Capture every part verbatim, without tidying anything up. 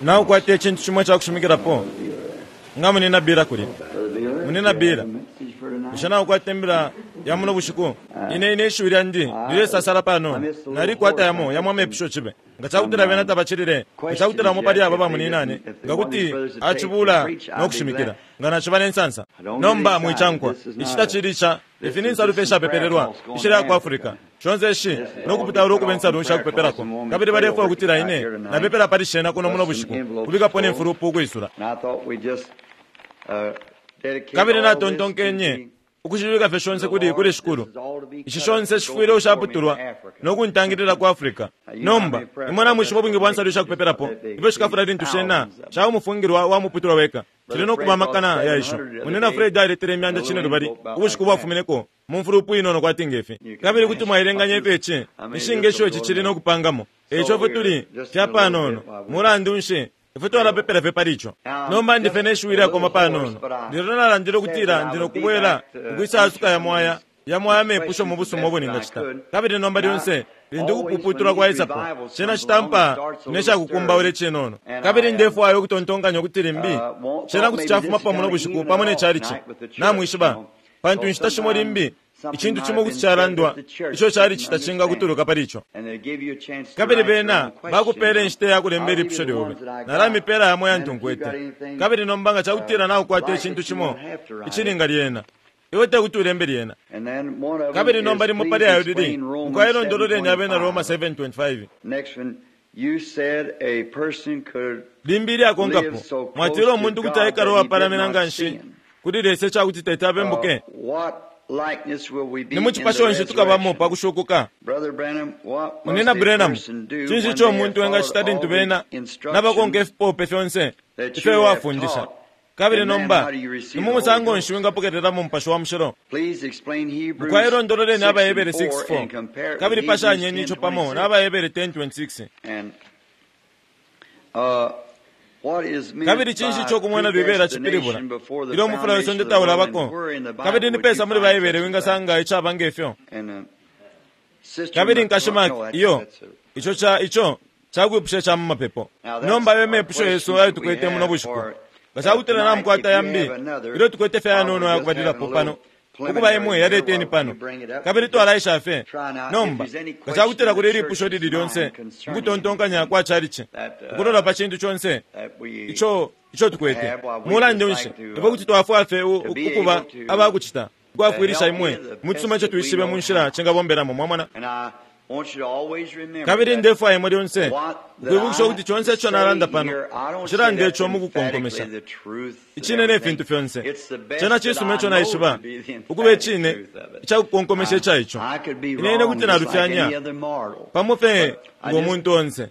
Naukwata icintu cimo icakushimikilapo nga munina Bira kulya. Munina Bira, bushe naukwata imbila ya muno bushiku? Ine ine ishiwi lyandi lilesasala panono. Nalikwata yamo yamo amepusho cibe. Nga cakutila bena tabacilile, nga cakutila umo pali aba bamuninane, nga kuti acibula no kushimikila, nga naciba ne nsansa. Nomba mwicankwa, ici tacili ica ifi ni nsalu fye ishapepelelwa ishili ku Africa. Shonse ishi no kuputaula ukuba insalu shakupepelako, kabili balefwaya ukutila ine napepela pali shena kuno muno bushiku, kubikapo ne mfulupu ukwisula. Kabili natontonkenye ukushibika fye shonse kuli kuli Shikulu. Ishi shonse shifwile ushaputulwa no kuntangilila ku Africa. Nomba imwe namwishiba ubwingi bwa nsalu ishakupepelapo ifyo shikafula lintu shena shaba umufungilwa wa muputulwa weka. Cili no kuba amakana ya isho. Munina Fred aletele imyanda cine lubali ubushiku bwafumineko mu mfulupu inono kwati ngefi. Kabili kuti mwaelenganya ifyo ici inshinga isho ici cili no kupangamo. Eico ifwe tuli fya panono. Mulandu nshi ifwe twalapepela fye pali ico. Nomba ndife ne shiwi lyakoma panono. Lelo nalandile ukutila ndi no kubwela ukwisa asuka yamo aya yamo aya mepusho mu busuma ubo ningacita. Kabili nomba lyonse lintu ukupuputulwa kwaisapo, cena citampa ne cakukumbaula icinono. Kabili ndefwaya ukutontonkanya ukuti limbi cena kuti cafumapo muno bushiku pamo ne calici. Namwishiba, pantu inshita shimo limbi icintu cimo kuti calandwa ico calici tacingakutuluka pali ico. Kabili bena bakupela inshita ya kulemba ilipusho lyobe. Nalamipela yamo yantu nkwete. Kabili nomba nga cakutila naukwata icintu cimo icilinga lyena, iwe tekuti ulembe lyena. Kabili nomba limo pali ayo lili mukwai londololeni Abena Roma seven twenty-five. Limbi ilyakonkapo, mwatila umuntu kuti aikala uwapalamina nga nshi kuli Lesa icakuti teti abembuke. Ni mu cipasho nshi tukabamo pa kushukuka? Munina Branham, cinshi ico umuntu engacita lintu bena nabakonka ifipope fyonse ifyo iwe wafundisha? Kabili nomba ni mu musango nshi wingapokelelamo Mupashi wa Mushilo? Mukwai londololeni Abahebere six four, kabili pashanyeni ico pamo na Abahebere ten twenty-six. Kabili cinshi ico kumwena libela cipilibula ilyo umufula wesonde taulabako? Kabili ni pesa muli Baibele wingasanga icaba ngefyo? Kabili nkashi Mark, iyo ico ca ico cakwipusha ca mu mapepo. Nomba ayo mepusho yesu ayo tukwete muno bushiku. Nga cakutila namukwata yambi ilyo tukwete fye ayanono ayakubalilapo pano, ukuba imwe yaleteni pano, kabili twalaisha fye. Nomba nga cakutila kuli ilipusho lili lyonse mukutontonkanya kwa calici, ukulola pa cintu conse ico ico tukwete, mulandu nshi ifwe kuti twafwa fye ukuba abakucita ukwafwilisha imwe mu cisuma ico twishibe mu nshila cingabombelamo. Mwamona? Kabili ndefwaya imwe lyonse ukwibukisha ukuti conse ico nalanda pano nshilanda ico mu kukonkomesha icine ne fintu fyonse. Cena cisuma ico naishiba ukuba icine icakukonkomesha ica ico. Ine ine kuti nalufyanya pamo fye ngo muntu onse.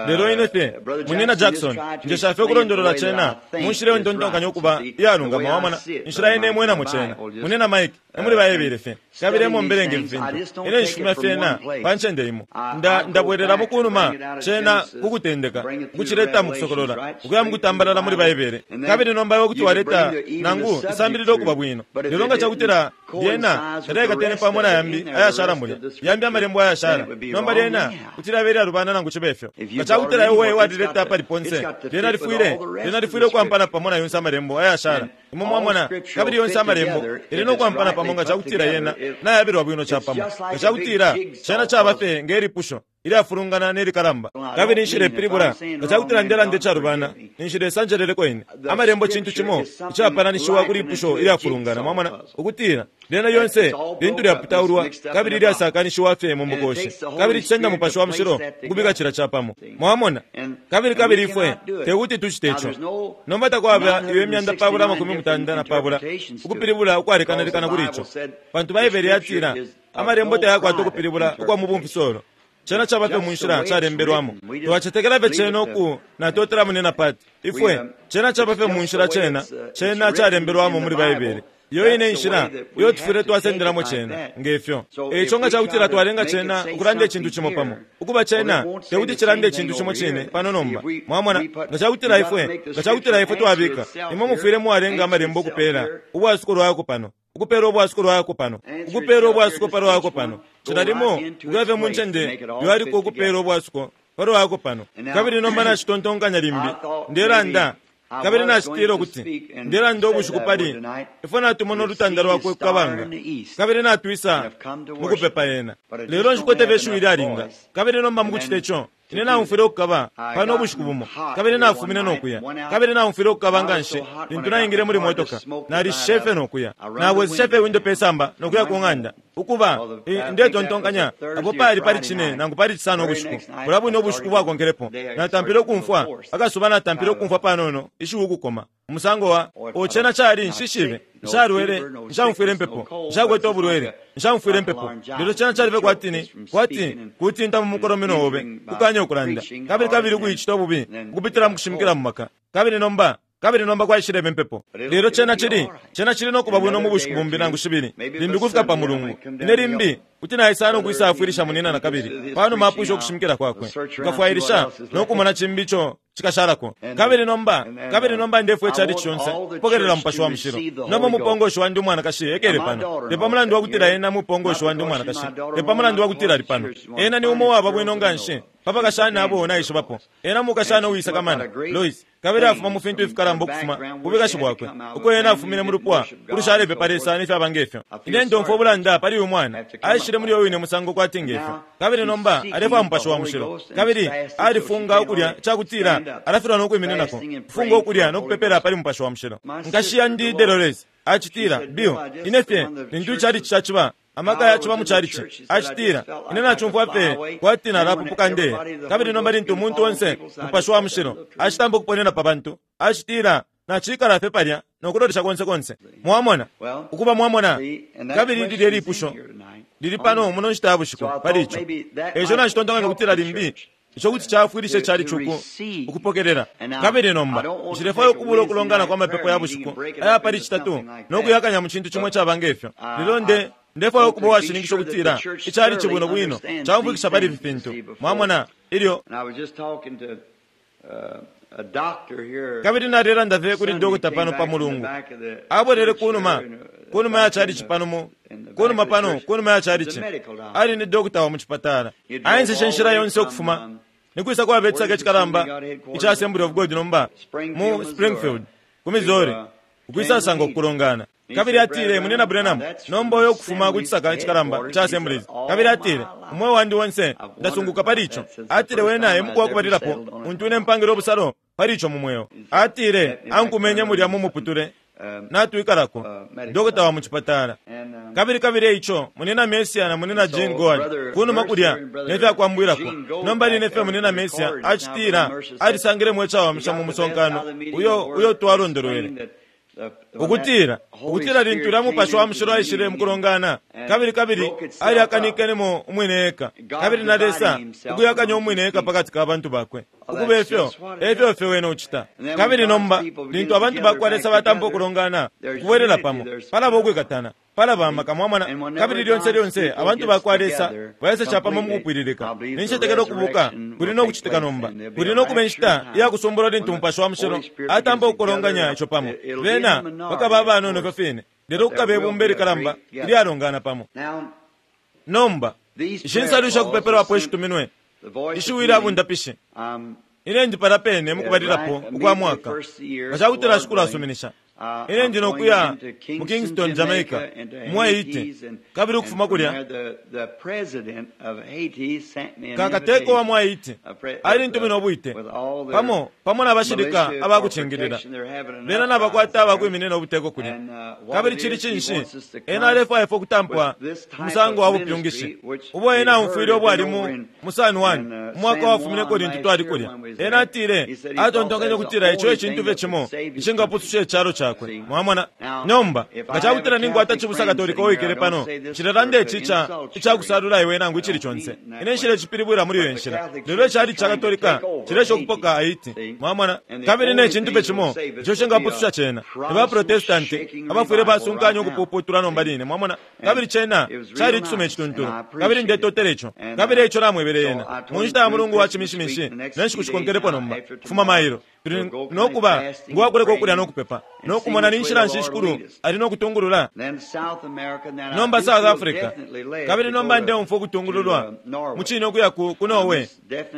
Lelo ine fye munina Jackson njesha fye ukulondolola cena mu nshila iyo ntontonkanya ukuba iyalungama. Wamona inshila ine imwenamo cena. Munina Mike emuli Baebele fye, kabili emo mbelenge ifintu. Ine nshifumya fyena pa ncende imo. Nda ndabwelelamo kunuma cena kukutendeka ukucileta mu kusokolola, ukuya mu kutambalala muli Baebele. Kabili nomba iwe kuti waleta nangu isambililo ukuba bwino. Lelo nga cakutila lyena talyakatene pamo na yambi ayashala mulya, yambi amalembo ayashala, nomba lyena kuti lyabe ilyalubana nangu cibe fyo. Nga cakutila iwe walileta pali ponse, lyena lifwile lyena lifwile ukwampana pamo na yonse amalembo ayashala. Imwe mwamona, kabili yonse amalembo ili no kwampana pamo nga cakutila yena nayabilwa bwino capamo. Nga cakutila cena caba fye nge lipusho ilyafulungana ne likalamba, kabili nshilepilibula nga cakutila ndelanda icalubana, ninshi Lesa anjeleleko ine. Amalembo cintu cimo icapalanishiwa kuli lipusho ilyafulungana. Mwamona ukutila lyena lyonse lintu lyaputaulwa kabili lyasakanishiwa fye mu mukoshi, kabili cisenda Mupashi wa Mushilo ukubika cila capamo. Mwamona? Kabili kabili ifwe tekuti tucite ico. Nomba takwaba iyo imyanda pabula amakumi mutanda na pabula ukupilibula ukwalekanalekana kuli ico, pantu Baibele yatila amalembo tayakwata ukupilibula ukwa mu bumfisolo. Cena caba fye mu nshila calembelwamo. Twacetekela fye cena uku natotela munina Pati. Ifwe cena caba fye mu nshila cena cena calembelwamo muli Baibele. Iyo ine inshila iyo tufwile twasendelamo cena ngefyo. Eico nga cakutila twalenga cena ukulanda icintu cimo pamo, ukuba cena tekuti cilande icintu cimo cine pano nomba. Mwamona, nga cakutila ifwe nga cakutila ifwe twabika, imwe mufwile mwalenga amalembo ukupela ubwasuko lwako pano, ukupela ubwasuko lwako pano, ukupela ubwasuko palwako pano. Cila limo ukuya fye mu ncende lyaliko ukupela ubwasuko Palwako pano. Kabili nomba nacitontonkanya limbi ndelanda kabili nacitila ukuti ndelanda ubushiku pali ifwe natumona ulutanda lwakwe kukabanga kabili natwisa mukupepa ena. Lelo nshikwete fye ishiwi lyalinga kabili nomba mukucita ico ine naumfwile ukukaba pano ubushiku bumo kabili nafumine nokuya kabili naumfwile ukukaba nga nshi lintu naingile muli motoka nalishishe fye nokuya nabweseshe fye windo pesamba nokuya ku ng'anda ukuba ndetontonkanya apo pali pali cine nangu pali cisano ubushiku bula bwine ubushiku bwakonkelepo natampile ukumfwa akasuba natampile ukumfwa panono ishiwi ukukoma umusango wa ocena cali nshishibe nshalwele nshaumfwile impepo nshakwete ubulwele nshaumfwile impepo lelo cena calife kwatini kwati kutinta mu mukolomino obe kukanya ukulanda kabili kabili ukuicita ububi ukupitila mu kushimikila mu maka kabili nomba kabili nomba kwaishileba impepo. Lelo cena cili cena cili nokuba bwino mu bushiku bumbi nangu shibili limbi kufika pa mulungu ine limbi kuti naisana ukwisa afwilisha munina na kabili panuma apwisha ukushimikila kwakwe nkafwailisha nokumona cimbi ico cikashalako. Kabili nomba kabili nomba ndefwe icali conse kupokelela mupashi wa mushilo. Nomba umupongoshi wandi umwanakashi ekele pano te pamulandu wakutila ena mupongoshi wandi umwanakashi te pamulandu wakutila ali pano ena ni umo waba bwino nga nshi papakashana abo naishibapo ena mukashana uwisakamana Lois kabili afuma mu fintu ifikalamba ukufuma kubikashi bwakwe uko ena afumine mu lupwa ulushalepepa Lesa n'ifyaba ngefyo. Ine ndomfwa ubulanda pali uyu mwana aishile muli uyo wine musango kwati ngefyo kabili nomba alefwaya mupashi wa mushilo kabili alifunga ukulya cakutila alafilwa nokwimininako kufunga ukulya nokupepela pali mupashi wa mushilo. Nkashi yandi Dolores acitila Bill ine fye lintu icali caciba amaka yaciba mu chalichi acitila ine nacumfwa fye kwati nalapupuka ndeya. Kabili nomba lintu umuntu onse mupashi wa mushilo acitamba ukuponena pa bantu acitila nacikala fye palya nokulolesha konse konse. Mwamona ukuba mwamona kabili lilye lipusho lili pano muno nshita ya bushiku pali ico eco nacitontonkanya kutila limbi ico kuti cafwilisha icali uku ukupokelela. Kabili nomba nshilefwaya ukubula ukulongana kwa mapepo ya bushiku aya pali citatu nokuyakanya mu cintu cimwe caba ngefyo. Lelo nde ndefwaya ukuba uwashininkisha ukutila icali cibwino bwino caumfwikisha pali ifi fintu mwamona ilyo. Kabili nalelanda fye kuli dokota pano pa mulungu abwelele kunuma kunuma ya chalichi pano mu kunuma pano kunuma ya chalichi ali ni dokota wa muchipatala aenseshe nshila yonse ukufuma nikwisa kwabetsaka ecikalamba ica Assembly of God nomba mu Springfield ku Missouri ukwisasanga okukulongana. Kabili atile munina Branham nomba oyo okufuma ku cisaka ecikalamba ica Assemblies. Kabili atile umweo wandi wonse ndasunguka pali ico. Atile wena emuku wakubalilapo untu ine mpangile obusalo pali ico mu mweo. Atile ankumenye mulya mu muputule natwikalako dokota wa muchipatala. Kabili kabili eico munina Mesia na munina Jean Goad kunuma kulya nefyakwambwilako nomba line fye munina Mesia acitila alisangilemo ecawamisha mu musonkano uyo uyo twalondolwele ukutila ukutila lintu lya mupashi wa mushilo aishile mukulongana kabili kabili aliakanikenemo umwine eka kabili na Lesa ukuyakanya umwine eka pakati ka bantu bakwe ukuba efyo efyo fye wene ucita. Kabili nomba lintu abantu bakwa Lesa batampa ukulongana ukubwelela pamo palaba ukwikatana palaba amaka mwamona. Kabili lyonse lyonse abantu bakwa Lesa baesesha pamo mukupwililika nincetekela ukubuka kuli nokucitika nomba kuli nokuba inshita iyakusumbula lintu mupashi wa mushilo atampa ukukolonganya ico pamo bena bakaba abanono ifyo fine lelo kukaba ibumba ilikalamba ilyalongana pamo. Nomba ishi nsalu ishakupepelwapo ishituminwe ishiwi lyabundapishi ine ndi pala pene mukubalilapo ukwa mwaka nga cakutila shikulu asuminisha ine ndi nokuya mu Kingston, Jamaica mu Haiti kabili ukufuma kulya kakateko wa mu Haiti alintumina obwite pamo pamo n'abashilika abakucingilila bena nabakwata abakwiminina obuteko kulya. Kabili cili cinshi ena alefwaya ifwe okutampwa umusango wa bupyungishi ubo ena aumfwile obwali mu mu San Juan umwaka wafumineko lintu twali kulya. Ena atile atontonkenye okutila ico ecintu fye cimo icingapususha ecalo cakwe mwamona. Nomba nga cakutila ninkwata cibusa Katolika uwikele pano nshilelanda ici ica icakusalula iwe nangu icili conse ine nshila ecipilibwila muli iyo nshila lelo icali ca Katolika cilesha okupoka Haiti mwamona. Kabili ne cintu fye cimo ico cingapususha cena ni ba Protestanti abafwile basunkanya ukupuputula nomba line mwamona. Kabili cena cali icisuma ecituntulu kabili ndetotela ico kabili eico namwebele ena mu nshita ya mulungu wa cimishimishi ne nshiku shikonkelepo nomba kufuma mailo Tuli nokuba ngwakuleka ukulya nokupepa nokumona ni nshila nshi Shikulu ali nokutungulula. Nomba South Africa, kabili nomba ndeumfwa ukutungululwa mucine ukuya ku, ku Norway.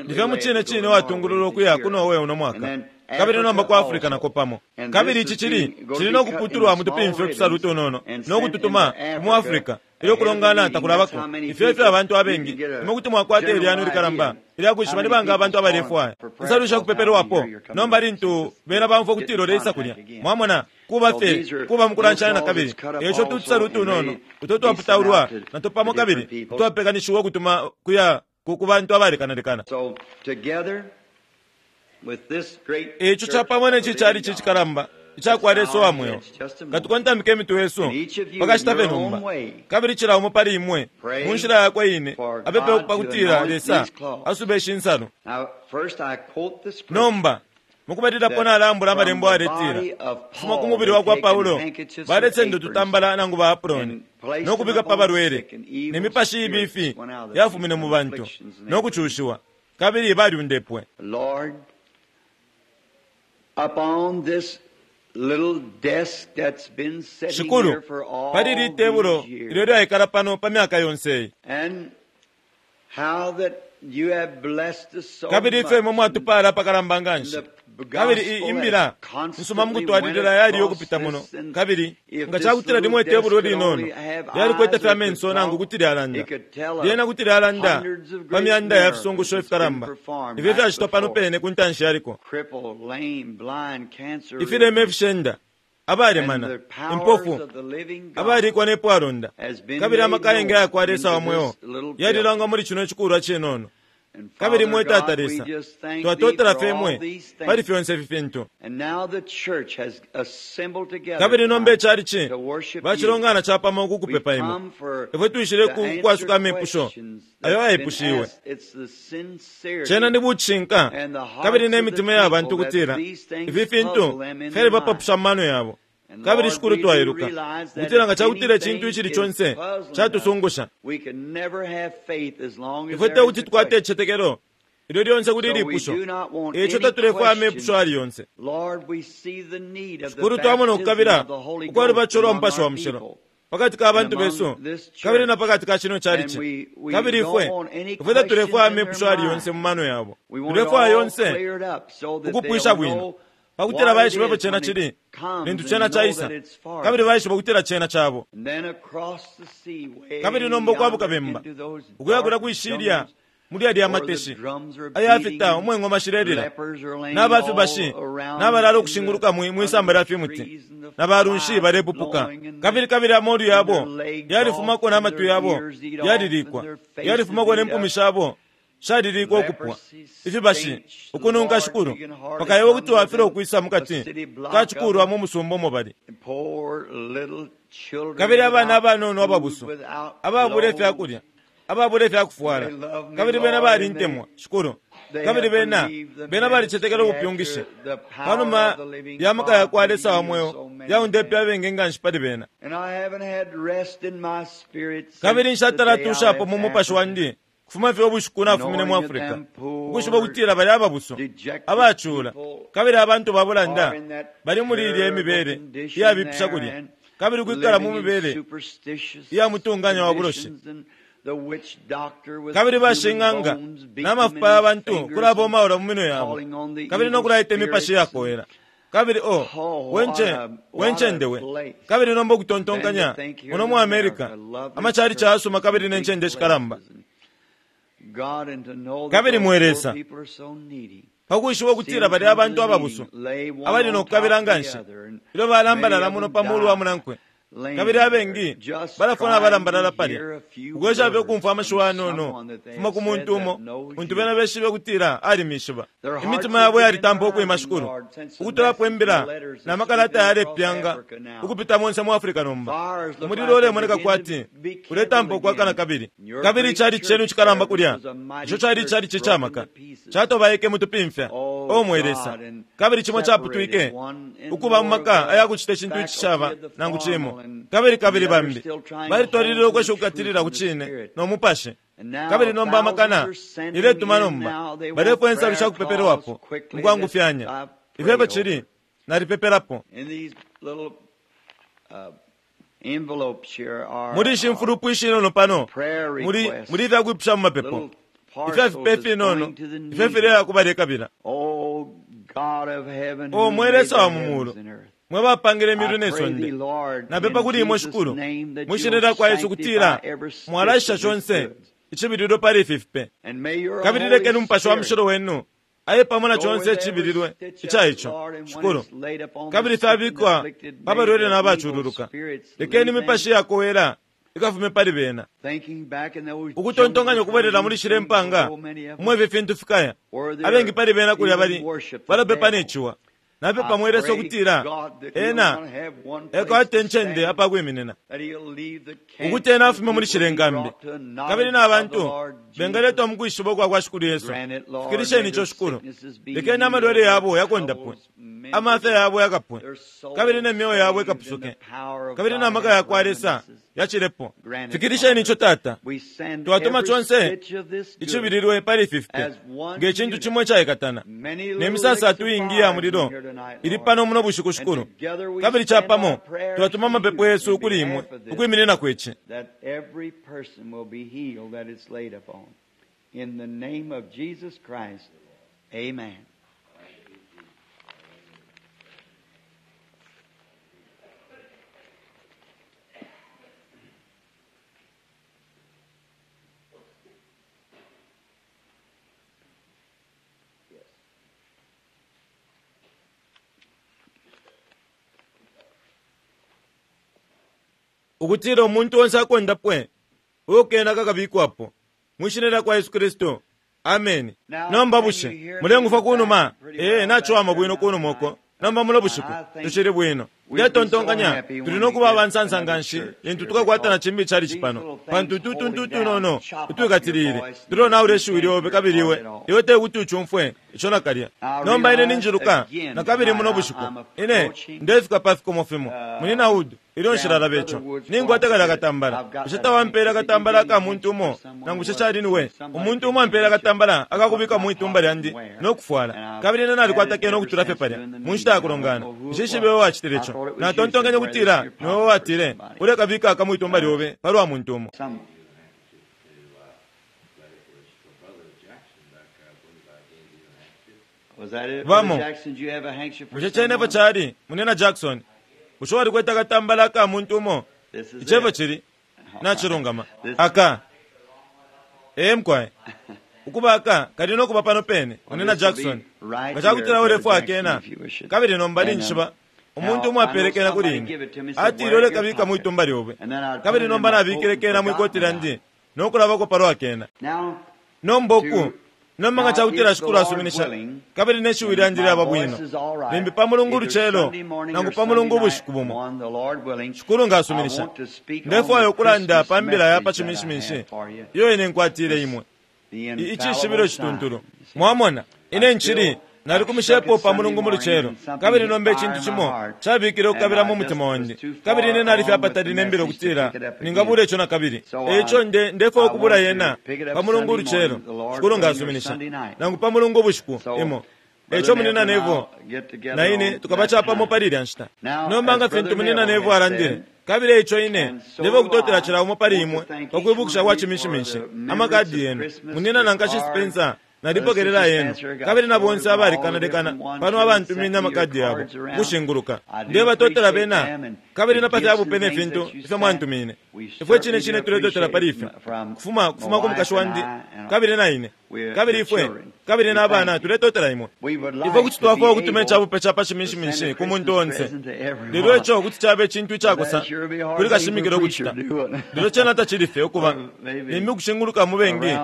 Ndifye mucine cine watungululwa ukuya ku Norway uno mwaka, kabili nomba ku Africa nako pamo. Kabili ici cili cili nokuputulwa mutupimfya utusalu utunono nokututuma mu Africa ilyo kulongana takulabako. Ifyo ifyo abantu abengi imwe kuti mwakwata ilyano likalamba ilya kwishiba ni banga abantu abalefwaya insalu shakupepelwapo. Nomba lintu bena bamfwa ukutila uleisa kulya, mwamona, kuba fye kuba mukulanshanya na kabili. Eico tutusalu utunono uto twaputaulwa nato pamo kabili twapekanishiwa ukutuma kuya ku bantu abalekanalekana. Eico capamo neci cali cikalamba icakwa Lesa wa mweo. Katukontamike imitwe yesu pakashita fye nomba, kabili cila umo pali imwe mu nshila yakwe ine apepe pakutila Lesa asube ishi nsalu. Nomba mukubalilapo nalambula amalembo aletila kufuma ku mubili wakwa Paulo balesenda ututambala nangu ba aproni nokubika pa balwele, ne mipashi ibifi yafumine mu bantu nokucushiwa, kabili balyundepwe. Upon this little desk that's been sitting Shikulu, here for all pali ili tebulo these years, ilyo lyaikala pano pa myaka yonse iyi, and how that you have blessed us so kabili ifyo imwe much, mwatupala apakalamba nganshi, and the kabili gospel i imbila has nsuma constantly mukutwalilila went yali across yokupita muno. this, and Kabili if nga this cakutila little limwe tebulo desk could linono only have lyalikwete eyes fye or amenso could nangu talk, kuti lyalanda, it could tell of lyena kuti lyalanda hundreds of pa great myanda ya miracles fisungusho that's been ifikalamba performed ifyo right fyacitwa pano before. pene ku ntanshi yaliko. Crippled, lame, blind, cancer Ifilema ridden, ifishenda, abalemana, and the powers impofu, of the living God abalikwa nepwalonda, has been kabili made amaka ayengi known ayakwa Lesa wa into mweo this little yalilangwa muli chino chikulwa chinono. And Kabili Father mwe Tata God, we Lesa, just thank thee twatotela for fye all mwe these pali things. fyonse ifi fintu. And now the church has assembled together Kabili nomba tonight icali ci to worship you. bacilongana capamo We kukupepa imwe. come for Ifwe twishile to ku answer kwasuka amepusho questions ayo that's been ayepushiwe. asked. It's the sincerity Cena ni bucinka and the hearts kabili ne of the mitima ya bantu people that kutila these things ifi fintu puzzle them in fyali their mind. bapapusha mu mano yabo. And Kabili Lord, Shikulu we do twailuka realize that kutila nga if cakutila icintu anything icili is conse puzzling us, catusungusha. we can never have faith as long as Ifwe there te is kuti a tukwate question. icicetekelo ilyo lyonse kuli So we ilipusho. do not want Eico any tatulefwaya question. amepusho ali yonse. Lord, we see the need of the Shikulu twamona baptism ukukabila of the Holy ukwali Ghost bacho lwa among Mupashi wa our Mushilo people pakati ka and bantu among besu this kabili church. na pakati ka chino And chalichi. we, we Kabili don't ifwe want any ifwe questions tatulefwaya in their amepusho ali yonse mind. mu mano yabo. We want it Tulefwaya all yonse cleared up so that ukupwisha they'll bwino know pakutila what it baishiba ifyo is cena when chili it comes lintu and cena know caisa, that it's for kabili them. baishiba ukutila cena cabo. And then across the sea, way Kabili nomba ukwabuka yonder bemba into those ukuya kulya dark kwishilya jungles muli alya where the mateshi drums are ayafita beating and umwengoma shilelila, lepers are laying n'abafibashi all around n'abalala in the ukushinguluka mwi under mwisamba the lya fimuti trees and the na balunshi flies balepupuka, blowing and the kabili kabili amolu and yabo their legs off yalifumako and n'amatwi their yabo ears eat off and yalilikwa, their faces yalifumako eat up. n'empumi shabo shalilikwa ukupwa, Leprosy ifibashi stench, the ukununka Lord, Shikulu you can hardly paka iwe come kuti wafila within ukwisa a mukati city block of kachikulwa them. mu musumba omo bali. And poor little children Kabili abana without abanono food, ababusu without ababula clothes. ifyakulya, ababula ifyakufwala, They love me, kabili bena Lord, and they balintemwa Shikulu, they kabili have bena believed the bena balicetekela ministry ubupyungishi after the power panuma of the living ya maka ya God kwa to Lesa wa heal mweo so many yaundepe men. abengi nganshi pali bena. And I haven't had rest in my spirit Kabili since the nshatala day I tushapo left mu mupashi Africa, wandi kufuma fye ubushiku nafumine mu knowing that Africa, them ukwishiba poor, ukutila bali ababusu dejected abacula people kabili abantu babulanda are in that bali muli ilya terrible imibele condition iyabipisha there kulya and kabili kwikala mu living in mibele superstitious iya mutunganya wa buloshi. conditions and the witch doctor with Kabili human bashing'anga bones beating them n'amafupa in his y'abantu fingers and kulabomaula mu minwe yabo calling on the kabili evil nokulaita imipashi spirits and yakowela. Kabili o oh, what wenche a what a wencende we. place. Kabili nomba Then to ukutontonkanya think here muno in mu America, America lovely amachali churches chasuma kabili and big n'encende shikalamba. places and God, and to know that Kabili those mwe poor Lesa, people are so needy. pakwishiba See ukutila them bali come to abantu the ababusu meeting, lay one abali on nokukabila top of the nganshi other, and ilyo many balambalala of muno them pa mulu wa die munankwe, laying kabili there, abengi just balafuna trying abalambalala to palya hear a few ukwesha fye words ukumfwa from amashiwi anono someone that they kufuma have ku said muntu that umo knows untu you. bena beshibe kutila alimishiba. Their hearts Imitima have yabo begun yalitampa ukwima rising, Shikulu Lord, since the ukutolapo message and the imbila letters na are makalata sweeping across yalepyanga Africa now. ukupita monse mu Africa nomba. Fires look Umulilo like they ulemoneka begin to kwati be kindled uletampa ukwakana again. kabili. And your Kabili great chali chenu church chikalamba there, which kulya was a mighty ico chali church, chali broken to cicamaka pieces. chatobaike mutupimfya Oh o mwe Lesa, God, and kabili chimo separated chaputwike one in ukuba mu more of maka the ayakuchita icintu faculty icishaba of the nangu formal chimo and kabili and kabili the others bambi still trying to balitwalilila hold to ukwesha the truth ukukatilila and ku the cine spirit. no mupashi. And now Kabili nomba thousands amakana are sending iletuma in nomba now. They want balefwa insalu prayer shakupepelwapo calls quickly. That mukwangufyanya I Ifyo cili nalipepelapo. Muli ishi mfulupu ishinono pano muli muli ifyakwipusha mu mapepo, ifya fipe finono ifyo fileya kubalekabila. O mwe Lesa wa mu mulu, mwe bapangile imilu ne sonde, napepa kuli imwe Shikulu mwishina lya kwa Yesu kutila mwalaisha shonse icibililo pali ifi fipe, kabili lekeni Umupashi wa Mushilo wenu aye pamo na chonse icibililwe ica ico Shikulu, kabili fyabikwa pa balwele na bachululuka. Lekeni imipashi yakowela ikafume pali bena. Ukutontonkanya ukubwelela muli shile mpanga umwe ifi fintu fikaya, abengi pali bena kulya bali balapepa ne ciwa. Napepa mwe Lesa ukutila ena ekwate ncende apakwiminina, ukuti ena afume muli shile nkambi, kabili na bantu bengaletwa mukwishiba ukwa kwa Shikulu Yesu. Fikilisheni ico Shikulu. Lekeni amalwele yabo yakondapwe, amafya yabo yakapwe, kabili ne myoyo yabo ikapusuke, kabili na maka yakwa Lesa yacilepo. Fikilisheni ico Tata. Twatuma chonse icibililwe pali ifi fipe nge cintu cimwe icaikatana ne misasa atuingi ya mulilo ili pano muno bushiku Shikulu, kabili capamo twatuma amapepo yesu kuli imwe ukwiminina kwici. In the name of Jesus Christ, amen. Ukutila umuntu onse akondapwe uyo kena kakabikwapo mwishina lya kwa Yesu Kristu, ameni. Nomba bushe mulengufa kunuma? Ee, nachiwama bwino kunuma uko. Nomba muno bushiku tushili bwino. Ndetontonkanya tuli nokuba abansansa nganshi lintu tukakwatana chimbi chali chipano, pantu tutuntu tunono utwikatilile tulonaula ishiwi lyobe kabili iwe iwe tekuti uchumfwe ico nakalya. Nomba ine ninjiluka nakabili muno bushiku ine ndefika pa fikomo fimo munina Wood ilyo nshilalaba ico ningwata akatambala. Bushe tawampela akatambala aka muntu umo nangu bushe cali niwe umuntu umo ampela akatambala akakubika mu itumba lyandi nokufwala, kabili ine nalikwata kene okutula fye palya mu nshita ya kulongana. Nshishibe we wacitile ico. Natontonkanya kutila niwe watile ulekabika aka mu itumba lyobe palwa muntu umo. Vamo bushe cenepo cali munina Jackson, bushe walikweta akatambala aka muntu umo? Icepo cili nachilungama aka ee mkwaye ukuba aka kali nokuba pano pene munina Jackson nga cakutila ulefwa akena kabili nomba ninjishiba umuntu umwe apelekena kuli ine atile ulekabika mwitumba lyobe, kabili nomba nabikile kena mwikoti lyandi nokulabako palwa akena. Nomba uku nomba nga cakutila Shikulu asuminisha kabili ne shiwi lyandi lyaba bwino, limbi pa mulungu ulucelo nangu pa mulungu ubushiku bumo, Shikulu nga asuminisha, ndefwaya ukulanda pa mbila ya pa chiminshiminshi iyo ine nkwatile imwe icishibilo cituntulu. Mwamona ine nchili nalikumishepo pa mulungu mulucelo, kabili nomba icintu cimo cabikile ukukabila mu mutima wandi, kabili ine nalifye apatali nembila ukutila ningabula ico nakabili. Eico nde ndefwaya ukubula yena pa mulungu ulucelo, Shikulu nga asuminisha, nangu pa mulungu ubushiku imo. Eico munina Nevo na ine tukaba capamo pali ilya nshita. Nomba nga fintu munina Nevo alandile, kabili eico ine ndefwaya ukutotela cila umo pali imwe pakwibukisha kwa chiminshiminshi amakadi yenu. Munina nankashi Spencer nalipokelela yenu, kabili na bonse abalikanalekana pano abantumine amakadi yabo kushinguluka. Ndebatotela bena kabili na pafya bupe ne fintu ifyo mwantumine. Ifwe cine cine tuletotela pali ifyo kufuma kufuma ku mukashi wandi kabili na ine kabili ifwe kabili na abana tuletotela imwe. Ifwe kuti twafwaya ukutuma icabupe ca pa chiminshiminshi ku muntu onse, lelo ico kuti cabe icintu icakosa kuli kashimikila ukucita. Lelo cena tacili fye ukuba limbi ukushinguluka mu bengi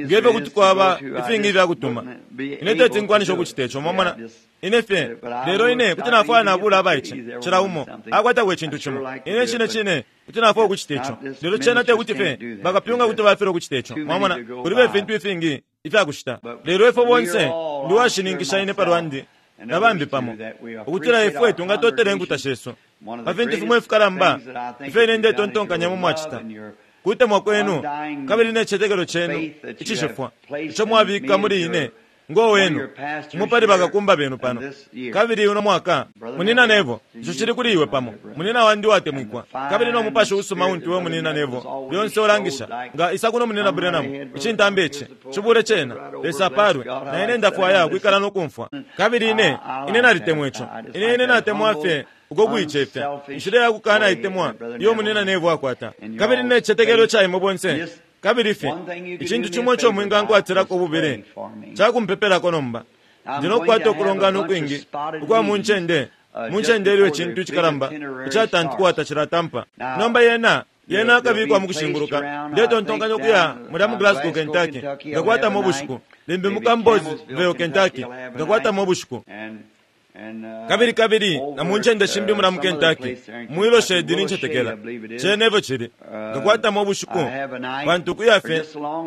ngefyo kuti kwaba ifingi ifyakutuma. Ine teti nkwanisha ukucita ico, mwamona ine fye. Lelo ine kuti nafwaya nabula abaice cila umo akwatako icintu cimo. Ine cine cine kuti nafwaya ukucita ico, lelo cena tekuti fye bakapyunga kuti bafilwa ukucita ico. Mwamona kulibe ifintu ifingi ifyakucita. Lelo ifwe bonse ndi washininkisha ine palwandi na bambi pamo ukutila ifwe tungatotela inkuta shesu pa fintu fimwe ifikalamba ifyo ine ndetontonkanya mu mwacita kutemwa kwenu kabili ne cicetekelo cenu icishifwa ico mwabika muli ine Ngo wenu umupali bakakumba benu pano kabili uno mwaka munina Nevo ico cili kuli iwe pamo munina wandi watemwikwa kabili no mupashi usuma untu we munina Nevo lyonse ulangisha nga isa kuno munina Branham icintambi ici cibule cena Lesa apalwe na ine ndafwaya kwikala nokumfwa kabili ine ine nalitemwa ico ine ine natemwa fye uko kuicefya inshila yakukana itemwa iyo munina Nevo akwata kabili ne cicetekelo ca imwe bonse kabili fye icintu chimwe ico mwingankwatirako bubili cakumpepelako nomba ndinokukwata ukulongana ukwingi ukwa muncende muncende iliyo icintu icikalamba icatantukwata cilatampa nomba yena yena akabikwa mukushinguluka ndetontonkanya ukuya mulya mu Glasgow Kentucky ngakwatamo ubushiku limbi mu Campbellsville Kentucky ngakwatamo ubushiku kabili kabili na muncende shimbi mula mu Kentucky mwilo shedi nincetekela cene efyo cili ngakwatamo ubushiku pantu kuya fye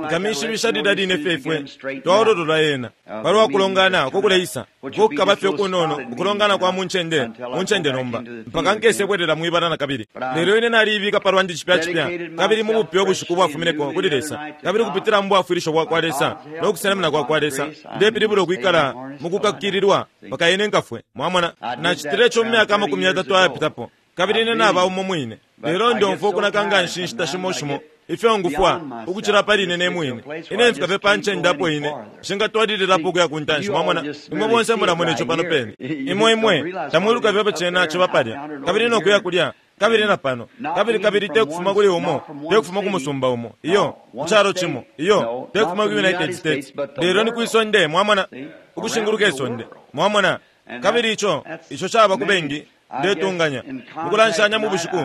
nkamishibisha lilya line fye ifwe twaololola yena palwa kulongana uko kuleisa kukaba fye kunono ukulongana kwa muncende muncende nomba mpaka nkese bwelela mwibala na kabili lelo ine naliibika palwandi cipya cipya kabili mu bupya ubushiku bwafumineko kuli Lesa kabili kupitila mu bwafwilisho bwa kwa Lesa no kusenamina kwa kwa Lesa ndepilibula ukwikala mukukakililwa mpaka ine nkafwe mwamona nacitile ico mu myaka amakumi yatatu ayapitapo kabili ine naba umo mwine lelo ndomfwa ukunaka nga nshi nshita shimo shimo ifyo ngufwa ukucila pali ine ne mwine ine mfika fye pa ncende apo ine nshingatwalililapo ukuya ku ntanshi mwamona imwe bonse mulamona ico pano pene imwe imwe tamwiluka fye cena ciba palya kabili nokuya kulya kabili na pano kabili kabili te kufuma kuli umo te kufuma ku musumba umo iyo ku calo cimo iyo te kufuma ku United States lelo ni kwisonde mwamona ukushinguluka isonde mwamona kabili ico ico caba ku bengi ndetunganya mukulanshanya mu bushiku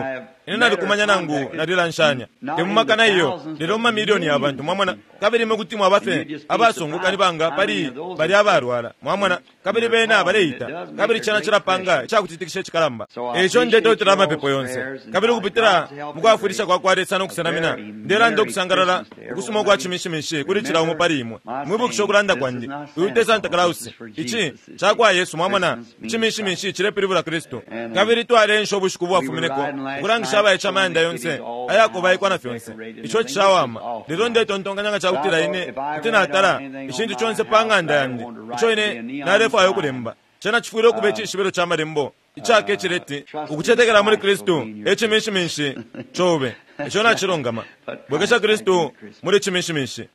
ine nalikumanya nangu nalilanshanya te mumakana iyo lelo mu mamiliyoni ya bantu mwamona kabili imwe kuti mwaba fye abasunguka ni banga pali bali abalwala mwamona kabili bena baleita kabili cena cilapanga icakutitikisha icikalamba ico ndetotela amapepo yonse kabili ukupitila mukwafwilisha kwa kwa Lesa nokusenamina ndelanda ukusangalala ukusuma ukwa cimishimishi kuli cila umo pali imwe mwibukisha ukulanda kwandi uyu te Santa Claus ici cakwa Yesu mwamona icimishimishi cilepilibula Kristu kabili twalensha ubushiku bwafumineko ukulangisha abayica amayanda yonse ayakubaikwa na fyonse ico cishawama lelo ndetontonkanya nga cakutila ine kuti natala icintu conse pa ng'anda yandi ico ine nalefwaya ukulemba cena cifwile ukuba icishibilo ca malembo icake cileti ukucetekela muli Kristu ecimishimishi cobe ico nacilungama bwekesha Kristu muli cimishimishi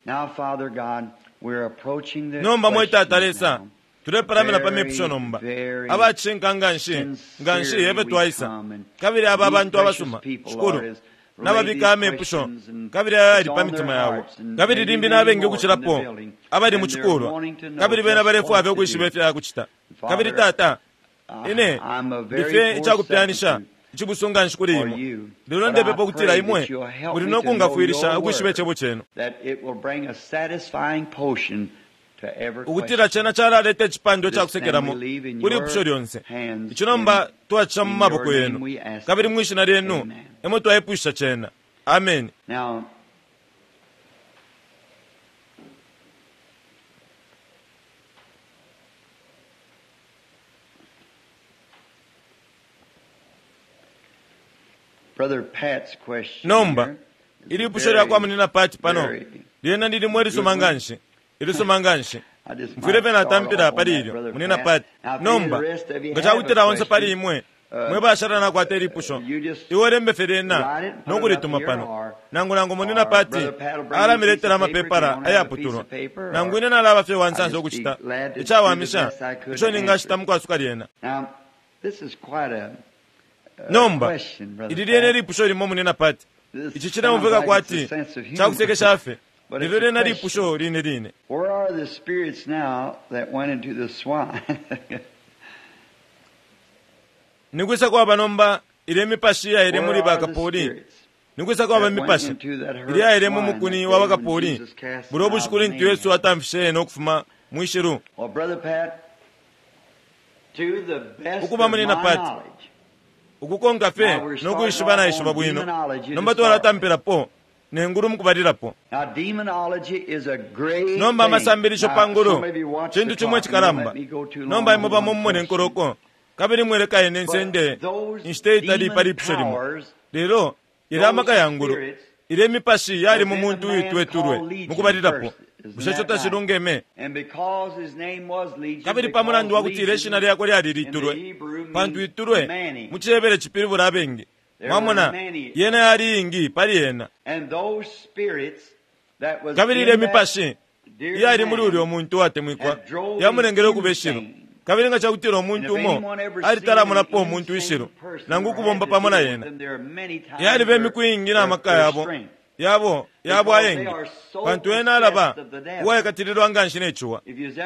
nomba mwe Tata Lesa tulepalamina pa mipusho nomba abacinka nganshi nganshi yebe twaisa kabili aba abantu abasuma shikulu nababika amepusho kabili ayo yali pa mitima yabo kabili limbi nabengi ukucilapo abali mu cikulwa kabili bena balefwaya fye ukwishiba ifya kucita kabili Tata ine ndife icakupyanisha icibusu nganshi kuli imwe lelo ndepepa ukutila imwe muli nokungafwilisha ukwishiba icebo cenu ukutila cena calaleta icipando cakusekelamo kuli ipusho lyonse ici nomba twacisha mu maboko yenu kabili mwishina lyenu emo twaipusha cena ameni nomba ili ipusho lyakwa munina Pati pano lyena lilimwe lisuma nganshi ilisuma nganshi mfwile fye natampila pali ilyo munina Pati nomba nga cakutila onse pali imwe mwe bashala nakwata ilipusho iwe lembe fye lyena nokulituma pano nangu nangu munina Pati alamiletela amapepala ayaputulwa nangu ine nalaba fye wansansa ukucita icawamisha ico ningacita mukwasuka lyena nomba ili lyene lipusho limo munina Pati ici cileumveka kwati cakusekesha fye lelo lyena lipusho line line Where are the spirits now that went into the swine? nikwisa kwaba nomba ile mipashi yaile muli bakapoli nikwisa kwaba mipashi ili yaile mu mukuni wa bakapoli buli obushiku lintu Yesu atamfishe ena ukufuma mwishilu Well, Brother Pat, to the best Ukuba of my munina Pat, knowledge, ukukonka fye nokuishiba naishiba bwino nomba twalatampilapo nengulu mukubalilapo Now, demonology is a great nomba thing. amasambilisho Now, pa ngulu some of you watch cintu the chimwe clock and don't chikalamba let me go too long nomba on imwe pamo one mumone question. nkoloko kabili mweleka ine nsende But those inshita itali demon pali ipusho limo powers, lelo ili amaka ya ngulu Ile mipashi yali mu muntu uitwetulwe mukubalilapo. Bushe ico tacilungeme? Kabili pa mulandu wa kutila ishina lyakwe lyali litulwe, pantu itulwe mu cihebere cipilibula abengi. Mwamona, yena yali ingi pali yena. Kabili ile mipashi iyali muli ulyo muntu watemwikwa yamulengele ukuba ishilu. Kabili nga cakutila umuntu umo alitalamonapo umuntu ishilu nangu ukubomba pamo na yena, yaliba imiku iingi na maka yabo yabo yabo ayengi, pantu ena alaba uwaikatililwa nganshi ne ciwa.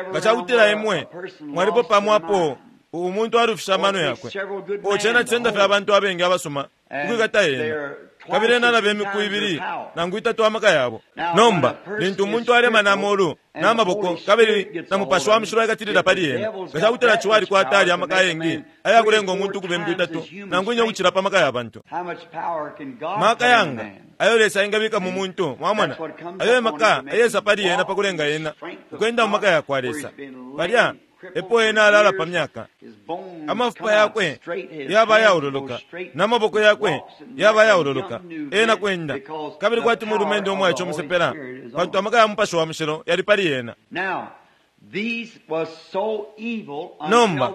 Nga cakutila imwe mwalipo pamo apo umuntu alufisha amano yakwe, o cena cisenda fye abantu abengi abasuma ukwikata yena, kabili ena alaba imiku ibili nangu itatu amaka yabo. Nomba lintu umuntu alema namolu namaboko kabili na Mupashi wa Mushilo aikatilila pali yena, nga cakutila ciwa alikwata ali amaka ayengi ayakulenga umuntu ukuba imiku itatu nangu ine ukucila pa maka ya bantu. Maka yanga ayo Lesa engabika mu muntu, mwamona, ayo maka ayesa pali yena pakulenga yena ukwenda mu maka yakwa Lesa. Palya epo ena alala pa myaka, amafupa yakwe yaba yaululuka namaboko yakwe yaba yaululuka, ena kwenda kabili kwati mulumende umwaice umusepela, pantu amaka ya Mupashi wa Mushilo yali pali yena. Nomba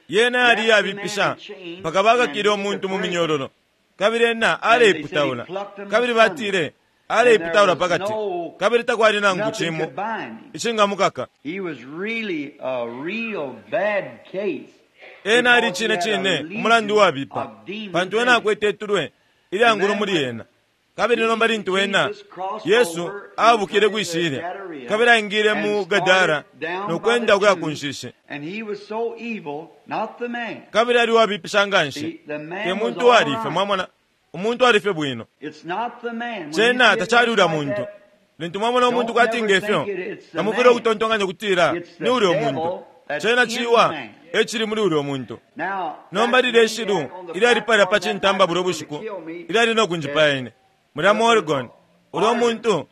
yena yali yabipisha mpaka bakakile umuntu mu minyololo, kabili ena aleiputaula, kabili batile aleiputaula pakati, kabili takwali nangu cimo icingamukaka. Ena ali cine cine umulandu wabipa, pantu ena akwete itulwe ilyangulu muli yena. Kabili nomba lintu ena Yesu abukile kwishilya, kabili aingile mu Gadara nokwenda ukuya ku nshishi, kabili ali wabipisha nganshi, te muntu walife. Mwamona, umuntu alife bwino, cena tacali ulya muntu. Lintu mwamona umuntu kwati ngefyo, tamufwile ukutontonkanya ukutila ni ulya umuntu. Cena ciwa ecili muli ulya umuntu. Nomba lilya ishilu ilyali palya pa cintamba bulyo bushiku ilyali nokunjipaya ine mulya mu Oregon, ulya muntu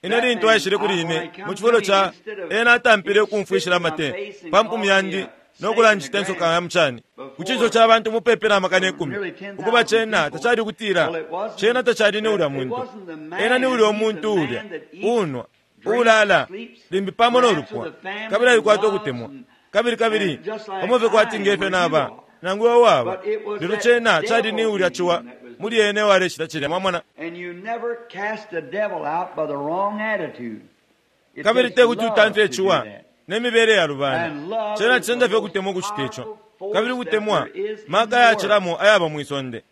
ine lintu aishile kuli ine mu cifulo ca ena atampile ukumfwishila amate pa mpumi yandi nokulanjita insoka ya mucani ku cinso ca bantu mupepi na makana ikumi. Ukuba cena tacali ukutila cena tacali ni ulya muntu, ena ni ulya umuntu ulya unwa ulala limbi pamo nolupwa, kabili alikwata ukutemwa, kabili kabili pamo fye kwati ngefyo naba nangu iwe waba. Lelo cena cali ni ulya ciwa muli ene waleshita cilya, mwamona. Kabili te kuti utamfye ciwa nemibele ya lubana, cena cisenda fye ukutemwa ukucita ico, kabili ukutemwa maka ayacilamo ayaba mwisonde.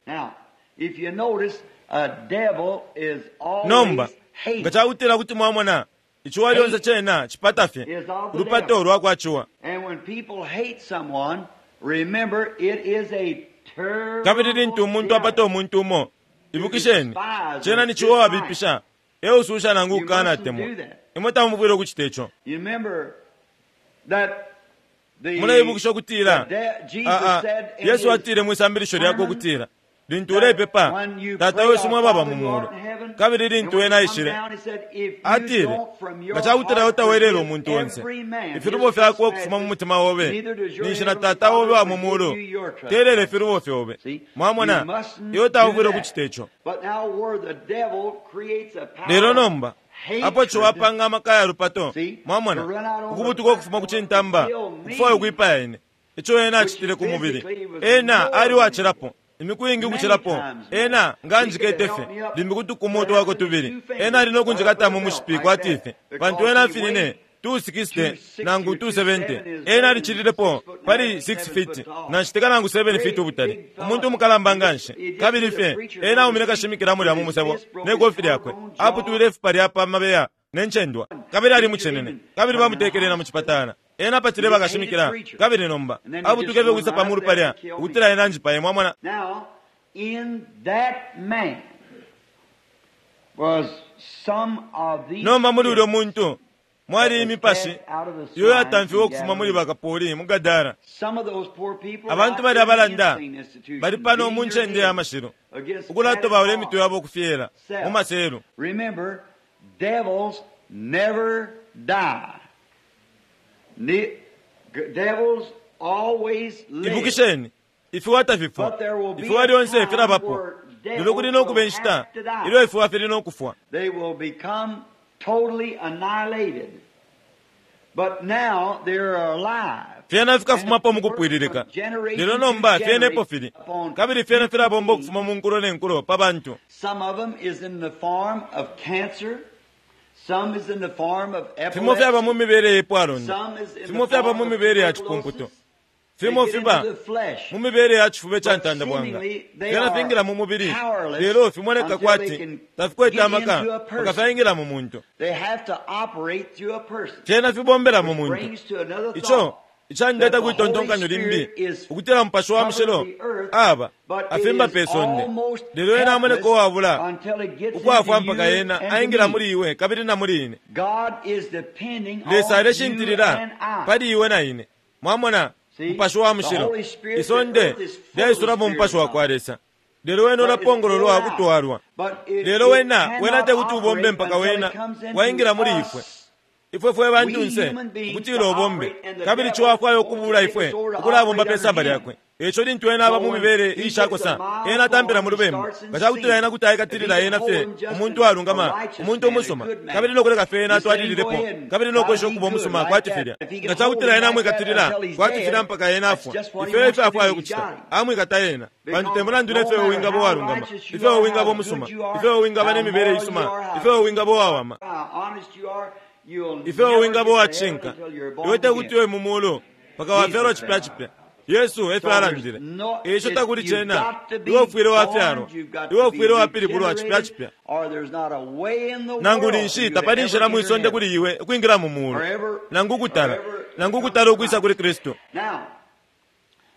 Nomba nga cakutila kuti mwamona iciwa lyonse cena cipata fye ulupato lwakwa ciwa. Kabili lintu umuntu apata umuntu umo, ibukisheni cena ni ciwa wabipisha eususha nangu ukukana atemwa. Imwe tamufwile ukucita ico. Muleibukisha ukutila Yesu atile mwisambilisho lyakwe ukutila lintu ulepepa, Tata wesu mwababa mu mulu, kabili lintu ena aishile atile nga cakutila utawelela umuntu onse ifilubo fyakwe ukufuma mu mutima obe, ninshi na Tata obe wa mu mulu telele ifilubo fyobe. Mwamona, iwe taufwile ukucita ico. Lelo nomba apo ciwapanga amaka ya lupato, mwamona, ukubutuka ukufuma ku cintamba ukufwaya ukwipaya ine, ico ena acitile ku mubili, ena ali wacilapo imiku ingi ukucilapo. Ena nga anjikete fye limbi kutukumu twako tubili, ena ali nokunjikata mu mushipi kwati fye, pantu ena afinine two sixty nangu two seventy, ena alicililepo pali six feet nanshiteka nangu seven feet ubutali, umuntu umukalamba nganshi. Kabili fye ena aumine kashimikila mulya mu musebo ne kofi lyakwe, aputwile ifupa lya pa mabeya ne ncendwa, kabili ali mucenene, kabili bamutekele na mu cipatala. Ena apatile bakashimikila, kabili nomba abutuke fye kwisa pa mulu palya ukutila ena anjipaye. Mwamona, nomba muli ulyo muntu mwali imipashi iyo yatamfiwe ukufuma muli bakapoli mu Gadara. Abantu bali abalanda bali pano mu ncende ya mashilo ukulatobaula imitwe yabo ukufyela mu maselu. Devils never die. Devils always live. Ibukisheni, ifiwa tafifwa, ifiwa lyonse filabapo. Lelo kuli no kuba inshita ilyo ifiwa fili no kufwa. They will become totally annihilated. But now they're alive. Fyena fikafumapo mukupwililika. Lelo nomba fyena epo fili. Kabili fyena filabomba ukufuma mu nkulo ne nkulo pa bantu. Some of them is in the form of cancer. Some is in the form of Fimo fyaba mu epilepsy. mibele yepwalonda. Some is in Fimo the fyaba form mu of mibele ya cipumputo. tuberculosis. They Fimo get fiba into the flesh. mu mibele ya chifuba cha But ntanda bwanga. seemingly they Fyena are fingila mu mubili. powerless Lelo fimoneka until they kwati can tafikwete get amaka into a person. mpaka fyaingila mu muntu. They have to operate through a person. Fyena fibombela mu muntu. Brings to another Ico thought. icandeta That the kwitontonkanyo Holy limbi Spirit is ukutila Mupashi wa Mushilo covered the earth, aba but it afimba is pe sonde. almost Lelo ena amoneka helpless uwabula until it gets ukwafwa into mpaka you ena and aingila me. muli iwe kabili na muli ine. God is depending Lesa on you aleshintilila and I. pali iwe na ine. Mwamona See, Mupashi wa the Mushilo Holy Spirit, the isonde earth is full of the lyaisulamo Spirit Mupashi of wa kwa God. Lesa. Lelo wena But it's ulapongololwa poured out. kutwalwa. But it, Lelo it wena wena cannot te kuti ubombe operate mpaka until wena it comes into waingila muli ifwe. us. Ifwe fwe We bantunse human beings ukutila to ubombe operate, and the kabili devil chiwafwayo wants to ukubula take ifwe us over to ukulabomba operate pe samba under him. lyakwe. Eco lintu ena aba So mu when mibele he gets a iishakosa mild ena atampila form, mu he lubembu. starts in Nga cakutila sin. ena kuti If he aikatilila can ena hold fye him just umuntu an, a alungama righteous umuntu man, a umusuma good man, kabili nokuleka fye ena just let him go atwalililepo ahead and kabili try to nokwesha be ukuba good umusuma like kwati that. filya. If he Nga can hold cakutila him ena like that amwikatilila until he's kwati dead, filya mpaka ena that's afwa. just what he Ifyo wants efyo to do. afwayo He's kucita got him. amwikata ena pantu te Because mulandu no nefyo matter wingaba how uwalungama righteous you ifyo are, wingaba how umusuma good you are, ifyo wingaba how ne mibele moral you isuma are, how, ifyo wingaba uwawama how honest you are, you'll ifyo never wingaba get to heaven uwacishinka until you're iwe born te kuti again. we mu mulu mpaka wafyalwa Jesus chipya said. chipya. Yesu efyo So there's alandile. no, Ico it, takuli you've cena got to iwe be ufwile born, wafyalwa you've got iwe to be ufwile wapilibulwa chipya regenerated, chipya. or there's not a way in the Nangu world for ninshi you to tapali ever nshila mwi enter sonde heaven kuli iwe ukwingila mu mulu or ever, nangu or kutala ever nangu come kutala to ukwisa Christ. kuli Kristu. Now,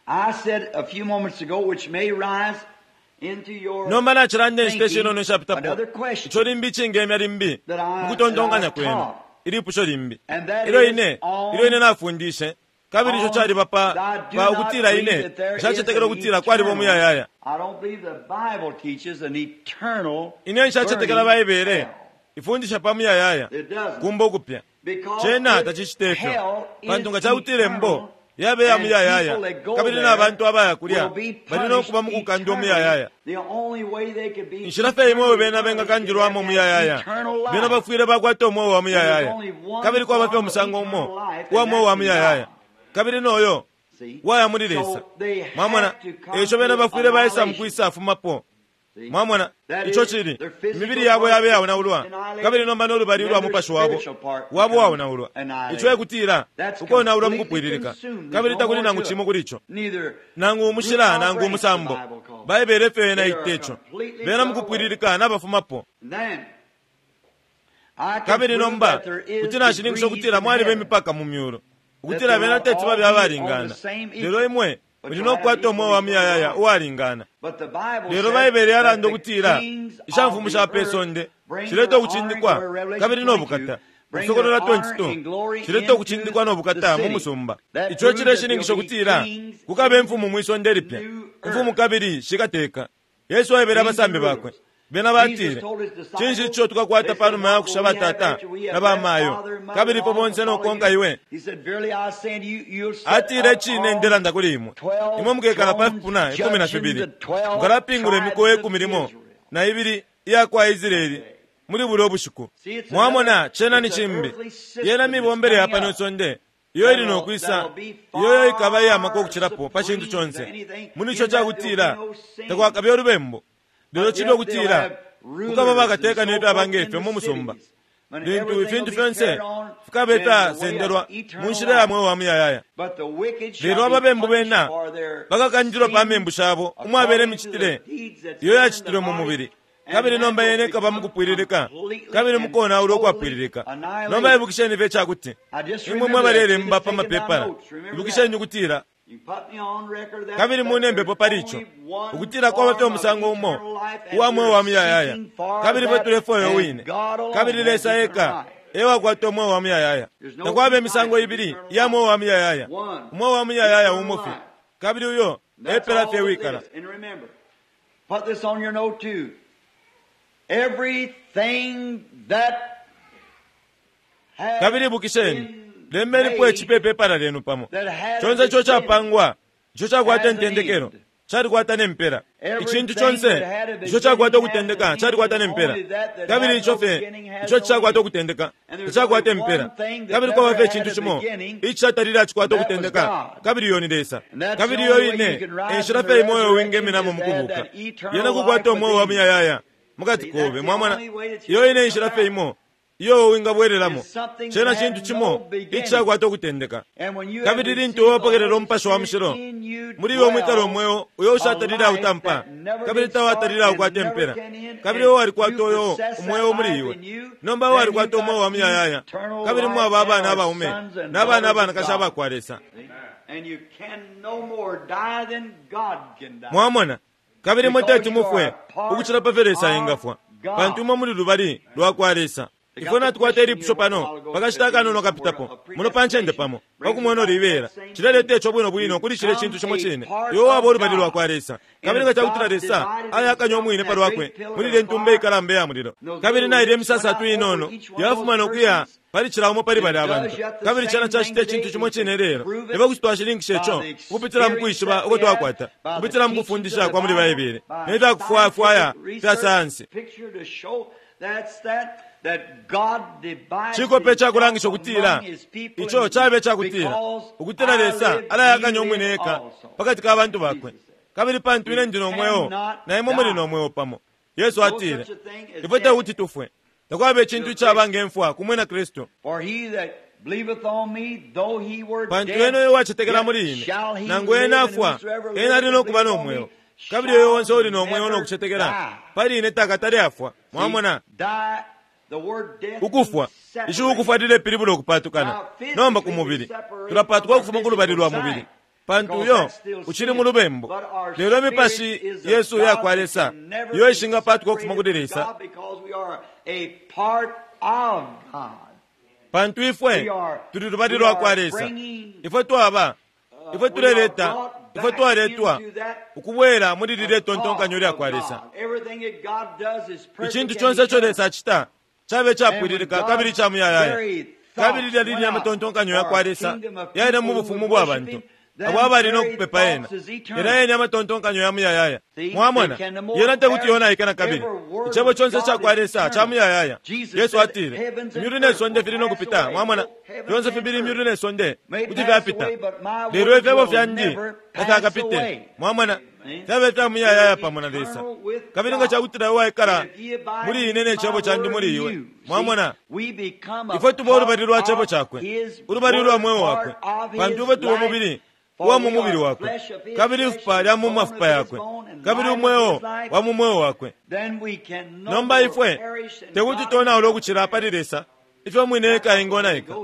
I said a few moments ago, which may rise into your Nomba nachilanda inshita thinking, ishinono ishapitapo another ico question limbi ichingemya limbi that I, that I mukutontonkanya kwenu taught, ilipusho limbi and that ilyo is ine ilyo on ine nafundishe kabili ico on caliba pa I do pa not ukutila believe ine that there is nshacetekela an ukutila kwaliba eternal umuyayaya. I don't believe the Bible teaches an eternal Ine nshacetekela burning Baibele hell. ifundisha pa muyayaya It doesn't. kumba ukupya. Because Cena if tacicite ifyo hell pantu is nga cakutila eternal embo yabe ya and muyayaya people that go kabili there na bantu abaya kulya will be bali no punished kuba mukukandwa eternally, umuyayaya. the only way they could be Inshila fye imwe eternally bena punished is they have bengakandilwamo to have muyayaya eternal bena life. bafwile bakwata umweo wa And there's muyayaya only one kabili kwaba fye form of umusango eternal umo life, uwa and mweo wa that's in God. muyayaya kabili noyo See? waya muli Lesa. So they Mwamona have to come eco bena to bafwile baisa annihilation. mukwisa afumapo. See? Mwamona That ico is, cili their physical imibili yabo part yabe is yaonaulwa annihilated, kabili nomba n'olubali and lwa then their mupashi wabo spiritual part wabo becomes waonaulwa ico annihilated. ekutila That's ukonaulwa completely mukupwililika consumed. There's kabili no takuli more nangu to cimo it. kuli ico Neither nangu root umushila nor nangu branch, the umusambo. Bible calls it. Baibele efyo yena They ite are ico completely bena done away. mukupwililika nabafumapo. And then I can Kabili prove nomba that there is kuti nashininkisha degrees ukutila in mwaliba heaven, imipaka mu myulu that ukutila they'll bena not teti all babe be on the abalingana same lelo equal, imwe but muli you'll no have kukwata umweo equal wa eternal muyayaya life. uwalingana. But the Bible Lelo said Baibele that yalanda the ukutila kings of ishamfumu the sha pe earth sonde bring shileta their honor and ukucindikwa glory, Revelation kabili no twenty-two, bukata. bring their Ukusokolola honor and twenty-two glory shileta into ukucindikwa no the bukata mu city. musumba. That Ico proves that there'll cileshininkisha be ukutila kings kukaba in imfumu mwi sonde lipya new imfumu earth. kabili shikateka. Yesu aebele Kings and abasambi bakwe rulers. bena Jesus batile told his cinshi disciples, ico tukakwata they pa said, numa ya What kusha will we have batata after we na have left bamayo father and mother kabili and po all to bonse follow nokonka you? iwe. He said, Verily I say unto you, you'll set Atile up cine on ndelanda kuli imwe twelve imwe mukekala pa thrones, fipuna ikumi na judging fibili the twelve mukalapingula imikowa tribes of ikumi limo Israel. na ibili iya kwa Israeli muli bulya ubushiku. See, it's Mwamona another, cena ni it's an cimbi earthly system yena that's mibombele ya coming pano up isonde iyo ili that'll, nokwisa that'll be iyoyo ikaba iyamaka far ukucilapo pa cintu supreme to conse anything. muli ico In that there'll be cakutila no sin. takwakabe ulubembu lelo But cili yet they'll ukutila have kukaba rulers and bakateka so nefyo forth abange in ifyo the mu musumba cities. When lintu everything will ifintu be fyonse carried on fikabe in the way of ifyasendelwa mu eternal nshila ya life. mweo wa muyayaya. But the wicked Lelo shall be ababembu punished bena for their bakakandilwa pa sins membu shabo umwabele according to the imicitile deeds that's iyo done in the yacitilwe mu body, mubili and kabili that nomba will yene ikaba become mukupwililika completely kabili and mukonaula totally ukwapwililika. Nomba annihilated. ibukisheni fye icakuti I just imwe remember that. You mwebalemba just pa taken my mapepala notes. Remember ibukisheni that. ukutila You put me on record that, kabili that munembepo there's pali ico only one ukutila kwaba fye form of umusango umo eternal life, and uwa mweo we're wa muyayaya seeking for kabili fwe that, tulefwayo and wine God alone kabili has Lesa eternal eka life. ewakwata umweo wa muyayaya. There's no Takwaba two imisango types of ibili eternal iya life. mweo wa muyayaya One, umweo wa muyayaya eternal umo fye life. kabili uyo That's epela fye all it wikala. is. And remember, put this on your note too. Everything that has Kabili ibukisheni been lembenipo made icipe ipepala lyenu pamo that had a conse ico beginning capangwa ico cakwata has an intendekelo end. Calikwata nempela. Icintu conse ico cakwata ukutendeka calikwata nempela. Kabili ico fye ico cakwata ukutendeka cakwata impela. Kabili kwaba fye icintu cimo icatalile acikwata ukutendeka, kabili iyo ni Lesa. Kabili iyo ine enshila fye imo iyo wingeminamo mukubuka, yena kukwata umweo wa muyayaya mukati kobe. Mwamona, iyo ine enshila fye imo iyo wingabwereramo. Cena cintu cimo icakwata ukutendeka. Kabili lintu wapokelela Umupashi wa Mushilo muli iwe mwikala umweo uyo ushatalile autampa, kabili tawatalile aukwata impela, kabili iwe walikwata uyo umweo muli iwe. Nomba walikwata umweo wa muyayaya, kabili mwaba abana abaume n'abana abanakashi abakwa Lesa. Mwamona, kabili mwe teti mufwe ukucila pa fyo Lesa engafwa, pantu imwe muli lubali lwakwa Lesa. Ifwe natukwata ilipusho pano pakashita akanono kapitapo muno pa ncende pamo pakumwena olibera cileleta ico bwino bwino kuli cile cintu cimo cine. Iwe waba ulubali lwakwa Lesa, kabili nga cakutila Lesa ayakanya umwine pa lwakwe muli ile ntumba ikalamba ya mulilo, kabili naile imisasatu inono yafuma nokuya pali cila umo pali bali abantu, kabili cena cacita icintu cimo cine lelo. Eba kuti twashilinkisha ico ukupitila mu kwishiba uko twakwata, ukupitila mu kufundisha kwa muli Baibele ne fyakufwayafwaya fya sayansi. Cikope cakulangisha ukutila ico cabe cakutila ukutila Lesa alayakanya umwine eka pakati ka bantu bakwe, kabili pantu ine ndi no mweo na imwe muli no mweo pamo. Yesu atile ifwe tekuti tufwe, takwaba icintu icaba ngemfwa ku mwina Kristu. Pantu ena uyo wacetekela muli ine, nangu ena afwa, ena ali nokuba no mweo, kabili uyo onse uli no mweo nokucetekela pali ine takatale afwa. Mwamona, ukufwa ici ukufwa lilepilibula ukupatukana. Nomba ku mubili tulapatuka ukufuma ku lubali lwa mubili, pantu uyo uchili mu lubembu. Lelo imipashi yesu yakwa Lesa iyo ishingapatuka ukufuma kuli Lesa, pantu ifwe tuli lubali lwakwa Lesa. Ifwe twaba, ifwe tuleleta, ifwe twaletwa ukubwera muli lile tontonkanyo lyakwa Lesa. Icintu conse ico Lesa acita cabe capwililika kabili ca muyayaya, kabili lya lili amatontonkanyo yakwa Lesa yaile mu bufumu bwa bantu abo abali nokupepa ena. Yena yene amatontonkanyo ya muyayaya. Mwamona, yena tekuti yonaika na kabili. Icebo conse cakwa Lesa ca muyayaya. Yesu atile imyulu ne sonde fili nokupita. Mwamona, fyonse fibili imyulu ne sonde kuti fyapita, lelo ifyebo fyandi tafyakapite. Mwamona, fyabe fya muyayaya pamo na Lesa. Kabili nga cakutila iwe waikala muli ine ne cebo candi muli iwe. Mwamona, ifwe tuba ulubali lwa cebo cakwe, ulubali lwa mweo wakwe, pantu ifwe tuba umubili uwa mu mubili wakwe, kabili ifupa lya mu mafupa yakwe, kabili umweo wa mu mweo wakwe. Nomba ifwe tekuti tonaule ukucila pali Lesa ifyo mwine eka engonaika.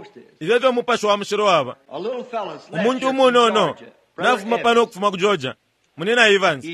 Ifyo ifyo Mupashi wa Mushilo waba. Umuntu umunono nafuma pano ukufuma ku Georgia, munina Evans,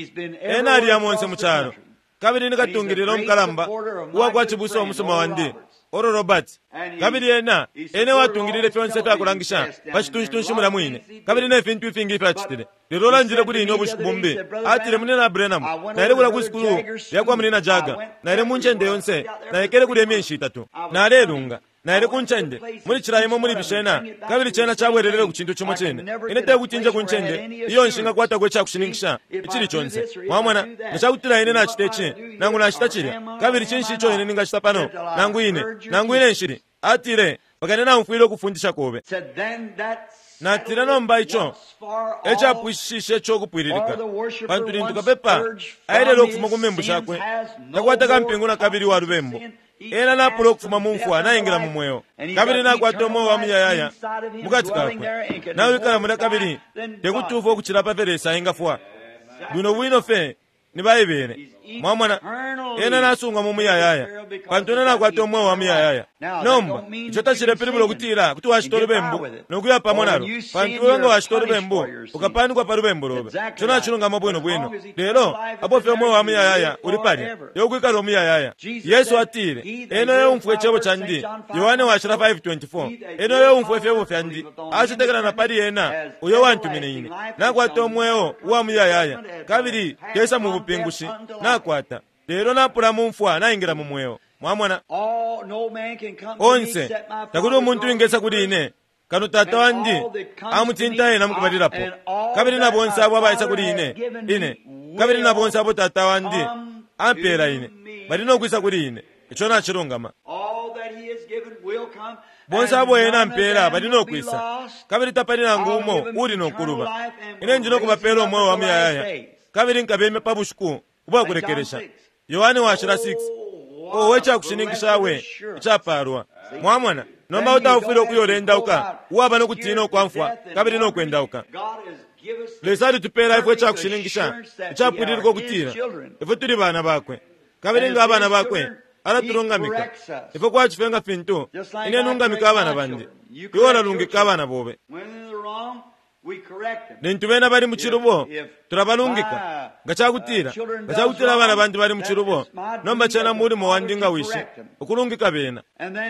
ena aliya monse mu calo, kabili nikatungilila umukalamba uwakwa cibusa umusuma wandi Oral Roberts, kabili ena ene watungilile fyonse fyakulangisha pa citunshi mulya mwine, kabili ne fintu ifingi ifyacitile. Lelo olandile kuli ine ubushiku bumbi, atile munina Branham, naile kulya ku sukulu lyakwa munina Jagger, naile mu ncende yonse, naikele kulya imyeshi itatu, nalelunga naile ku ncende muli cila imo muli bishena, kabili cena cabwelelele ku cintu cimo cine. Ine tekuti nje ku ncende iyo nshingakwatako icakushininkisha icili conse. Mwamona, nga cakutila ine nacita ici nangu nacita cilya, kabili cinshi ico ine ningacita pano, nangu ine nangu ine nshili. Atile pakane naumfwile ukufundisha kobe. Natile nomba ico ecapwishishe ico ukupwililika, pantu lintu kapepa aelele ukufuma ku membu shakwe, takwata kampingu na kabili wa lubembu. Ena napula ukufuma mu mfwa naingila mu mweo, kabili nakwata umweo wa muyayaya mukati kakwe, nawikala mulya kabili tekuti ufwe ukucila pa fyo Lesa engafwa. Bwino bwino fe ni Baibele. Mwamona, ena nasungwa mu muyayaya, pantu ena nakwata umweo wa muyayaya. Nomba ico tacilepilibula ukutila kuti wacita ulubembu nokuya pamo nalo, pantu iwe nga wacita ulubembu ukapanikwa pa lubembu lobe. Ico nacilungama bwino bwino, lelo apo fye umweo wa muyayaya uli palya yokwikala umuyayaya. Yesu atile ena eumfwa icebo candi, Yohane washila five twenty-four, ena eumfwa ifyebo fyandi acetekela na pali ena uyo wantumine ine, nakwata umweo uwa muyayaya, kabili tesa mu bupingushi nakwata, lelo napula mu mfwa naingila mu mweo. Mwamona, onse takuli umuntu wingesa kuli ine Kano tata wandi amutinta ena mukubalilapo, kabili na bonse abo abaisa kuli ine ine, kabili na bonse abo tata wandi ampela ine bali nokwisa kuli ine. Ico nacilungama. Bonse abo ena ampela bali nokwisa, kabili tapali nangu umo uli nokuluba. Ine ndi nokubapela umweo wa muyayaya, kabili nkabemya pa bushiku ubwakulekelesha. Yohane washila six. Owe cakushininkisha we icapalwa. Mwamona nomba utaufwile ukuyolendauka uwaba nokutina ukwamfwa kabili nokwendauka. Lesa alitupela ifwe icakushininkisha icapwililika ukutila ifwe tuli bana bakwe, kabili nga abana bakwe alatulungamika ifwe kwacife nga fintu ine nungamika abana bandi, iwe ulalungika abana bobe. Lintu bena bali mu cilubo tulabalungika. Nga cakutila nga cakutila abana bandi bali mu cilubo, nomba cena mulimo wandi nga wishi ukulungika bena.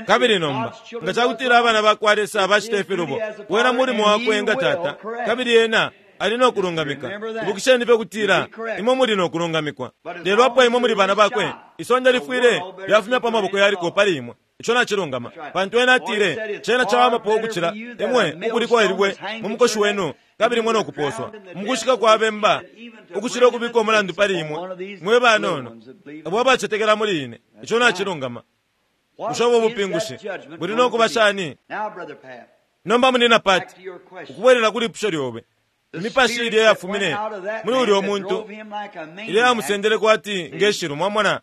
Kabili nomba nga cakutila abana bakwa Lesa bacita ifilubo, wena mulimo wakwe nga tata, kabili ena ali nokulungamika. Ibukisheni fye kutila imwe muli nokulungamikwa, lelo apo imwe muli bana bakwe, isonde lifwile lyafumyapo amaboko yaliko pali imwe. Ico nacilungama, pantu ena atile cena cawamapo ukucila imwe ukulikwa ilibwe mu mukoshi wenu kabili mwe nokuposwa mukushika kwa bemba, ukucila ukubika umulandu pali imwe mwe banono abo abacetekela muli ine. Ico nacilungama. Bushe ubo bupingushi buli nokuba shani? Nomba munina Pati, ukubwelela kuli ipusho lyobe, imipashi ilya yafumine muli ulya muntu ilya yamusendele kwati ngeshilu. Mwamona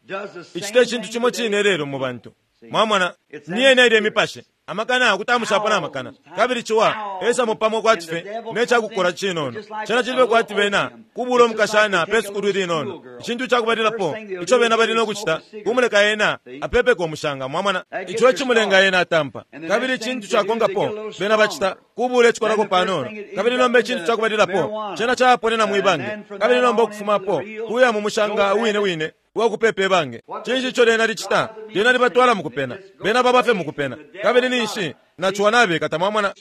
icita icintu cimo cine lelo mu bantu. Mwamona niyena ilya imipashi amakana akutamushapo na makana, kabili ciwa esamo pamo kwati fe necakukola cinono. Cena cilibe kwati bena kubula omukashana pe sukulu linono. Icintu cakubalilapo ico bena bali nokucita kumuleka ena apepeke omushanga. Mwamona ico ecimulenga ena atampa. Kabili icintu cakonkapo bena bacita kubula ecikolako panono, kabili nomba icintu cakubalilapo cena caponena mwibange, kabili nomba okufumapo kuya mu mushanga wine wine uwakupepa ibange. Cinshi ico lena licita? Lena libatwala mukupena, bena babafe mukupena, kabili ninshi naciwa nabekata. Mwamona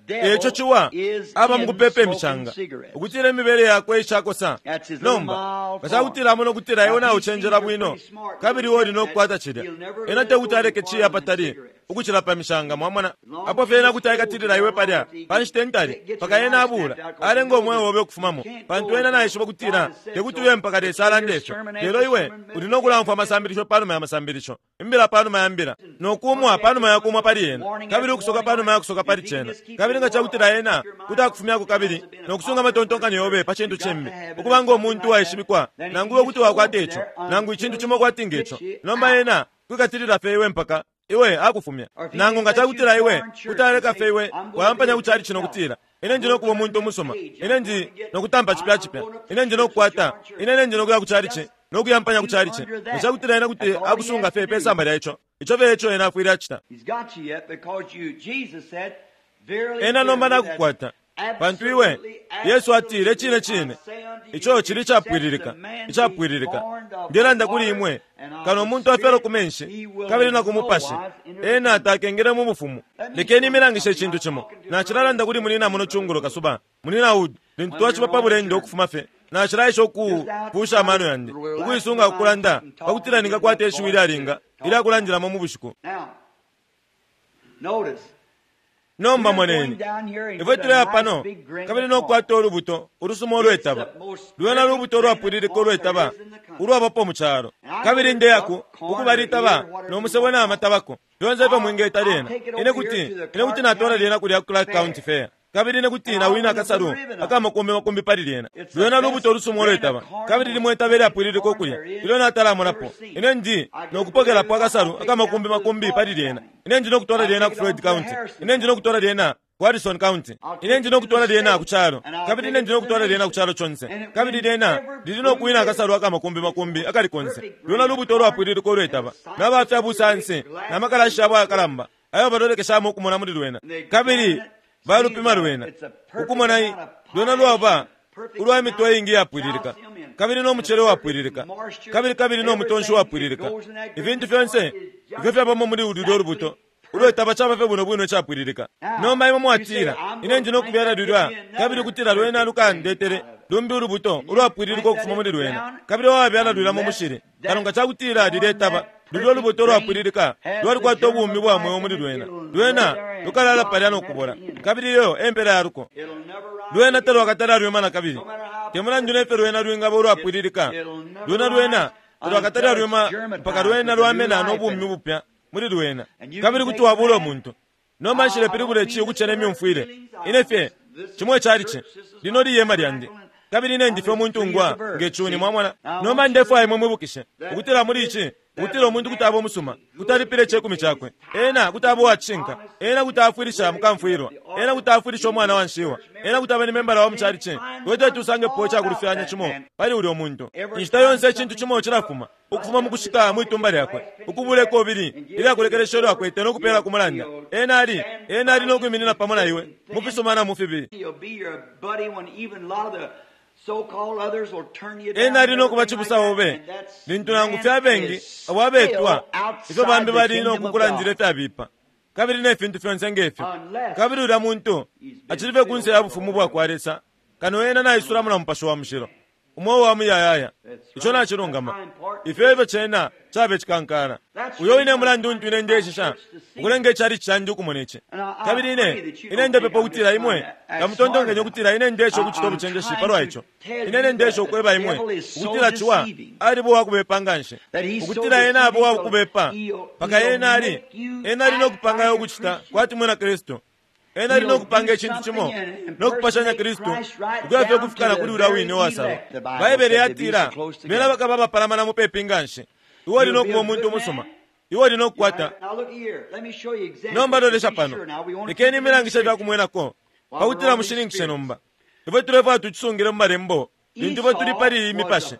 eco ciwa aba mukupepa imishanga ukutila imibele yakwe icakosa. Nomba nga cakutila amona ukutila iwe naucenjela bwino kabili iwe uli nokukwata cilya, ena tekuti aleke ciya patali ukucila pa mishanga. Mwamona apo fye ena kuti aikatilila iwe palya pa nshita intali mpaka ena abula alenga omweo obe ukufumamo, pantu ena naishiba kutila tekuti uye mpaka Lesa alande ifyo. Lelo iwe uli nokulamfwa amasambilisho panuma ya masambilisho, imbila panuma ya mbila, nokumwa panuma ya kumwa pali ena, kabili ukusoka panuma ya kusoka pali cena. Kabili nga cakutila ena kuti akufumyako kabili nokusunga amatontonkanyo yobe pa cintu cimbi, ukuba nga omuntu uwaishibikwa, nangu iwe kuti wakwata ico nangu icintu cimo kwati ngeco, nomba ena kwikatilila fye iwe mpaka iwe akufumya. Nangu nga cakutila iwe kuti aleka fye iwe wayampanya kucali cino kutila ine ndi nokuba umuntu umusuma, ine ndi nokutampa cipya cipya, ine ndi nokukwata, ine ine ndi nokuya kucali nokuyampanya kucali ci, nga cakutila ena kuti akusunga fye pe samba lya ico, ico fye eco ena afwile acita. Ena nomba nakukwata, pantu iwe Yesu atile cine cine ico cili icapwililika, icapwililika. Ndelanda kuli imwe, kano umuntu afyalwa ku menshi kabili na ku mupashi, ena takengele mu bufumu. Lekeni imilangishe icintu cimo. Nacilalanda kuli munina muno cungulo kasuba, munina Wood, lintu twaciba pa bulendo ukufuma fye, nacilaisha ukupusha amano yandi ukuisunga kukulanda pakutila ningakwata ishiwi ilyalinga ilyakulandilamo mu bushiku. Nomba moneni ifwe tuleya pano kabili nokukwata ulubuto ulusuma ulwetaba, lwena lubuto ulwapwililika ulwetaba ulwabapo mu calo. Kabili ndeyaku ukuba litaba nomusebo na matabako fyonse ifyo mwingeta lyena. Ine kuti ine kuti natwala lyena kulya ku Clark County Fair, kabili ine kuti nawina akasalu akamakumbi makumbi pali lyena. Lwena lubuto ulusuma ulwetaba, kabili limwe itaba ilyapwililika ukulya ilyo natalamonapo. Ine ndi nokupokelapo akasalu akamakumbi makumbi pali lyena. Ine ndi nokutwala lyena ku Floyd County, ine ndi nokutwala lyena ku Harrison County, ine ndi nokutwala lyena ku calo, kabili ine ndi nokutwala lyena ku calo conse. Kabili lyena lili nokuwina akasalu akamakumbi makumbi akali konse. Lwena lubuto ulwapwililika ulwetaba, nabafya busanse namakalashi abo ayakalamba ayo balolekeshamo ukumona muli lwena, kabili balupima lwena ukumona lwena lwaba ulwa mitwe ingi yapwililika, kabili nomucele wapwililika, kabili kabili nomutonshi wapwililika. Ifintu fyonse ifyo fyabamo muli ululyo lubuto ulwetaba caba fye bwino bwino icapwililika. Nomba imwe mwatila ine ndi nokubyala lulya, kabili kutila lwena lukandetere lumbi ulubuto ulwapwililika ukufuma muli lwena, kabili wabyala lulya mu mushili. Kano nga cakutila liletaba Lulyo lubuto lwapwililika lwalikwata ubumi bwa mweo muli lwena. Lwena lukalala palya no kubola, kabili iyo empela ya luko. Lwena talwakatala lwima na kabili. Te mulandu nefyo lwena lwingaba ulwapwililika, lwena lwena talwakatala lwima mpaka lwena lwamena no bumi bupya muli lwena. Kabili kuti wabula umuntu. Nomba nshilepilibula ici ukucena imyumfwile. Ine fye cimo icalici lino liyema lyandi, kabili ine ndi fye umuntungwa nge cuni, mwamona. Nomba ndefwaya imwe mwibukishe ukutila muli ici, ukutila umuntu kuti aba umusuma, kuti alipila icekumi cakwe, ena kuti aba uwacishinka, ena kuti afwilisha mukamfwilwa, ena kuti afwilisha umwana wa nshiwa, ena kuti aba ni membala wa mucalici. Kwete tusangepo icakulufyanya cimo pali ulya muntu. Inshita yonse icintu cimo cilafuma ukufuma mukushika mwitumba lyakwe, ukubula ikobili ilyakulekelesha ilyo akwete no kupela ku mulanda. Ena ali ena ali no kwiminina pamo na iwe mu fisuma na mu fibi. Ena ali no kuba cibusa obe lintu nangu fye abengi abo abetwa ifyo bambi bali no kukulandila ifyabipa kabili ne fintu fyonse ngefyo. Kabili ulya muntu acili fye kunse ya bufumu bwa kwa Lesa, kano ena naisulamo na Mupashi wa Mushilo, umweo wa muyayaya. Ico nacilungama. Ifyo efyo cena cabe cikankala. Uyo wine mulandu untu ine ndeshisha ukulenga icalici candi ukumona ici. Kabili ine ine ndepepa ukutila imwe tamutontonkenye ukutila ine ndesha ukucita ubucenjeshi palwa ico. Ine ine ndesha ukweba imwe ukutila ciwa aliba uwakubepa nganshi, ukutila ena aba uwakubepa mpaka ena ali ena ali no kupangayo ukucita kwati mwina Kristu. Ena ali no kupanga icintu cimo no kupashanya Kristu ukuya fye kufikana kuli ulya wine uwasalwa. Baibele yatila bena bakaba abapalamana mupepi nganshi. Iwe uli no kuba umuntu umusuma, iwe uli no kukwata. Nomba lolesha pano, lekeni imilangisha ifyakumwenako pakutila mushininkishe nomba. Ifwe tulefwaya tucisungile mu malembo lintu ifwe tuli pali iyi mipashi.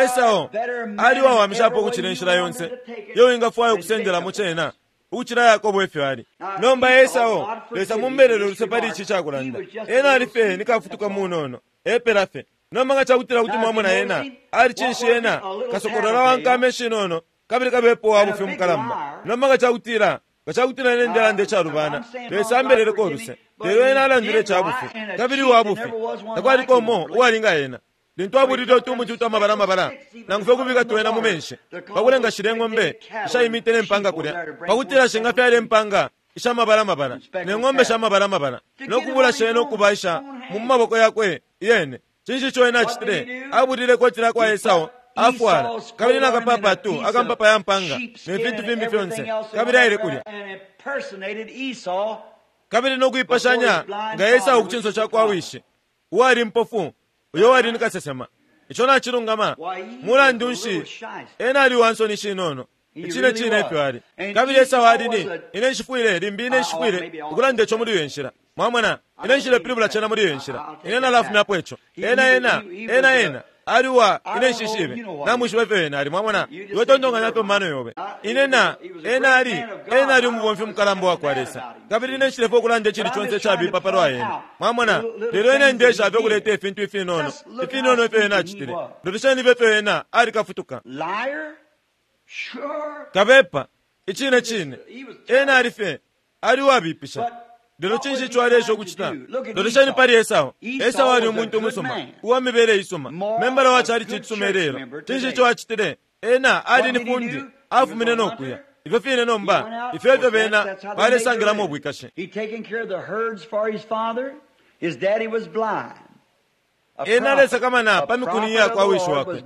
Esau ali uwawamishapo ukucila inshila yonse iyo wingafwaya ukusendelamo cena ukucila Yakobo efyo ali. Nomba Esau, Lesa mumbelele uluse pali ici cakulanda, ena ali fye ni kafutuka munono epela fye. Nomba nga cakutila kuti mwamona ena ali cinshi, ena kasokolola wa nkama eshinono kabili kabepo wa bufi mukalamba. Nomba nga cakutila nga cakutila ine ndelanda icalubana, Lesa ambeleleko uluse, lelo ena alandile icabufi kabili wa bufi. Takwaliko umo uwalinga ena. Lintu abulile utumuti utwamabala mabala nangu fye kubika twena mu menshi pakulenga shile ng'ombe ishaimite ne mpanga kulya, pakutila shingafyala impanga ishamabala mabala ne ng'ombe shamabala mabala, no kubula shena ukuba isha mu maboko yakwe iyene. Cinshi ico ena acitile? Abulile ikoti lyakwa Esau afwala, kabili nakapapatu akampapa ya mpanga ne fintu fimbi fyonse, kabili aile kulya kabili no kuipashanya nga Esau ku cinso cakwa wishi uwali mpofu, uyo wali ni kasesema. Ico nacilungama. Mulandu nshi, ena ali uwansoni shinono. Icine cine efyo ali. Kabili Esau ali ni ine nshifwile limbi ine nshifwile ukulanda ico muli iyo nshila. Mwamona, ine nshilepilibula cena muli iyo nshila. Ine nalafumyapo ico. Ena ena ena ena ali uwa ine nshishibe. Namwishiba ifyo ena ali. Mwamona, iwe tontonkanya fye mu mano yobe. Ine na ena ali ena ali umubomfi mukalamba wa kwa Lesa, kabili ine nshilefwaya ukulanda icili conse icabipa palwa ena. Mwamona, lelo ine ndesha fye ukuleta ifintu ifinono ifinono ifyo ena acitile. Lolesheni fye ifyo ena ali kafutuka kabepa. Icine cine ena ali fye ali uwabipisha. Lelo cinshi ico alesha ukucita? Lolesheni pali Esau. Esau ali umuntu umusuma uwa mibele isuma, membala wa calici icisuma ilelo. Cinshi ico acitile? Ena ali ni fundi, afumine no kuya. Ifyo fine nomba ifyo ifyo bena balesangilamo ubwikashi. Ena alesakamana pa mikuni yakwa wishi wakwe.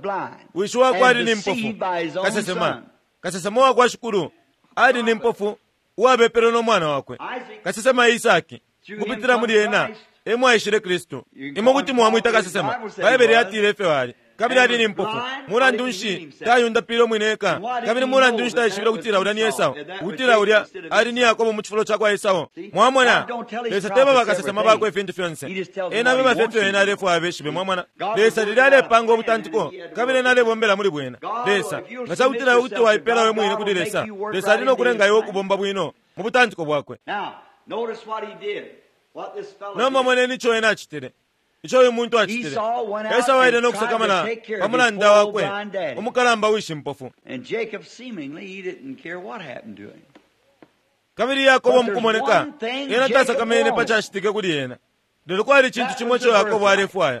Wishi wakwe ali ni mpofu, kasesema. Kasesema wakwa Shikulu ali ni mpofu uwabepele no mwana wakwe, kasesema Isaki. Kupitila muli ena emo aishile Kristu. Imwe kuti mwamwita kasesema, Baibele yatile ifyo ali. Kabili ali ni mpofu. Mulandu nshi tayundapile umwine eka? Kabili mulandu nshi taishibile ukutila ulya ni Esau, ukutila ulya ali ni Yakobo mu cifulo cakwa Esau? Mwamona, Lesa teba bakasesema bakwe ifintu fyonse. Ena abeba fye ifyo ena alefwaya abeshibe. Mwamona, Lesa lilya alepanga ubutantiko, kabili ena alebombela muli bwena. Lesa nga cakutila kuti waipela we mwine kuli Lesa, Lesa ali no kulenga iwe ukubomba bwino mu butantiko bwakwe. Nomba moneni ico ena acitile, ico uyu muntu acitile. Esau aile no kusakamana pa mulanda wakwe umukalamba wishi mpofu. Kabili Yakobo mukumoneka ena tasakamene pa cacitike kuli ena. Lelo kwali icintu cimo ico Yakobo alefwaya.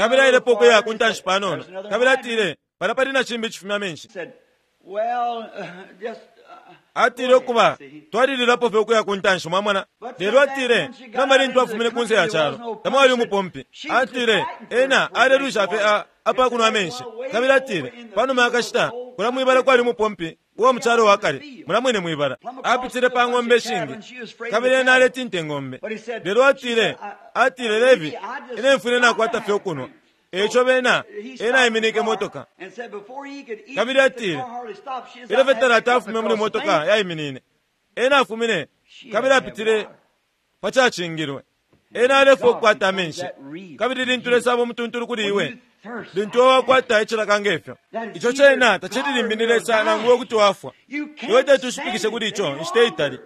Kabili ailepo ukuya ku ntanshi panono, kabili atile, palya pali na cimbi icifumya amenshi. Said, well, uh, just, uh, Atile ukuba twalililapo fye ukuya ku ntanshi, mwamona. Lelo atile nomba lintu afumine kunse ya calo tamwali umupompi. Atile ena alelwisha fye apa kunwa amenshi. Kabili atile panuma yakashita kula mwibala kwali umupompi uwa mucalo wa kale, mula mwine mwibala. Apitile pa ng'ombe ishingi, kabili ena aletinta ing'ombe. Lelo atile, atile Levi, ine mfwile nakwata fye ukunwa. Eco bena ena aiminike motoka. Kabili atile ilyo fye talata afume muli motoka yaiminine, ena afumine kabili apitile pa cacingilwe. Ena alefwa ukukwata amenshi. Kabili lintu Lesa aba umutuntulu kuli iwe, lintu iwe wakwata icilaka ngefyo, ico cena tacili limbi ni Lesa nangu iwe kuti wafwa. Iwe teti ushipikishe kuli ico inshita itali.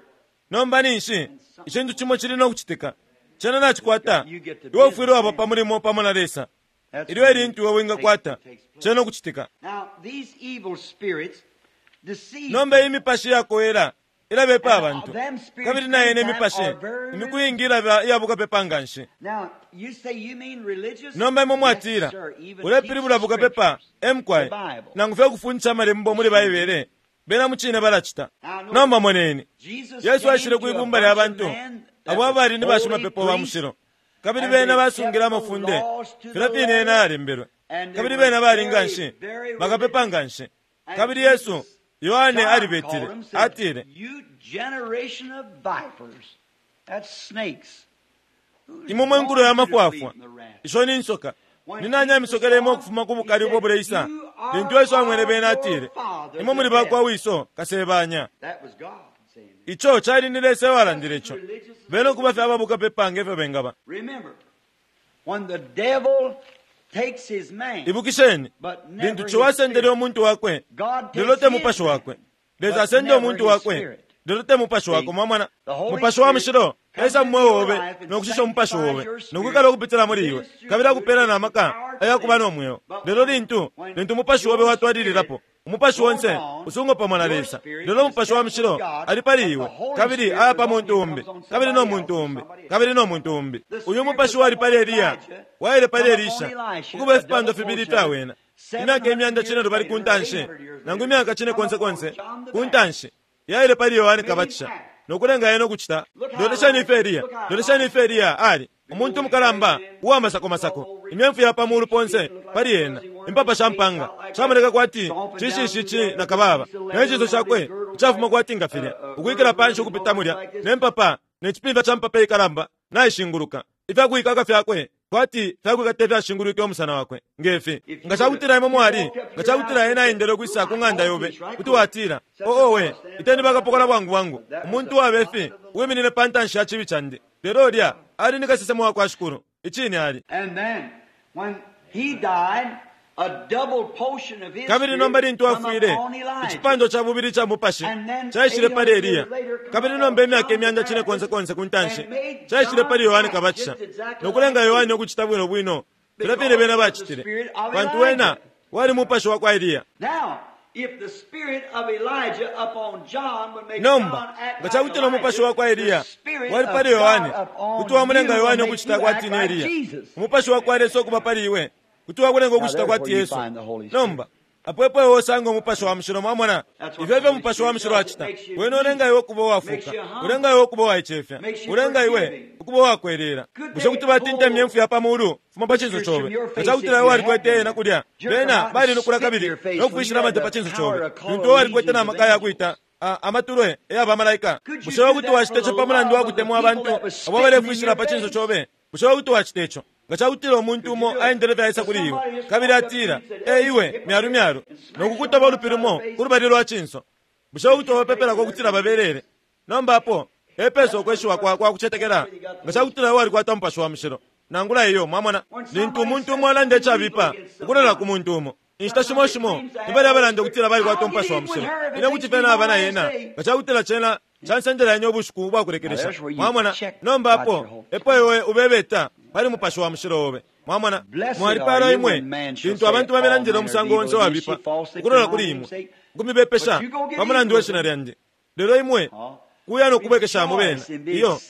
Nomba ninshi icintu cimo cili no kucitika. Cena nacikwata, iwe ufwile waba pa mulimo pamo na Lesa. Ilyo elintu iwe wingakwata cena ukucitika. Nomba iyi mipashi yakowela ilabepa abantu, kabili na yene imipashi imiku iingi ilaba iyabukapepa nganshi. Nomba imwe mwatila ulepilibula bukapepa emkwai, nangu fye kufundisha amalembo muli Baibele, bena mucine balacita. Nomba moneni, Yesu aishile kwibumba lya bantu abo abali ni bashimapepo ba mushilo, kabili bena basungile amafunde filya fine ena yalembelwe, kabili bena bali nganshi bakapepa nganshi. Kabili Yesu, Yohane alibetile, atile, imwe mwe nkulo ya mafwafwa, isho ni nsoka, ni nani amisokelemo ukufuma ku bukali ubwo buleisa? Lintu Yesu amwene bena atile, imwe muli bakwa wiso kasebanya. Ico cali ni Lesa ewalandile ico. Bena ukuba fye ababukapepa ngefyo bengaba. Ibukisheni, lintu Ciwa asendele umuntu wakwe, lelo te mupashi wakwe. Lesa asende umuntu wakwe, lelo te mupashi wakwe. Mwamona, mupashi wa mushilo esa mu mweo obe nokushisha umupashi obe nokwikala ukupitila muli iwe, kabili akupela na maka ayakuba no mweo. Lelo lintu lintu umupashi obe watwalililapo, umupashi wonse usungo pamo na Lesa. Lelo umupashi wa mushilo ali pali iwe, kabili aya pa muntu umbi, kabili no muntu umbi, kabili no muntu umbi. Uyu mupashi wali pali Eliya waile pali Elisha, ukuba ifipando fibili ifya wena, imyaka imyanda cine lubali ku ntanshi, nangu imyaka cine konse konse ku ntanshi, yaile pali Yohane Kabatisha nokulenga yena ukucita. Lolesheni ifyo Eliya, lolesheni ifyo Eliya ali umuntu umukalamba uwa masako masako, imyemfu ya pa mulu ponse pali yena, impapa sha mpanga shamoneka kwati cishishici na kababa, ne ciso cakwe icafuma kwati nga filya, ukwikila panshi ukupita mulya, ne mpapa ne cipimfya ca mpapa ikalamba naishinguluka, ifyakuikaka fyakwe kwati fyakuikata ifyashingulwike umusana wakwe ngefi. Nga cakutila imwe mwali, nga cakutila ena aendele ukwisa ku ng'anda yobe, kuti watila, oowe, iteni bakapokola bwangu bwangu, umuntu wabefi uwiminine pa ntanshi ya cibi candi. Lelo ulya ali ni kasesema wa kwa Shikulu, icine ali. Kabili nomba lintu afwile, icipando ca bubili ca mupashi caishile pali Eliya, kabili nomba imyaka imyanda cine konse konse ku ntanshi caishile pali Yohane Kabatisha, nokulenga Yohane ukucita bwino bwino filya fine bena bacitile, pantu wena wali mupashi wa kwa Eliya. Nomba nga cakutila umupashi wa kwa Eliya wali pali Yohane, kuti wamulenga Yohane ukucita kwati ni Eliya. Umupashi wa kwa Lesa ukuba pali iwe kuti wakulenga ukucita kwati Yesu. Nomba apo epo iwe usanga umupashi wa mushilo. Mwamona ifyo ifyo umupashi wa mushilo acita. Wene ulenga iwe ukuba uwafuka, ulenga iwe ukuba uwaicefya, ulenga iwe ukuba uwakwelela. Bushe kuti batinta imyemfu ya pa mulu fuma pa cinso cobe? Nga cakutila iwe walikwete ena kulya, bena balinukula kabili nokufwishila amate pa cinso cobe, lintu iwe walikwete na maka yakwita amatulwe eyabamalaika. Bushe iwe kuti wacita ico pa mulandu wa kutemwa abantu abo balefwishila pa cinso cobe? Bushe iwe kuti wacita ico? Nga cakutila umuntu umo aendele fye aisa kuli iwe, kabili atila, e iwe myalu myalu, nokukutoba ulupi lumo ku lubali lwa cinso, bushe kuti wabapepelako ukutila babelele? Nomba apo epesa ukweshiwa kwa, kwa kucetekela. Nga cakutila iwe walikwata umupashi wa mushilo nangula iyo. Mwamona, lintu umuntu umo alanda icabipa ukulola ku muntu umo, inshita shimo shimo nibali abalanda ukutila balikwata umupashi wa mushilo, ine kuti fye naba na yena nga cakutila cena cansendela ine ubushiku ubwakulekelesha. Mwamona, nomba apo epo iwe ubebeta pali mupashi wa mushilo obe. Mwamona, mwalipalwa imwe lintu abantu bamilandila umusango onse wabipa ukulola kuli imwe, ukumibepesha pa mulandu we shina lyandi. Lelo imwe kuya nokubwekeshamo bena iyo,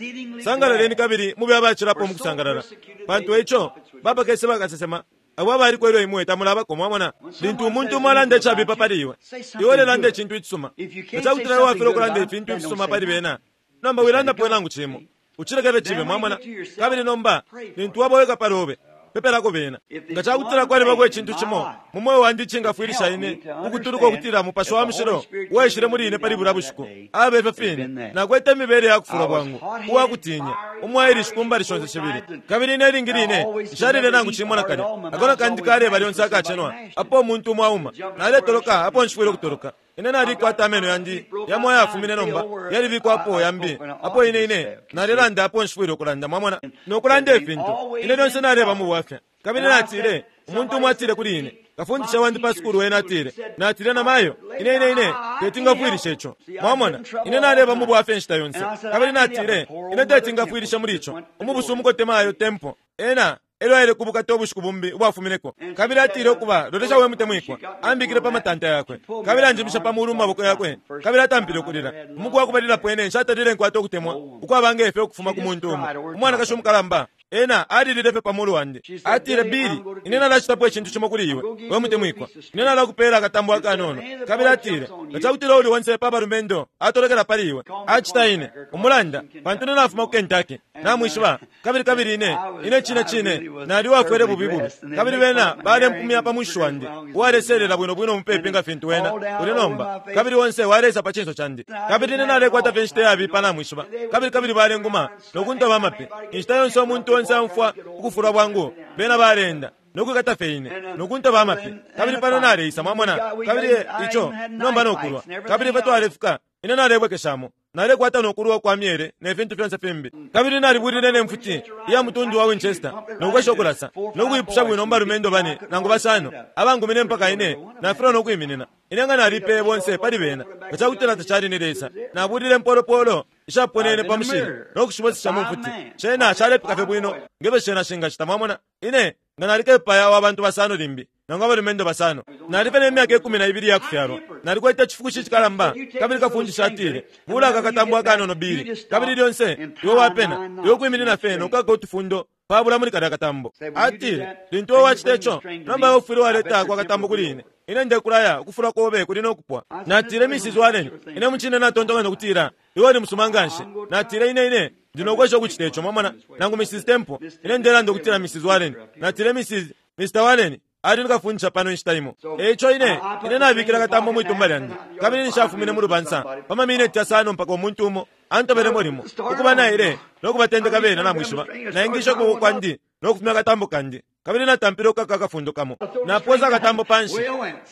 sangalaleni kabili mube abacilapo mukusangalala, pantu ico bapakese bakasesema Abo abaliko ilyo imwe tamulabako, mwamona. Lintu umuntu umo alanda icabipa pali iwe, iwe ulelanda icintu icisuma. Nga cakutila iwe wafilwa ukulanda ifintu ifisuma pali bena, nomba wilandapo nangu cimo, ucilekele cibe, mwamona. Kabili nomba lintu waba weka palobe, pepelako bena. Nga cakutila kwalibako icintu cimo mu mweo wandi icingafwilisha ine ukutuluka ukutila Mupashi wa Mushilo uwaishile muli ine pali bulya bushiku, abe ifyo fine. Nakwete imibele ya kufulwa bwangu, uwakutinya, umwairishi ku mbali shonse shibili. Kabili ine ilingi line nshalile nangu cimo nakalya. Akona kandi kaleba lyonse akacenwa apo umuntu umo auma. Naletoloka apo nshifwile ukutoloka. Ine nalikwata ameno yandi yamo ayafumine nomba yalibikwapo yambi apo ine ine nalelanda apo nshifwile ukulanda, mwamona, nokulanda ifintu. Ine lyonse naleba mu bwafya. Kabili natile, umuntu umo atile kuli ine, kafundisha wandi pa sukulu wena atile, natile na mayo, ine ine ine teti ngafwilishe ico. Mwamona, ine naleba mu bwafya inshita yonse. Kabili natile, ine teti ngafwilishe muli ico. Umubusu umukote mayo tempo ena elyo aile kubukata ubushiku bumbi ubwafumineko. Kabili atile ukuba lolesha we mutemwikwa, ambikile pa matanta yakwe, kabili anjimisha pa mulu mu maboko yakwe, kabili atampile ukulila. Umuku wakubalilapo ine nshatalile nkwata ukutemwa ukwaba nge fyo ukufuma ku muntu umo. Umwanakashi umukalamba ena alilile fye pa mulu wandi. Atile, Bili, ine nalacitapo icintu cimo kuli iwe, we mutemwikwa. Ine nalakupela akatambo akanono. Kabili atile, nga cakutila uli onse pa balumendo atolekela pali iwe, acita ine umulanda, pantu ine nafuma ku Kentucky, namwishiba. Kabili kabili ine ine cine cine nali wafwele bubi bubi. Kabili bena balempumya pa mwishi wandi, uwaleselela bwino bwino mupepi nga fintu wena uli nomba. Kabili onse walesa pa cinso candi. Kabili ine nalekwata fye inshita yabipa, namwishiba. Kabili kabili balenguma nokuntoba amapi. Inshita yonse umuntu onse amfwa ukufulwa bwangu, bena balenda nokwikata fye ine nokuntoba amapi. Kabili pano naleisa, mwamona. Kabili ico nomba nokulwa. Kabili ifwe twalefika, ine nalebwekeshamo, nalekwata nokulwa kwa myele ne fintu fyonse fimbi. Kabili nalibulile ne mfuti iya mutundu wa Winchester nokwesha ukulasa nokuipusha bwino mbalumendo bane nangu basano abangumine mpaka ine nafilwa nokwiminina. Ine nga nalipeye bonse pali bena. Nga cakutila tacali ni Lesa, nabulile mpolopolo ishaponene pa mushili nokushibosesha mu mfuti. Cena calepika fye bwino ngefyo cena shingacita, mwamona. Ine nga nalikepaya wa bantu basano limbi nangu abalumendo basano. Nalife ne myaka ikumi na ibili yakufyalwa. Nalikwete icifukushi icikalamba. Kabili kafundisha atile, bula akakatambo akanono bili. Kabili lyonse iwe wapena iwe ukwiminina fye nokukaka utufundo pabula muli kalya katambo. Atile, lintu iwe wacita ico, nomba iwe ufwile waleta kwa katambo kuli ine. Ine ndekulaya ukufulwa kobe kuli nokupwa. Natile, Missus Warren, ine mucine natontonkanya ukutila iwe uli musuma nganshi. Natile, ine ine ndinokwesha ukucita ico, mwamona. Nangu Missus Temple, ine ndelanda ukutila Missus Warren. Natile, Missus Mister Warren ali nikafundisha pano inshita imo. Eico ine ine nabikila katambo mwitumba lyandi. Kabili nishafumine mu lubansa pa mamineti yasano mpaka umuntu umo antobelemo limo ukuba naile nokubatendeka bena, namwishiba. Naingisha ukuboko kwandi nokufumya akatambo kandi. Kabili natampile ukukaka akafundo kamo. Naposa akatambo panshi.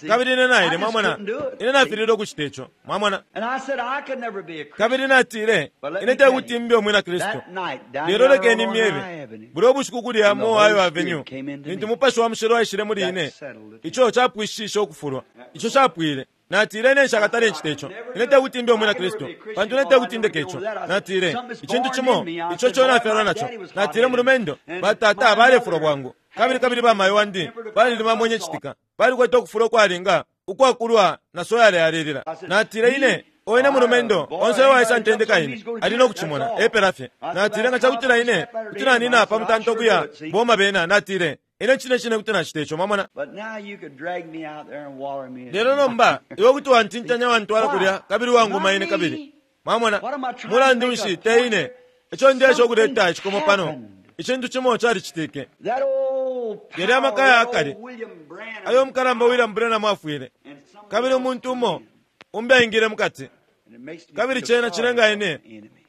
Kabili ine naile, mwamona. Ine nafilile ukucita ico, mwamona. Kabili natile, ine tekuti mbe umwina Kristu. Lelo lekeni myebe, bulya ubushiku kulya mu Ohio Avenue, lintu Mupashi wa Mushilo waishile muli ine, ico capwishishe ukufulwa. Ico capwile. Natile, ine nshakatale ncita ico. Ine tekuti mbe umwina Kristu, pantu ine tekuti ndeke ico. Natile, icintu cimo ico co nafyalwa naco. Natile, mulumendo, batata balefulwa bwangu. Kabili kabili bamayo wandi balilima mwenye citika. Balikwete ukufulwa ukwalinga ukwakulwa na soya yalelila. Natile, ine oine mulumendo onse waisa ntendeka ine ali nokucimona epela fye. Natile, nga cakutila ine kuti nanina pa mutanto kuya boma bena. Natile, ine cine cine kuti nacita ico, mwamona. Lelo nomba iwe kuti wantintanya wantwala kulya kabili wanguma ine kabili, mwamona. Mulandu nshi te ine ico ndesha ukuleta icikomo pano. Icintu cimo calicitike. Yali amaka ya akale ayo umukalamba William Branham afwile, kabili umuntu umo umbi aingile mukati. Kabili cena cilenga ine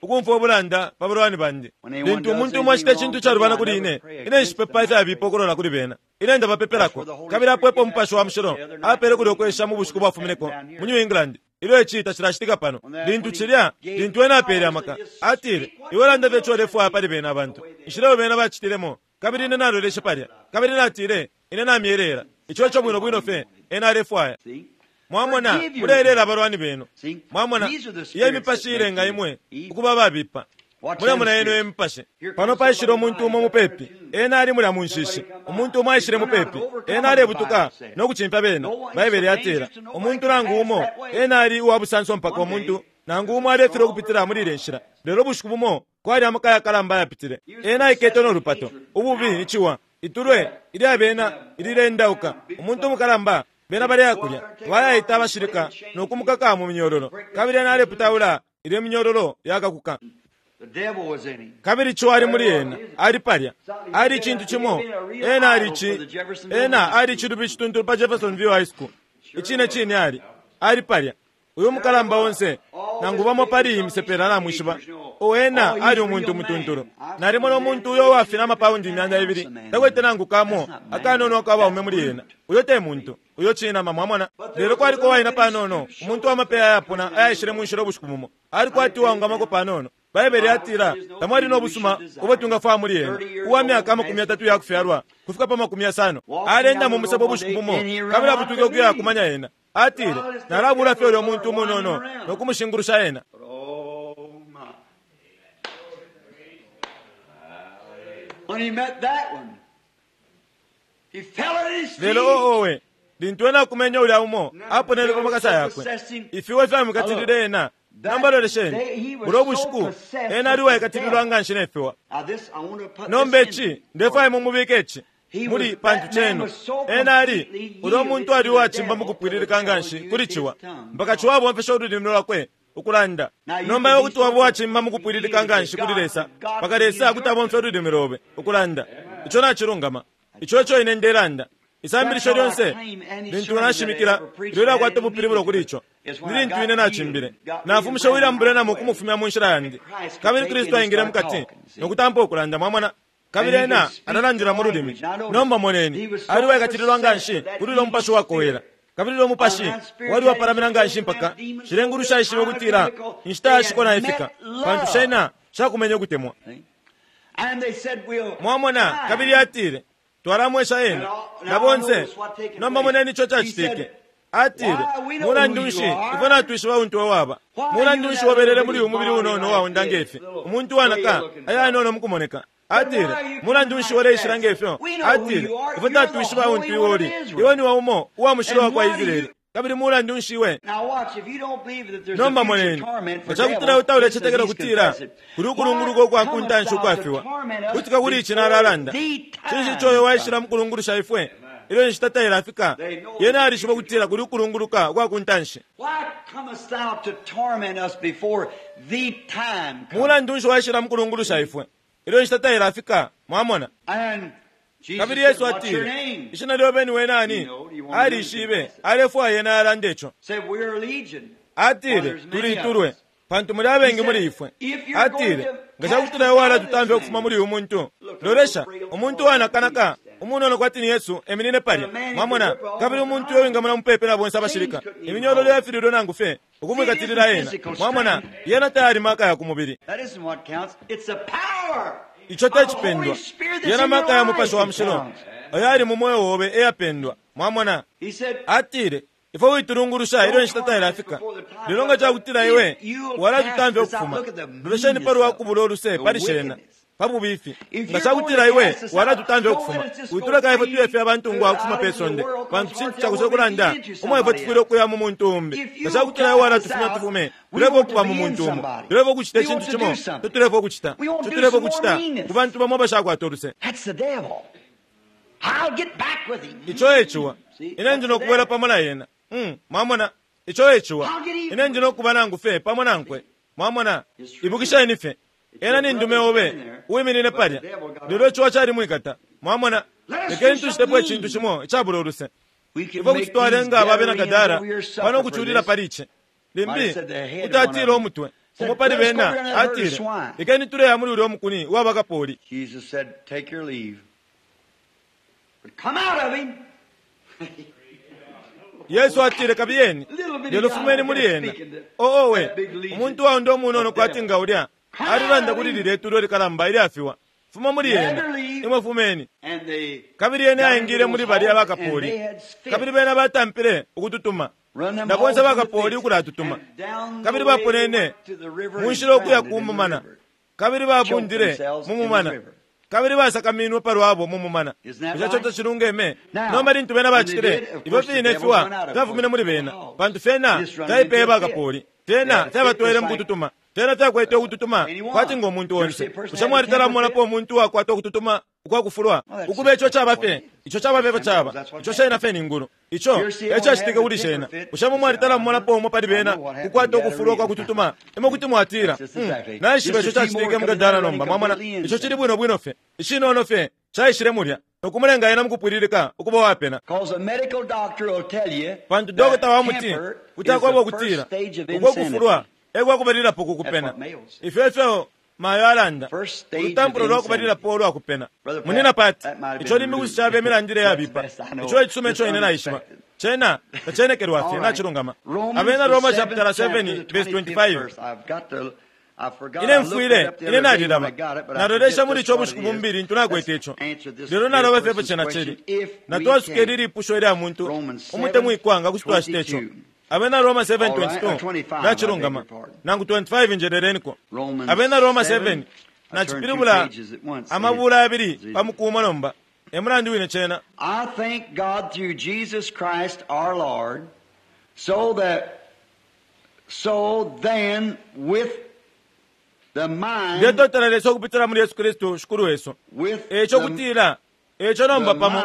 ukumfwa ubulanda pa balwani bandi. Lintu umuntu umo acita icintu calubana kuli ine, ine nshipepa ifyabipa ukulola kuli bena. Ine ndabapepelako. Kabili apo epo Mupashi wa Mushilo apele kuli ukwesha mu bushiku bwafumineko mu New England. Ilyo ici tacilacitika pano. Lintu cilya, lintu ena apele amaka, atile, iwe landa fye ico ulefwaya pali bena abantu. Inshila bena bacitilemo. Kabili ine naloleshe palya. Kabili natile, ine namyelela. Ico ico bwino bwino fye ena alefwaya. Mwamona, mulelela abalwani benu. Mwamona, iyo imipashi ilenga imwe ukuba babipa. Mulemona yenu imipashi. Pano paishile umuntu umo mupepi, ena ali mulya mu nshishi. Umuntu umo aishile mupepi, ena alebutuka nokucimfya bena. Baibele yatila, umuntu nangu umo ena ali uwa busanso mpaka umuntu nangu umo alefilwa ukupitila muli ile nshila. Lelo bushiku bumo kwali amaka yakalamba ayapitile. Ena aikete nolupato, ububi ni ciwa. Itulwe ilya bena ililendauka umuntu umukalamba bena baleya kulya bayaita abashilika nokumukaka mu minyololo kabili ena aleputaula ilye minyololo yakakuka. Kabili ciwa ali muli ena ali palya ali icintu cimo ena ali ci ena ali cilubi cituntulu pa Jeffersonville High School icine cine ali ali palya uyu mukalamba onse nangu bamo pali imisepela namwishiba o ena ali umuntu mutuntulu nalimona umuntu uyo wafina amapaundi imyanda ibili takwete nangu kamo akanono kabaume muli ena uyo te muntu uyo cinama mwamona lelo kwaliko waina panono umuntu wamapeya ayapona ayaishile munshila ubushiku bumo ali kwati waungamako panono Baibele yatila tamwali nobusuma ubo tungafwaya muli ena uwa myaka amakumi atatu yakufyalwa kufika pa makumi yasano alenda mu musebo ubushiku bumo kabili abutuke ukuya kumanya ena atile nalabula fye ulya muntu umunono nokumushingulusha ena. Lelo oowe lintu ena akumenya ulya umo aponele pa makasa yakwe ifiwe fyamwikatilile ena. Nomba lolesheni bulo ubushiku ena ali uwaikatililwa nga nshi nefiwa. Nomba ici ndefwaya mumubike ici muli pantu chenu ena ali ulya umuntu ali uwacimba mukupwililika nga nshi kuli ciwa mpaka ciwa abomfesha ululimi lwakwe ukulanda. Nomba iwe kuti waba uwacimba mukupwililika nga nshi kuli Lesa mpaka Lesa akuti abomfya ululimi lobe ukulanda. Ico nacilungama ico eco ine ndelanda. Isambilisho lyonse lintu nashimikila ilyo lyakwata ubupilibulo kuli ico ni lintu ine nacimbile nafumisha William Branham ukumufumya mu nshila yandi kabili Kristu aingile mukati nokutampa ukulanda mwamona kabili ena analandila mu lulimi. Nomba moneni ali uwaikatililwa nga nshi kuli ulya mupashi wakowela kabili ulya mupashi wali wapalamina nga nshi mpaka shilengulu shaishibe ukutila inshita yashiko naifika pantu shena shakumenya ukutemwa mwamona. Kabili atile twalamwesha ena na bonse. Nomba moneni ico cacitike. Atile mulandu nshi ifwe natwishiba untu waba mulandu nshi wabelele muli uyu mubili unono waunda ngefi umuntu wanaka ayanono mukumoneka. Atile mulandu nshi waleishila ngefyo. Atile ifwe tatwishiba untu iwe uli iwe niwe umo uwa mushilo wa kwa Israeli kabili mulandu nshi iwe. Nomba moneni nga cakutila utaulechetekela kutila kuli ukulunguluka ukwa kuntanshi ukwafiwa kutika kuli ici nalalanda cinshi ico uyo waishila mukulungulusha ifwe ilyo inshita tailafika yena alishiba kutila kuli ukulunguluka ukwa kuntanshi. Mulandu nshi waishila mukulungulusha ifwe ilyo inshita tailafika mwamona. Kabili Yesu atile ishina lyobe niwe nani alishibe alefwaya yena alande ico. Atile tulitulwe pantu muli abengi muli ifwe. Atile nga cakutila iwe walatutamfya ukufuma muli uyu muntu lolesha umuntu wanakanaka umunono kwati ni Yesu eminine palya mwamona kabili umuntu uyo wingamona mupepe na bonse abashilika iminyololo yafililwe nangu fye ukumwikatilila ena mwamona yena tayali maka ya kumubili. Ico tecipendwa yena maka ya mupashi wa mushilo ayo ali mu moyo wobe eyapendwa mwamona. Atile ifwe witulungulusha ilyo inshita tailafika lelo nga cakutila iwe walatutamfya ukufuma lolesheni pali wakubula oluse pali shena pa bubifi nga cakutila iwe walatutamfya ukufuma wituleka ifwe tuyefe abantu ngwa ukufuma pe sonde pantu cintu cakusa ukulanda umo ifwe tufwile ukuya mu muntu umbi nga cakutila iwe walatufumya tufume tulefwa ukuba mu muntu umo tulefwa ukucita icintu cimo totulefwa ukucita totulefwa ukucita ku bantu bamo abashakwata oluse. Ico eciwa ine ndi nokubwela pamo na yena mwamona ico eciwa ine ndi nokuba nangu fe pamo nankwe mwamona. Ibukisheni fye ena ni ndume obe uwiminine palya lelo iciwa calimwikata mwamona. Lekeni tucitepo icintu cimo icabula oluse ifwe kuti twalenga ababe na Gadara pano ukuculila pali ici limbi kuti atile umutwe umo pali bena atile lekeni tuleya muli ulya omukuni uwabakapoli. Yesu atile kabiyeni lelo fumeni muli ena oowe umuntu waunda umunono kwati nga ulya alilanda kuli lilya itulo likalamba ilyafiwa fuma muli ena imwe fumeni. Kabili ena aingile muli balya bakapoli kabili bena batampile ukututuma na bonse bakapoli ukulatutuma kabili baponene munshila ukuya kumumana kabili babundile mumumana kabili basakaminwe palwabo mumumana. Ico cote cilungeme. Nomba lintu bena bacitile ifyo fine fiwa fyafumine muli bena pantu fyena fyaipeye bakapoli fyena fyabatwele mukututuma fyena fyakwete ukututuma kwati nga umuntu onse. Bushe mwalitala mumonapo umuntu uwakwata ukututuma ukwa kufulwa ukuba ico caba fye ico caba fye caba ico shena fye ni ngulu ico ecacitike kuli shena bushe mumwalitala mumolapo umo pali bena kukwata ukufulwa kwa kututuma imwe kuti mwatila naishiba ico cacitike mugadala nomba mwamona ico cili bwino bwino fye icinono fye caishile mulya nokumulenga ena mukupwililika ukuba wapena pantu dokota wa muti kuti akweba ukutila uko kufulwa ekwakubalilapo kukupena ifyo ifyo mayo alanda ulutampulo lwakubalilapo ulwakupena munina pati ico limbi kuti cabe emilandile yabipa ico icisuma ico ine naishiba cena tacenekelwa fye nacilungama Abena Roma chapter seven verse twenty-five ine mfwile ine nalilaba nalolesha muli ico bushiku bumbili ntu nakwete ico lelo naloba fyepo cena cili natwasuka ili lipusho ilya muntu umutemwikwa nga kuti twacita ico Abena Roma seven twenty-two nacilungama nangu twenty-five njeleleniko Abena Roma seven nacipilibula amabula abili pamukumo nomba emulandu wine cena I thank God through Jesus Christ our Lord, so that so then with the mind ndetotela Lesa ukupitila muli Yesu Kristu shikulu wesu with eco the, kutila eco nomba pamo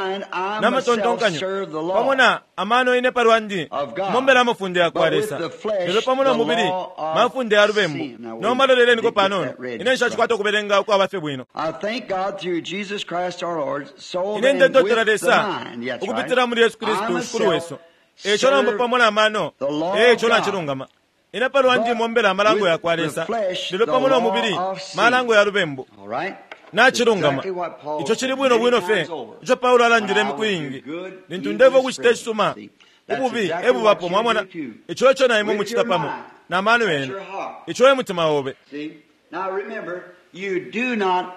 namatontonkanyo pamo na amano ine palwandi mombela amafunde yakwa Lesa lelo pamo no mubili mafunde ya lubembu nomba loleleniko panono ine nshacikwata ukubelenga ukwaba fye bwino I thank God through Jesus Christ our Lord, so ine then ndetotela with the Lesa mind, that's ukupitila right, muli Yesu I Kristu shikulu myself wesu eco nomba serve pamo na mano the law of eco God. nacilungama ine palwandi mombela amalango With yakwa the Lesa flesh, lelo the pamo no law mubili of sin. malango ya lubembu All right? nacilungama Exactly what Paul ico chili said bwino many bwino fye times over. ico Paulo alandile When I imiku will iingi do good, lintu evil ndeva is ukucita present. icisuma See, that's ububi exactly ebubapo what you mwamona do too. ico ico na imwe With mucita your pamo mind. na mano That's yenu your heart. ico e mutima obe See? Now remember, you do not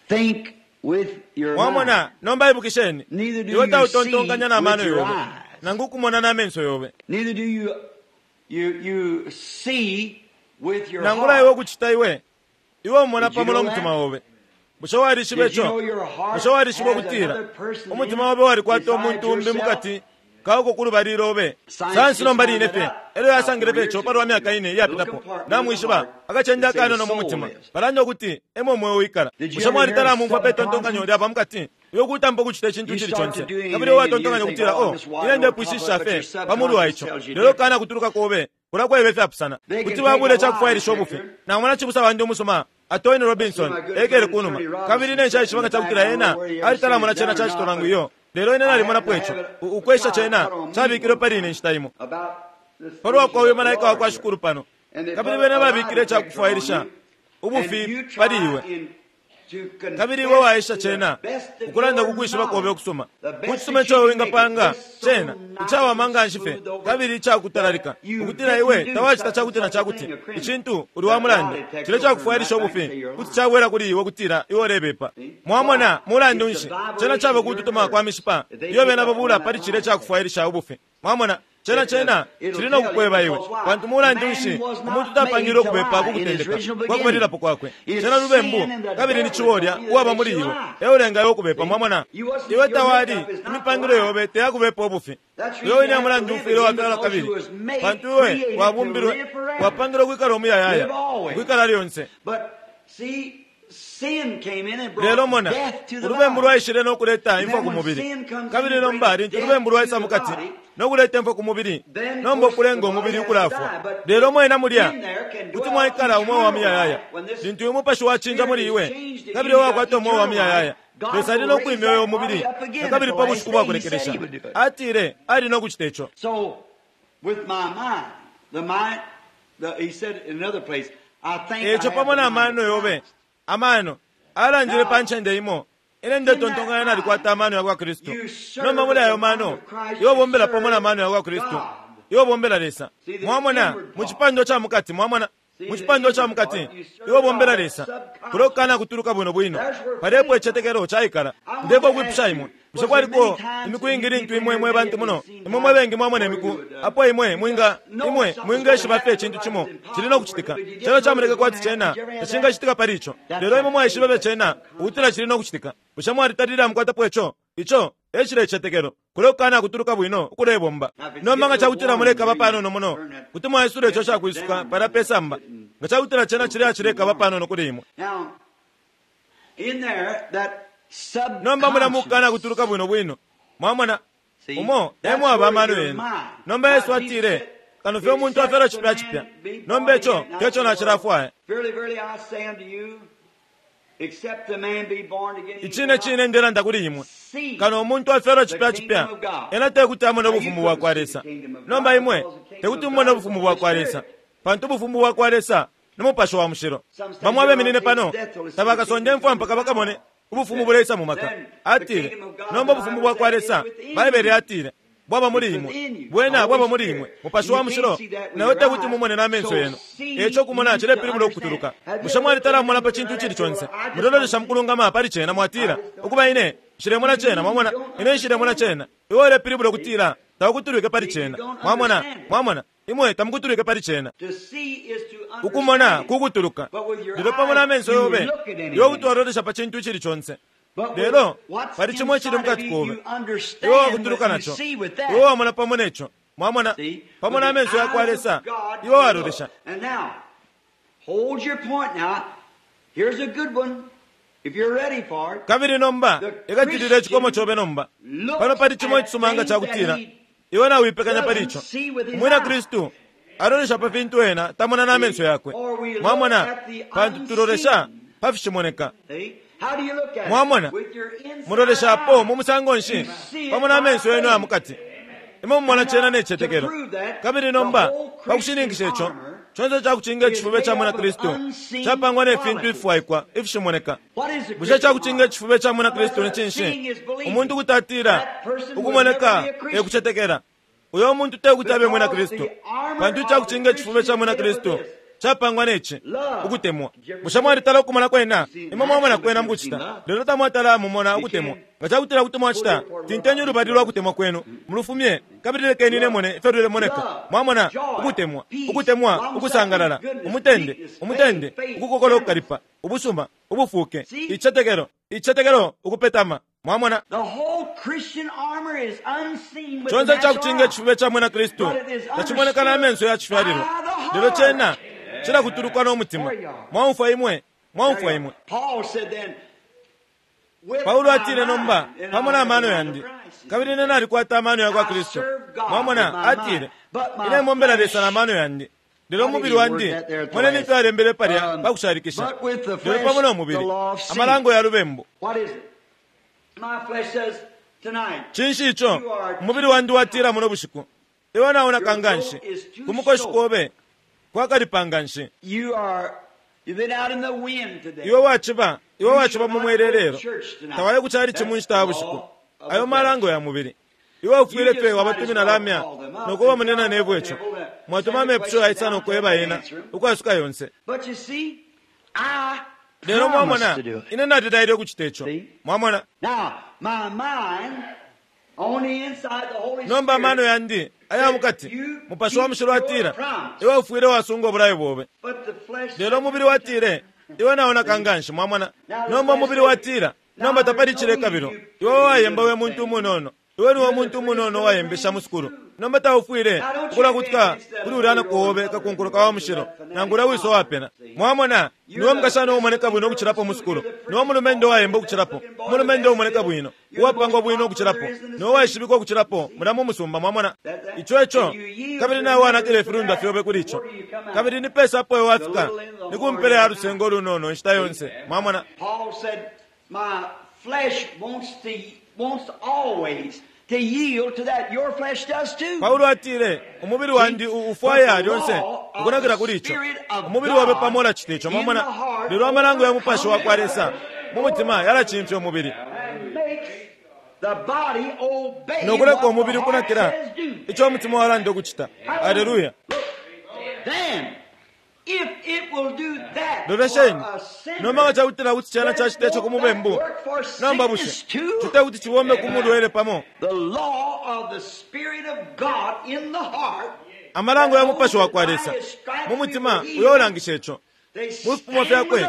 think with your mind. mwamona nomba ibukisheni Neither do iwe you tautontonkanya see na mano with your yobe eyes. nangu ukumona na menso yobe Neither do you you you see with your nangula iwe heart. ukucita iwe iwe umona Did you pamo know no mutima that? obe bushe walishiba Did you ico know your heart bushe walishiba has ukutila another person umutima in it obe walikwata besides umuntu umbi yourself? mukati kauko kulubali lobe Science sansi nomba just line found fye that out elyo yasangile about fye ico four palwa years myaka ago. ine Little iyapitapo compartment namwishiba in the heart akacende that say akanono the mu soul mutima is. balanda ukuti emo mwe wikala Did you bushe ever mwalitala hear mumfwa pe tontonkanyo subconscious? lyapa mukati iwe kutampa ukucita icintu You cili start conse to do anything kabili and you watontonkanya think, ukutila oh, o I'm just wide ine on top ndepwishisha of it, but fye your pamulu wa subconscious ico tells you lelo different. kana kutuluka kobe kulakweba ifyapusana They can kuti take babule a icakufwailisha lie ubufi detector. namona cibusa wandi umusuma Atoni Robinson ekele kunuma kabili ine nshaishiba nga cakutila ena alitalamona cena cacito nangu iyo lelo ine nalimonapo ico U- ukwesha cena cabikilwe pali ine nshita imo About the palwa kwa uyu station malaika of wa kwa the Lord shikulu pano And they kabili put bena a lie babikile detector icakufwailisha on you, and ubufi you try pali iwe in to confess kabili iwe waisha to the cena best of ukulanda your kukwishiba kobe knowledge, ukusuma the best kucisuma that you ico can wingapanga make it, just so cena nice icawama and nga nshi fye smooth over kabili icakutalalika that you ukutila didn't iwe do tawacita such cakuti na and such a cakuti thing, a criminal. icintu uli The wa mulandu lie detector cile will turn cakufwailisha right back and ubufi say you're kuti lying. cabwela kuli iwe kutila iwe ulebepa mwamona mulandu It's nshi the cena vibration caba of your kututuma kwa nerves. mishipa If they iyo pick bena up on babula that pali cile lie cakufwailisha ubufi mwamona cena cena It'll cili tell no you kukweba iwe because why? pantu mulandu Man nshi was not umuntu tapangile made to ukubepa lie in his kukutendeka original kwa kubalilapo beginning. kwakwe It's cena lubembu sin and the kabili ni devil chiwolya is on you uwaba that muli makes you iwe lie. eulenga iwe ukubepa mwamona You wasn't- iwe your tawali makeup is not imipangilo to lie. yobe teyakubepa ubufi That's iwe reason wine you have to mulandu live ufwile again wapyala because kabili you was made, pantu iwe created to wabumbilwe live forever. wapangilwe kwikala umuyayaya Live always. kwikala lyonse But see, sin came in and lelo brought mona death to the ulubembu body. lwaishile nokuleta And imfwa then ku when mubili sin comes in kabili and nomba brings lintu death ulubembu to lwaisa the mukati body, nokuleta imfwa ku mubili then of nomba course ukulenga the body umubili has to ukulafwa die. But lelo mwena mulya in there can kuti dwell mwaikala umwe wa eternal muyayaya life when this lintu uyu mupashi wachinja spirit muli is iwe changed in kabili you, you wakwata got umwe wa eternal muyayaya life. God Lesa ali will nokwimya raise uyo that mubili body up again na at kabili the pa last bushiku day. bwa He said kulekelesha he would do it. atile ali nokucita ico So, with my mind, the mind, the, he said in another place, I think I eco have pamo the na mind mano of yobe Christ. amano alandile Now, pa ncende imo ine ndetontonkanya nalikwata amano yakwa Kristu you serve nomba muli ayo the mind mano of Christ, iwe you bombela pamo na serve mano yakwa Kristu God. iwe bombela Lesa See, the mwamona inward mu part. chipando cha mukati mwamona See, mu the chipando cha inward mukati part, you serve iwe bombela God Lesa subconscious. kulokana kutuluka bwino bwino That's where palepo faith ichetekelo chaikala I want ndeko to kwipusha ask imwe you, bushe was there kwaliko many times imiku that ingi you lintu people imwe here mwe may bantu have muno seen imwe mwe bengi mwamona times imiku where you would, uh, apo imwe you mwinga just know imwe something's mwingeshiba gonna fye happen, icintu like chimo it's impossible chili nokuchitika but you just chelo know chamuleka it's gonna kwati chena happen. Did you ever have that? tachingachitika pali icho That's lelo imwe what mwaishiba faith fye chena is. ukutila chili nokuchitika bushe mwalitalila mukwatapo icho icho ecile ichetekelo kulekukana kutuluka bwino ukulebomba Now, if it's nomba nga getting chakutila warm, mulekaba you panono muno turn that kuti mwaisula icho chakwisuka pala pesamba nga chakutila chena chili achilekaba panono kuli imwe Now, Nomba mulya mukana kutuluka bwino bwino. Mwamona, umo emwaba amano yenu. Nomba Yesu atile, kano fye umuntu afyalwa cipya cipya. Nomba ico teco nacilafwaya. Icine cine ndelanda kuli imwe, kano umuntu afyalwa cipya cipya, ena tekuti amone ubufumu bwa kwa Lesa. Nomba imwe tekuti mumone ubufumu bwa kwa Lesa, pantu ubufumu bwa kwa Lesa ni Mupashi wa Mushilo. Bamwe abeminine pano tabakasonde mfwa mpaka bakamone ubufumu buleisa mu maka. Atile, nomba ubufumu bwa kwa Lesa, Baibele atile, bwaba muli imwe, bwena bwaba muli imwe, Mupashi wa Mushilo, nawe tekuti mumone n'amenso yenu. Eco kumona cilepilibula ukutuluka. Bushe mwalitala mumona pa cintu icili conse? Mulololesha mukulungama pali cena mwatila, ukuba ine nshilemona cena, mwamona, ine nshilemona cena. Iwe ulepilibula ukutila tawukutulwike pali cena. Mwamona, mwamona, imwe tamukutulwike pali cena. Ukumona kukutuluka, lelo pamo n'amenso yobe iwe kuti walolesha pa cintu icili conse. Lelo pali cimo icili mukati kobe, iwe wakutuluka naco, iwe wamona pamo neco. Mwamona, pamo n'amenso ya kwa Lesa iwe walolesha. Kabili nomba ikatilila icikomo cobe nomba. Pano pali cimo icisuma nga cakutila iwe nawipekanya pali ico. Umwina Kristu alolesha pa fintu ena tamona n'amenso yakwe. Mwamona, pantu tulolesha pa fishimoneka. Mwamona, muloleshapo mu musango nshi pamo n'amenso yenu aya mukati. Imwe mumona cena n'ecetekelo. Kabili nomba pakushininkisha ico, conse cakucinga icifube ca mwina Kristu capangwa ne fintu ififwaikwa ifishimoneka. Bushe cakucinga icifube ca mwina Kristu ni cinshi? Umuntu kuti atila ukumoneka ekucetekela. Uyo muntu tekuti abe mwina Kristu, pantu icakucinga icifube ca mwina Kristu capangwa neci, ukutemwa. Bushe mwalitala ukumona kwena? Imwe mwamona kwena mukucita, lelo tamwatala mumona ukutemwa. Nga cakutila kuti mwacita, tintenyi ulubali lwa kutemwa kwenu mulufumye, kabili lekeni ine mone ifyo lulemoneka. Mwamona, ukutemwa, ukutemwa, ukusangalala, umutende, umutende, ukukokola ukukalipa, ubusuma, ubufuke, icetekelo, icetekelo, ukupetama. Mwamona, conse cakucinga icifube ca mwina Kristu tacimoneka n'amenso ya cifyalilwa, lelo cena cilakutulukwa n'omutima. Mwaumfwa imwe, mwaumfwa imwe. Paulo atile nomba pamo n'amano yandi, kabili ine nalikwata amano ya kwa Kristu. Mwamona, atile, ine mombela Lesa n'amano yandi, lelo umubili wandi moneni ifyo alembele palya pakushalikisha. Lelo pamo n'omubili amalango ya lubembu. Cinshi ico umubili wandi watila muno bushiku? Iwe naunaka nganshi ku mukoshi kobe kwakalipa nganshi. Iwe waciba, iwe waciba mu mwelelelo, tawaye kucali cimu nshita ya bushiku. Ayo malango ya mubili. Iwe ufwile fye wabatumina lamya nokuba munena nebwe ico. Mwatuma amepusho yaisa nokweba yena ukwasuka yonse. Lelo mwamona, ine nalilaile ukucita ico. Mwamona, nomba amano yandi aya mukati, Mupashi wa Mushilo atila, iwe ufwile wasunga obulayo bobe. Lelo umubili watile, iwe naonaka nganshi. Mwamona, nomba umubili watila, nomba tapali cilekabilo. Iwe wayemba we muntu umunono, iwe niwe muntu umunono wayembesha mu sukulu. Nomba taufwile ukulakutika kuli ulya kobe kakunkuluka wa mushilo nangula wiso wapena. Mwamona, niwe mukashana umoneka bwino ukucilapo mu sukulu, niwe mulumendo wayemba ukucilapo, mulumendo umoneka bwino, uwapangwa bwino ukucilapo, niwe waishibikwa ukucilapo mula mu musumba. Mwamona ico ico, kabili nawe wanakile ifilundwa fyobe kuli ico, kabili ni pesa apo iwe wafika ni kumpela ya lusengo olunono inshita yonse. Mwamona, To yield to that. Your flesh does too. Paulo atile umubili wandi ufwaya lyonse ukunakila kuli ico. Umubili wabe pamo ulacita ico. Mwamona, lelo amalango ya Mupashi wa kwa Lesa mu mutima yalacimfya umubili nokuleka umubili ukunakila ico umutima walanda ukucita. Aleluya. Lolesheni, nomba nga cakutila kuti cena cacita ico ku mubembu, nomba bushe cite kuti cibombe ku mulwele pamo? Amalango ya Mupashi wa kwa Lesa mu mutima uyo ulangisha ico. Mu fipimo fyakwe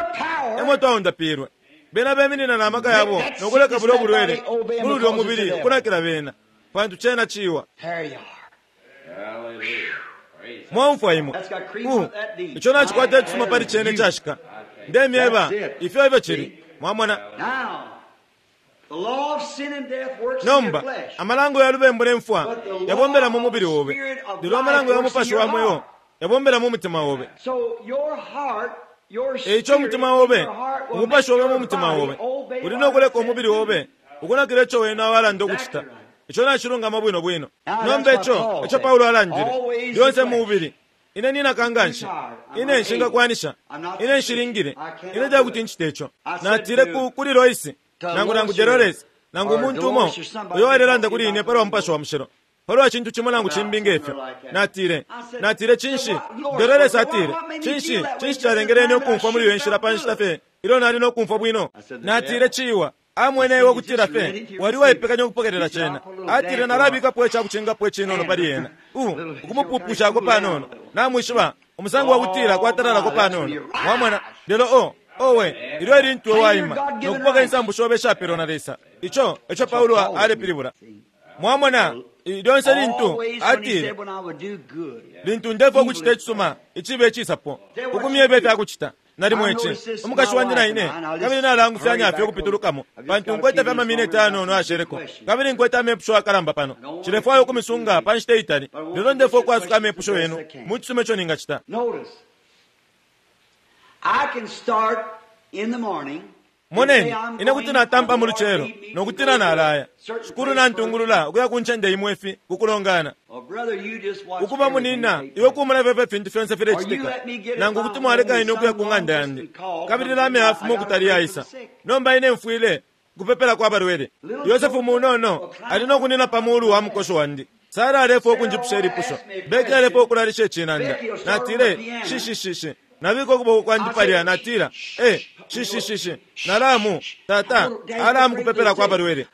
emo twaundapilwe. Bena beminina na maka yabo nokuleka bulyo bulwele muli ulyo mubili ukunakila bena, pantu cena ciwa. Mwaumfwa imwe, uh, ico nacikwata icisuma pali cene cashika. Ndemyeba ifyo ifyo cili. Mwamona? Nomba amalango ya lubembu ne mfwa yabombela mu mubili obe, lelo amalango ya mupashi wa mweo yabombela mu mutima obe. Eico umutima obe, umupashi obe mu mutima obe uli nokuleka umubili obe ukunakila ico wena walanda ukucita. Ico nacilungama bwino bwino. Nomba ico ico Paulo alandile lyonse mu mubili, ine ninakanganshi, ine nshingakwanisha, ine nshilingile, ine tekuti ncite ico. Natile kuli Loisi nangu nangu Delores nangu umuntu umo uyo alelanda kuli ine palwa mupashi wa mushilo, palwa cintu cimo nangu cimbi ngefyo. Natile, natile cinshi? Delores atile, cinshi, cinshi calengele ine ukumfwa muli iyo nshila pa nshita fye ilyo nali nokumfwa bwino? Natile, ciwa amwene iwe ukutila fye wali waipekanya ukupokelela cena. Atile, nalabikapo icakucingapo icinono pali ena, u ukumupupushako panono, namwishiba umusango wakutila kwatalalako panono. Mwamona? Lelo o owe ilyo ilintu waima nokupoka insambu shobe ishapelwa na Lesa. Ico eco Paulo alepilibula. Mwamona? Lyonse lintu atile, lintu ndefwa ukucita icisuma icibe icisapo ukumyeba ifyakucita, nalimo ici umukashi wandi na ine, kabili nalangufyanya fye ukupitulukamo, pantu nkwete fye amamineti ayanono ayasheleko, kabili nkwete amepusho akalamba pano. Nshilefwaya ukumisunga pa nshita itali, lelo ndefwa ukwasuka amepusho yenu mu cisuma ico ningacita. Moneni, ine kuti natampa mu lucelo nokutila nalaya shikulu nantungulula ukuya ku ncende imwe ifi kukulongana. Ukuba munina iwe kumona fye fintu fyonse filecitika, nangu kuti mwaleka ine ukuya ku ng'anda yandi, kabili lame afuma ukutali yaisa. Nomba ine mfwile kupepela kwa balwele. Yosefu munono ali nokunina pa mulu wa mukosho wandi. Sara alefwa ukunjipusha ilipusho, Beki alefwa ukulalisha icinanda. Natile, shishishishi, nabika ukuboko kwandi palya, natila, eh, shishishishi, nalamu tata alamu kupepela kwa balwele.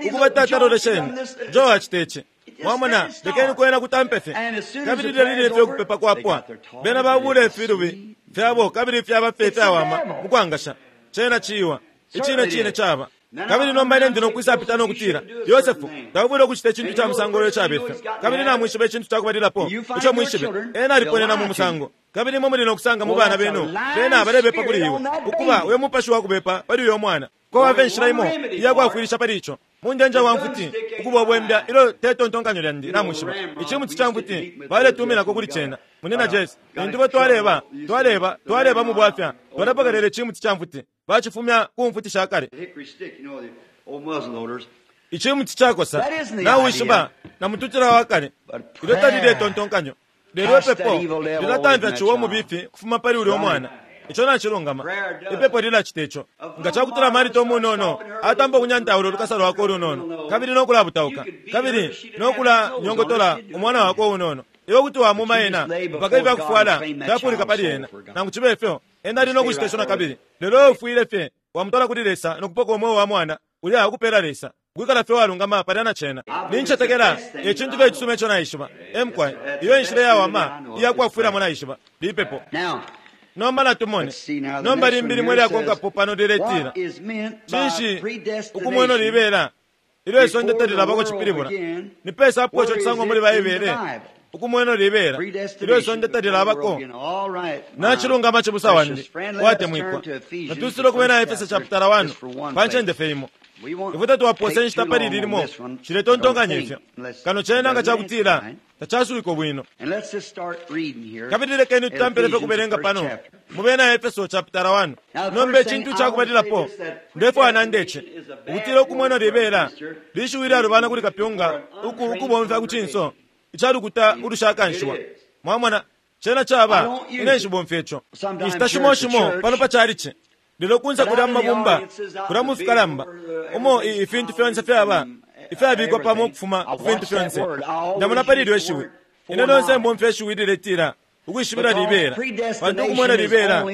Ukuba tata lolesheni, Joe acite ici. Mwamona, lekeni kwena kutampe fye. Kabili lilya lilye fye ukupepa kwapwa, bena babula ifilubi fyabo kabili fyaba fye fyawama mukwangasha. Cena ciwa icine cine caba. Kabili nomba ine ndi nokwisapita nokutila, Yosefu taufwile ukucita icintu ca musango uyo cabifya. Kabili namwishiba icintu cakubalilapo ico mwishibe, ena aliponena mu musango. Kabili imwe muli nokusanga mu bana benu bena balebepa kuli iwe, ukuba uyo mupashi wakubepa pali uyo mwana. Kwaba inshila imo iyakwafwilisha pali ico munjenja wa mfuti ukuba obwembya ilo tetontonkanyo lyandi. Namwishiba icimuti ca mfuti baletuminako kuli cena. Munina Jesi, lintu bo twaleba twaleba twaleba mu bwafya, twalapokelela icimuti ca mfuti bacifumya ku mfuti sha kale. Icimuti cakosa nawishiba na mututila wa kale, ilyo talile tontonkanyo. Lelo ipepo lilatamfya ciwa mubifi kufuma pali ulya mwana. Ico nacilungama. Ipepo lilacita ico. Nga cakutila Marita umunono atampa ukunyantaula ulukasa lwakwe ulunono, kabili nokulabutauka, kabili nokulanyongotola umwana wakwe unono, iwe kuti wamuma ena mpaka ifyakufwala fyafulika pali ena. Nangu cibe ifyo, ena ali nokucita ico nakabili. Lelo ufwile fye wamutwala kuli Lesa nokupoka umweo wa mwana ulya akupela Lesa, kwikala fye walungama palya na cena. Nincetekela ecintu fye icisuma ico naishiba. Emkwai, iyo inshila iyawama iyakwafwilamo naishiba lipepo. Nomba natumone. Nomba limbi limwe lyakonkapo pano liletila, cinshi ukumweno libela ilyo isonde talilabako cipilibula? Ni pesa apo ico cisangwa muli Baibele, ukumweno libela ilyo isonde talilabako? Nacilungama cibusa wandi watemwikwa, natusile ukubena Efeso chapter one pa ncende fye imo. Ifwe tatwaposa inshita pali lilimo ciletontonkanya ifyo kano cena nga cakutila tacasuwiko bwino. Kabili lekeni tutampele fye kubelenga pano mu bena Efeso chapter one. Nomba icintu cakubalilapo ndefwaya nandece ukutila ukumweno libela lishiwi lyalubana kuli kapyunga uku ukubomfya ku cinso icalukuta ulushakanshiwa. Mwamona, cena caba ine nshibomfya ico inshita shimo shimo pano pa calici. Lelo kunsa kulya mumabumba kulya mu fikalamba umo ifintu fyonse fyaba ifyabikwa pamo ukufuma ku fintu fyonse. Ndamona pali ilyo ishiwi, ine lyonse mbomfya ishiwi liletila ukwishibila libela, pantu ukumwena libela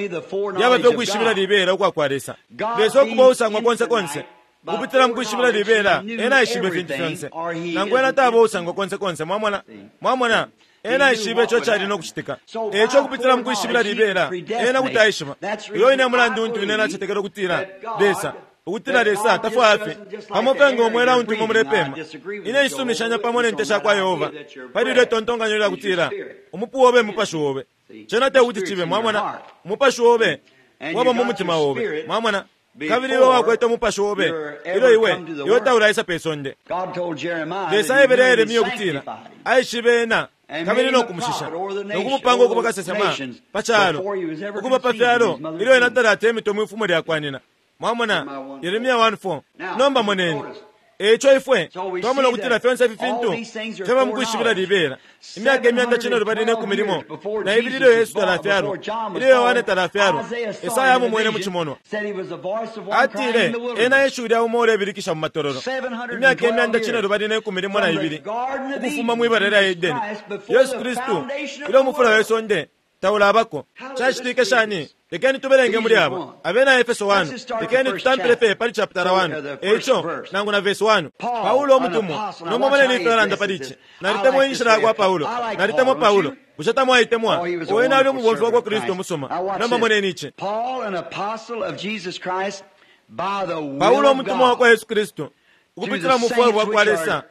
lyaba fye ukwishibila libela ukwa kwa Lesa. Lesa ukuba usangwa konse konse ukupitila mu kwishibila libela, ena aishibe ifintu fyonse, nangu ena taba usangwa konse konse. Mwamona, mwamona, ena aishibe ico cali nokucitika. Eco ukupitila mu kwishibila libela ena kuti aishiba. Iyo ine mulandu untu ine nacetekela ukutila Lesa ukutila Lesa tafwaya fye pamo fye nga umwela untu imwe mulepema. Ine nshisumishanya pamo ne nte sha kwa Yehova pali ilyo itontonkanyo lyakutila umupu obe mupashi obe. Cena tekuti cibe. Mwamona, umupashi obe waba mu mutima obe. Mwamona, Kabili iwe wakwete umupashi obe ilyo iwe iwe taulaisa pe sonde. Lesa aebele Yeremia ukutila aishibe ena kabili nokumushisha nokumupanga ukuba kasesema pa kyalo ukuba pa fyalo ilyo ena talata emito mwifumo lyakwanina. Mwamona Yeremia one four. Nomba moneni eco ifwe twamona ukutila fyonse ifi fintu fyaba mukwishibila libela. Imyaka imyanda cine lubali ne kumi limo na ibili ilyo Yesu talafyalwa, ilyo Yohane talafyalwa, Esaya amumwene mu cimonwa. Atile ena eshiwi lya umo ulebilikisha mu matololo. Imyaka imyanda cine lubali ne kumi limo na ibili ukufuma mwibala lya Edeni, Yesu Kristu ilyo umufula we sonde taulabako. Cacitike shani? Lekeni tubelenge muli abo abena Efeso one. Lekeni tutampile pe pali chapter one eco nangu na verse one. Paulo omutumwa nomba moneni ifyo alanda pali ici. Nalitemwa inshila yakwa Paulo, nalitemwa Paulo. Bushe tamwaitemwa? Wene ali umubomfi wakwa Kristu umusuma. Nomba moneni ici. Paulo omutumwa wakwa Yesu Kristu ukupitila mu bufwayo bwakwa Lesa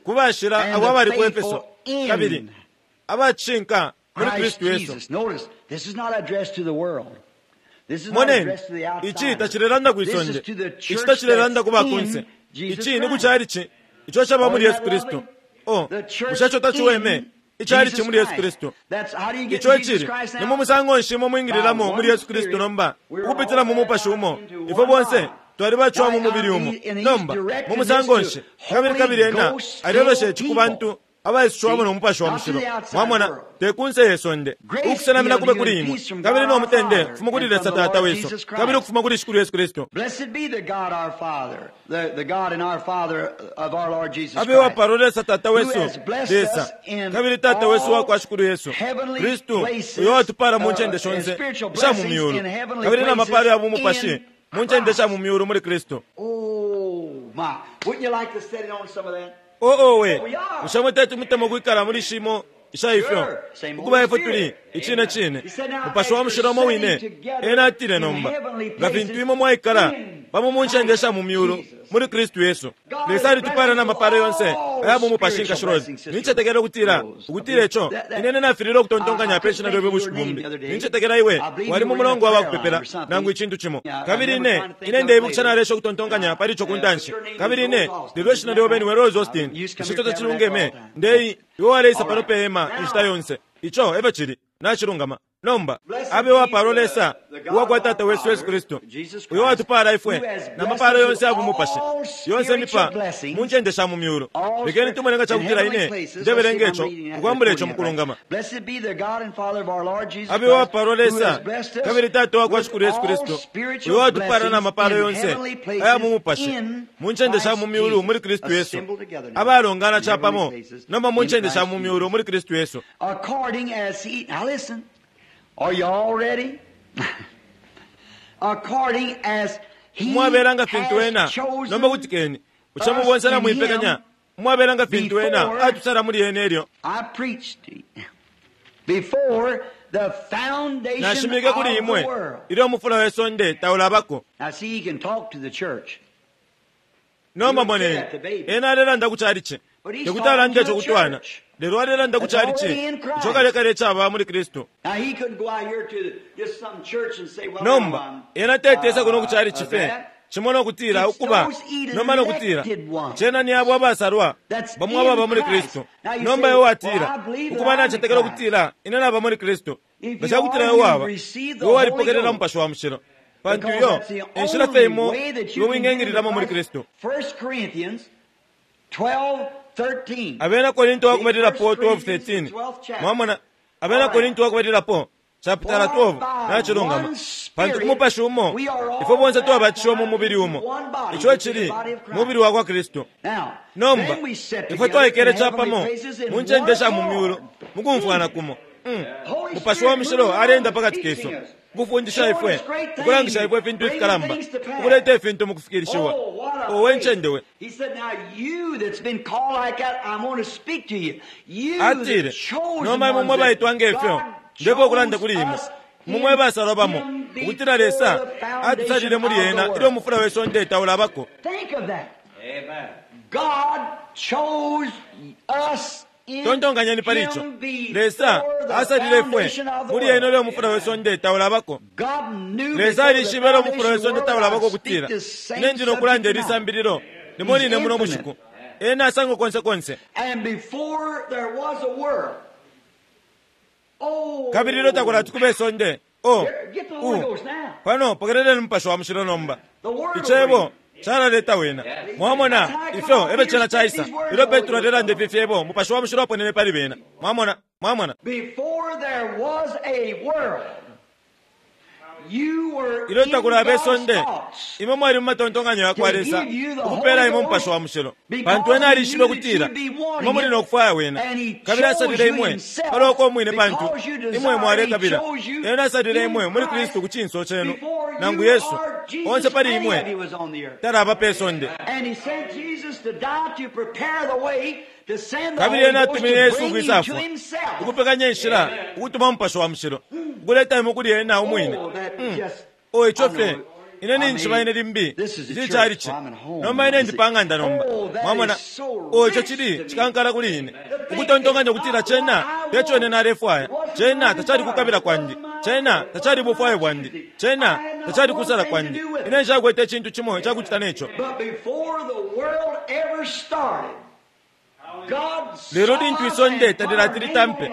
ku bashila abo abali ku Efeso kabili abacinka muli Kristu Yesu. Moneni, ici tacilelanda kwisonde, ici tacilelanda ku bakunse, ici ni ku chalichi ico caba muli Yesu Kristu. Oh, bushe ico taciweme? Ichalichi muli Yesu Kristu. Ico icili ni mu musango nshi imwe mwingililamo muli Yesu Kristu nomba ukupitila mu mupashi umo. Ifwe bonse twalibaciwa mu mubili umo. Nomba mu musango nshi kabili kabili ena alelosha ici ku bantu abaisishwamo no mupashi wa mushilo. Mwamona, tekunse yesonde. Ukusenamina kube kuli imwe kabili no mutende kufuma kuli Lesa Tata wesu kabili ukufuma kuli Shikulu Yesu Kristu. Abe wapalwa Lesa Tata wesu, Lesa kabili Tata wesu wakwa Shikulu Yesu Kristu, uyo watupala mu ncende shonse isha mu myulu kabili na mapalo ya bumupashi mu ncende sha mu myulu muli Kristu. Oh, oh, we bushe mwe mutemo kwikala muli shimo isha ifyo ukuba ifwe tuli icine cine mupashi wa mushilo umo wine. Ena atile nomba nga fintu imwe mwaikala pamo mu ncende sha mu myulu muli Kristu Yesu. Lesa alitupala na mapalo yonse aya mu mupashi nkashirozi. Nincetekela ukutila ukutila ico inene nafilile ukutontonkanya pe shina lyobe bushiku bumbi. Nincetekela iwe wali mu mulongo wa bakupepela nangu icintu cimo. Kabili ine ine ndeibukisha nalesha ukutontonkanya pali ico kuntanshi. Kabili ine lelo ishina lyobe niwe Rose Austin. Ico tacilungeme ndei iwe waleisa pano pe hema inshita yonse. Ico ebe cili nacilungama. Nomba abe wapalwa Lesa uwakwa Tata wesu Yesu Kristu uyo watupala ifwe na mapalo yonse ya bumupashi yonse mipa mu ncende sha mu myulu. Lekeni tumone nga cakutila ine ndebelenge ico ukwambula ico mukulungama. Abe wapalwa Lesa kabili Tata wakwa Shikulu Yesu Kristu uyo watupala na mapalo yonse aya mu mupashi mu ncende sha mu myulu muli Kristu Yesu. Abalongana capamo nomba mu ncende sha mu myulu muli Kristu Yesu. Are you all ready? According as he mwabelanga fintu ena nomba kutikeni bushe mubonse na mwipekanya mwabelanga fintu ena atusala muli ene elyo. I preached before the foundation nashimike kuli imwe ilyo umufula we sonde taulabako. Now see, he can talk to the church. Nomba moneni ena alelanda ku chalichi tekuti alande ico kutwana lelo alelanda ku chalichi ico kalekale caba muli Kristu. Nomba ena tetesa kuno ku chalichi fe cimo nokutila ukuba nomba nokutila cena ni abo abasalwa bamwe ababa muli Kristu. Nomba iwe watila ukuba nacetekela ukutila ine naba muli Kristu. Nga cakutila iwe waba iwe walipokelela mupashi wa mushilo pantu iyo enshila fe imo iwe wingengililamo muli Kristu. Abena Korinto wakubalilapo twelve thirteen. Mwamona Abena Korinto wakubalilapo chapter twelve nacilungama. Pantu ku mupashi umo ifwe bonse twabatishiwa mu mubili umo, ico cili mubili wakwa Kristu. Nomba ifwe twaikele capamo mu ncende sha mu myulu mukumfwana kumo. Mm. Mupashi wa mushilo alenda pakati kesu ukufundisha ifwe, ukulangisha ifwe ifintu ifikalamba, ukuleta ifintu mukufikirishiwa. Owe ncende we. Atile nomba imwe mwe baitwa ngefyo ndipo ukulanda kuli imwe mumwe basalwa bamo ukutila Lesa atusalile muli ena ilyo umufula we sonde taulabako. God chose us Tontonkanyeni pali ico. Lesa asalile ifwe muli ena ulyo mufula we sonde taulabako. Lesa alishibe ulyo mufula we sonde taulabako ukutila ine ndi nokulanda ili sambililo limo line muno bushiku. Ena asangwa konse konse. Kabili ilyo takulati kube isonde, oh, u pano pokeleleni Mupashi wa Mushilo nomba. Icebo calaleta wena. Mwamona ifyo ebe cena caisa. Ilyo Petro alelanda ifi fyebo, Mupashi wa Mushilo aponene pali bena. Mwamona, mwamona. Ilyo takulaba isonde, imwe mwali mu matontonkanyo ya kwa Lesa ukupela imwe Mupashi wa Mushilo, pantu ena alishibe ukutila imwe muli nokufwaya wena, kabili asalile imwe palwakwe umwine, pantu imwe mwalekabila. Ena asalile imwe muli Kristu ku cinso cenu, nangu Yesu onse pali imwe talaba pe sonde. Kabili ena atumine Yesu ukwisafwa ukupekanya inshila ukutuma Mupashi wa Mushilo ukuleta imwe kuli ena umwine. Mm. O ico fye ine ninjiba ine limbi ici calici nomba ine ndi pa ng'anda nomba. Mwamona, o ico chili chikankala kuli ine ukutontonkanya ukutila cena teco ine nalefwaya, cena tacali kukabila kwandi, cena tacali bufwayo bwandi, cena tacali kusala kwandi. Ine nshakwete icintu cimo icakucita neco. Lelo lintu isonde talilati litampe,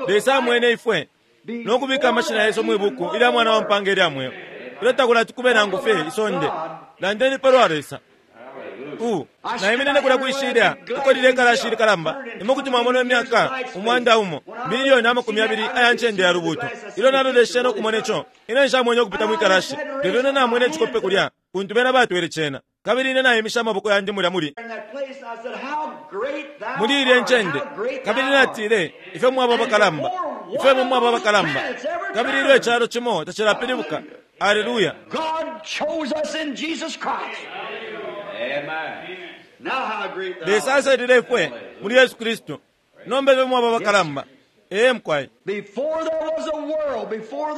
Lesa amwene ifwe nokubika amashina yesu mwibuku ilya mwana wa mpanga ilya mweo. Ilyo takulati kube nangu fye isonde, landeni palwa Lesa. U naiminine kulya kwishilya uko lile ikalashi likalamba, imwe kuti mwamona imyaka umwanda umo miliyoni amakumi abili aya ncende ya lubuto. Ilyo naloleshe nokumona ico, ine nshamwene ukupita mwikalashi, lelo ine namwene icikope kulya kuntu bena batwele cena. Kabili ine naimisha amaboko yandi mulya muli muli ilye ncende, kabili natile, ifyo mwaba abakalamba, ifyo imwe mwaba abakalamba. Kabili ilyo icalo cimo tacilapilibuka. Alleluya. Lesa asalile ifwe muli Yesu Kristu. Nomba ifyo mwaba abakalamba. Ee mkwai.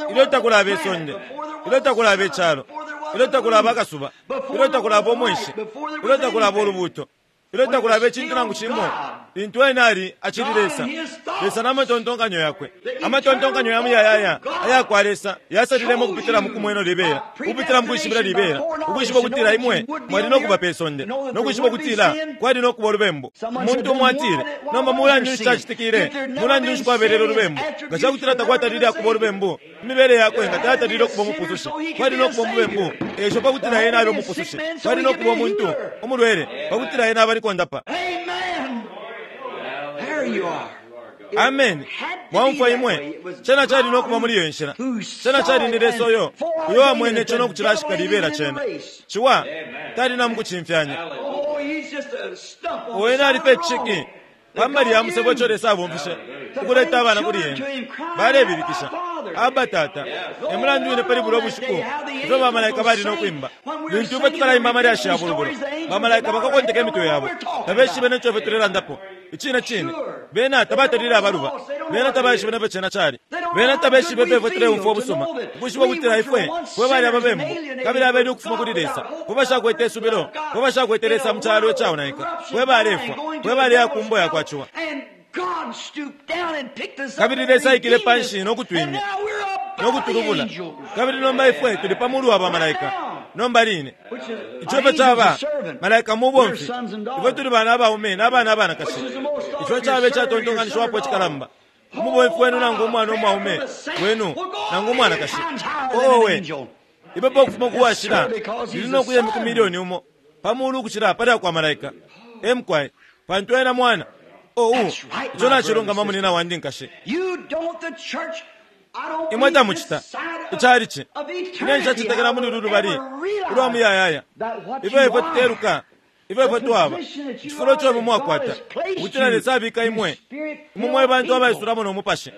Ilyo takulaba isonde, ilyo takulaba icalo, ilyo takulaba akasuba, ilyo takulaba umweshi, ilyo takulaba ulubuto, ilyo takulaba icintu nangu cimo, lintu ena ali acili Lesa. Lesa n'amatontonkanyo yakwe, amatontonkanyo ya muyayaya aya kwa Lesa yasalilemo ukupitila mu kumweno libela, ukupitila mu kwishibila libela, ukwishiba ukutila imwe mwali nokuba pe sonde, nokwishiba ukutila kwali nokuba ulubembu. Umuntu umo atile, nomba mulandu nshi cacitikile, mulandu nshi kwabelele ulubembu? Nga cakutila takwatalile akuba ulubembu, imibele yakwe nga tayatalile ukuba umupusushi, kwali nokuba umubembu, esho pakutila ena abe umupusushi, kwali nokuba umuntu umulwele, pakutila ena abe alikondapa. Amen. Mwamfwa imwe, cena cali nokuba muli iyo nshila. Cena cali ni Lesa uyo uyo wamwene ico nokucilashika libela cena. Ciwa tali namukucimfyanya. Ena ali pe ciki pambali ya musebo ico Lesa abomfishe ukuleta abana kuli ena. Balebilikisha, Abba Tata. E mulandu wine pali bulo bushiku ifyo bamalaika bali nokwimba. Lintu ifwe tukalaimba amalyashi ya bulubulo, bamalaika bakakonteka imitwe yabo, tabeshibe neco ifwe tulelandapo. Icine cine bena tabatalile abaluba, bena tabaishibe nefyo cena cali, bena tabeshibe ifyo ifwe tuleumfwa ubusuma, ukwishiba ukutila ifwe fwe bali ababembu kabili abeni ukufuma kuli Lesa, fwe bashakwete isubilo, fwe bashakwete Lesa mu calo icaonaika, fwe balefwa, fwe baleya ku mbo yakwa ciwa. Kabili Lesa aikile panshi nokutwimya nokutulubula, kabili nomba ifwe tuli pa mulu wa bamalaika. Nomba line ico ifyo caba malaika mubomfi, ifwe tuli bana abaume n'abana abanakashi. Ico caba icatontonkanishiwapo icikalamba, umubomfi wenu nangu umwana umwaume wenu nangu umwanakashi. Owe ipepo ukufuma kuwashila lili nokuya imiku milioni umo pa mulu ukucila palya kwa malaika. Emkwai, pantu ena mwana. Oh, ico nacilungama munina wandi nkashi. Imwe tamucita icalici ine nshacetekela muli ulu lubali ulwa muyayaya. Ifyo ifwe tuteluka, ifyo ifwe twaba icifulo ico imwe mwakwata ukutila Lesa abika imwe imwe mwe bantu abaisulamo no mupashi.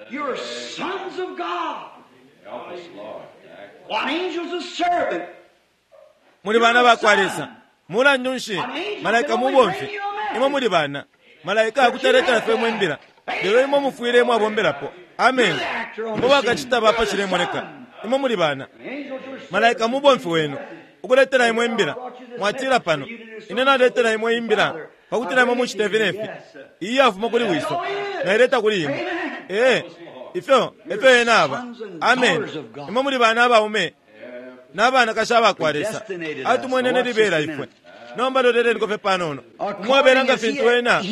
Muli bana bakwa Lesa. Mulandu nshi malaika mubomfi, imwe muli bana. Malaika akutaletela fye imwe imbila, lelo imwe mufwile mwabombelapo. Amen. Imwe bakacita bapa cilemoneka, imwe muli bana. Malaika mubomfi wenu ukuletela imwe imbila. Mwatila pano, ine naletela imwe imbila Pakutila imwe mucite ifi nefi. Iyi yafuma kuli wiso. Naileta kuli imwe. Ee, ifyo efyo ena aba. Amen. Imwe muli bana abaume n'abanakashi abakwa Lesa. Atumwenene libela ifwe. Nomba loleleniko fye panono. Umwabela nga fintu ena,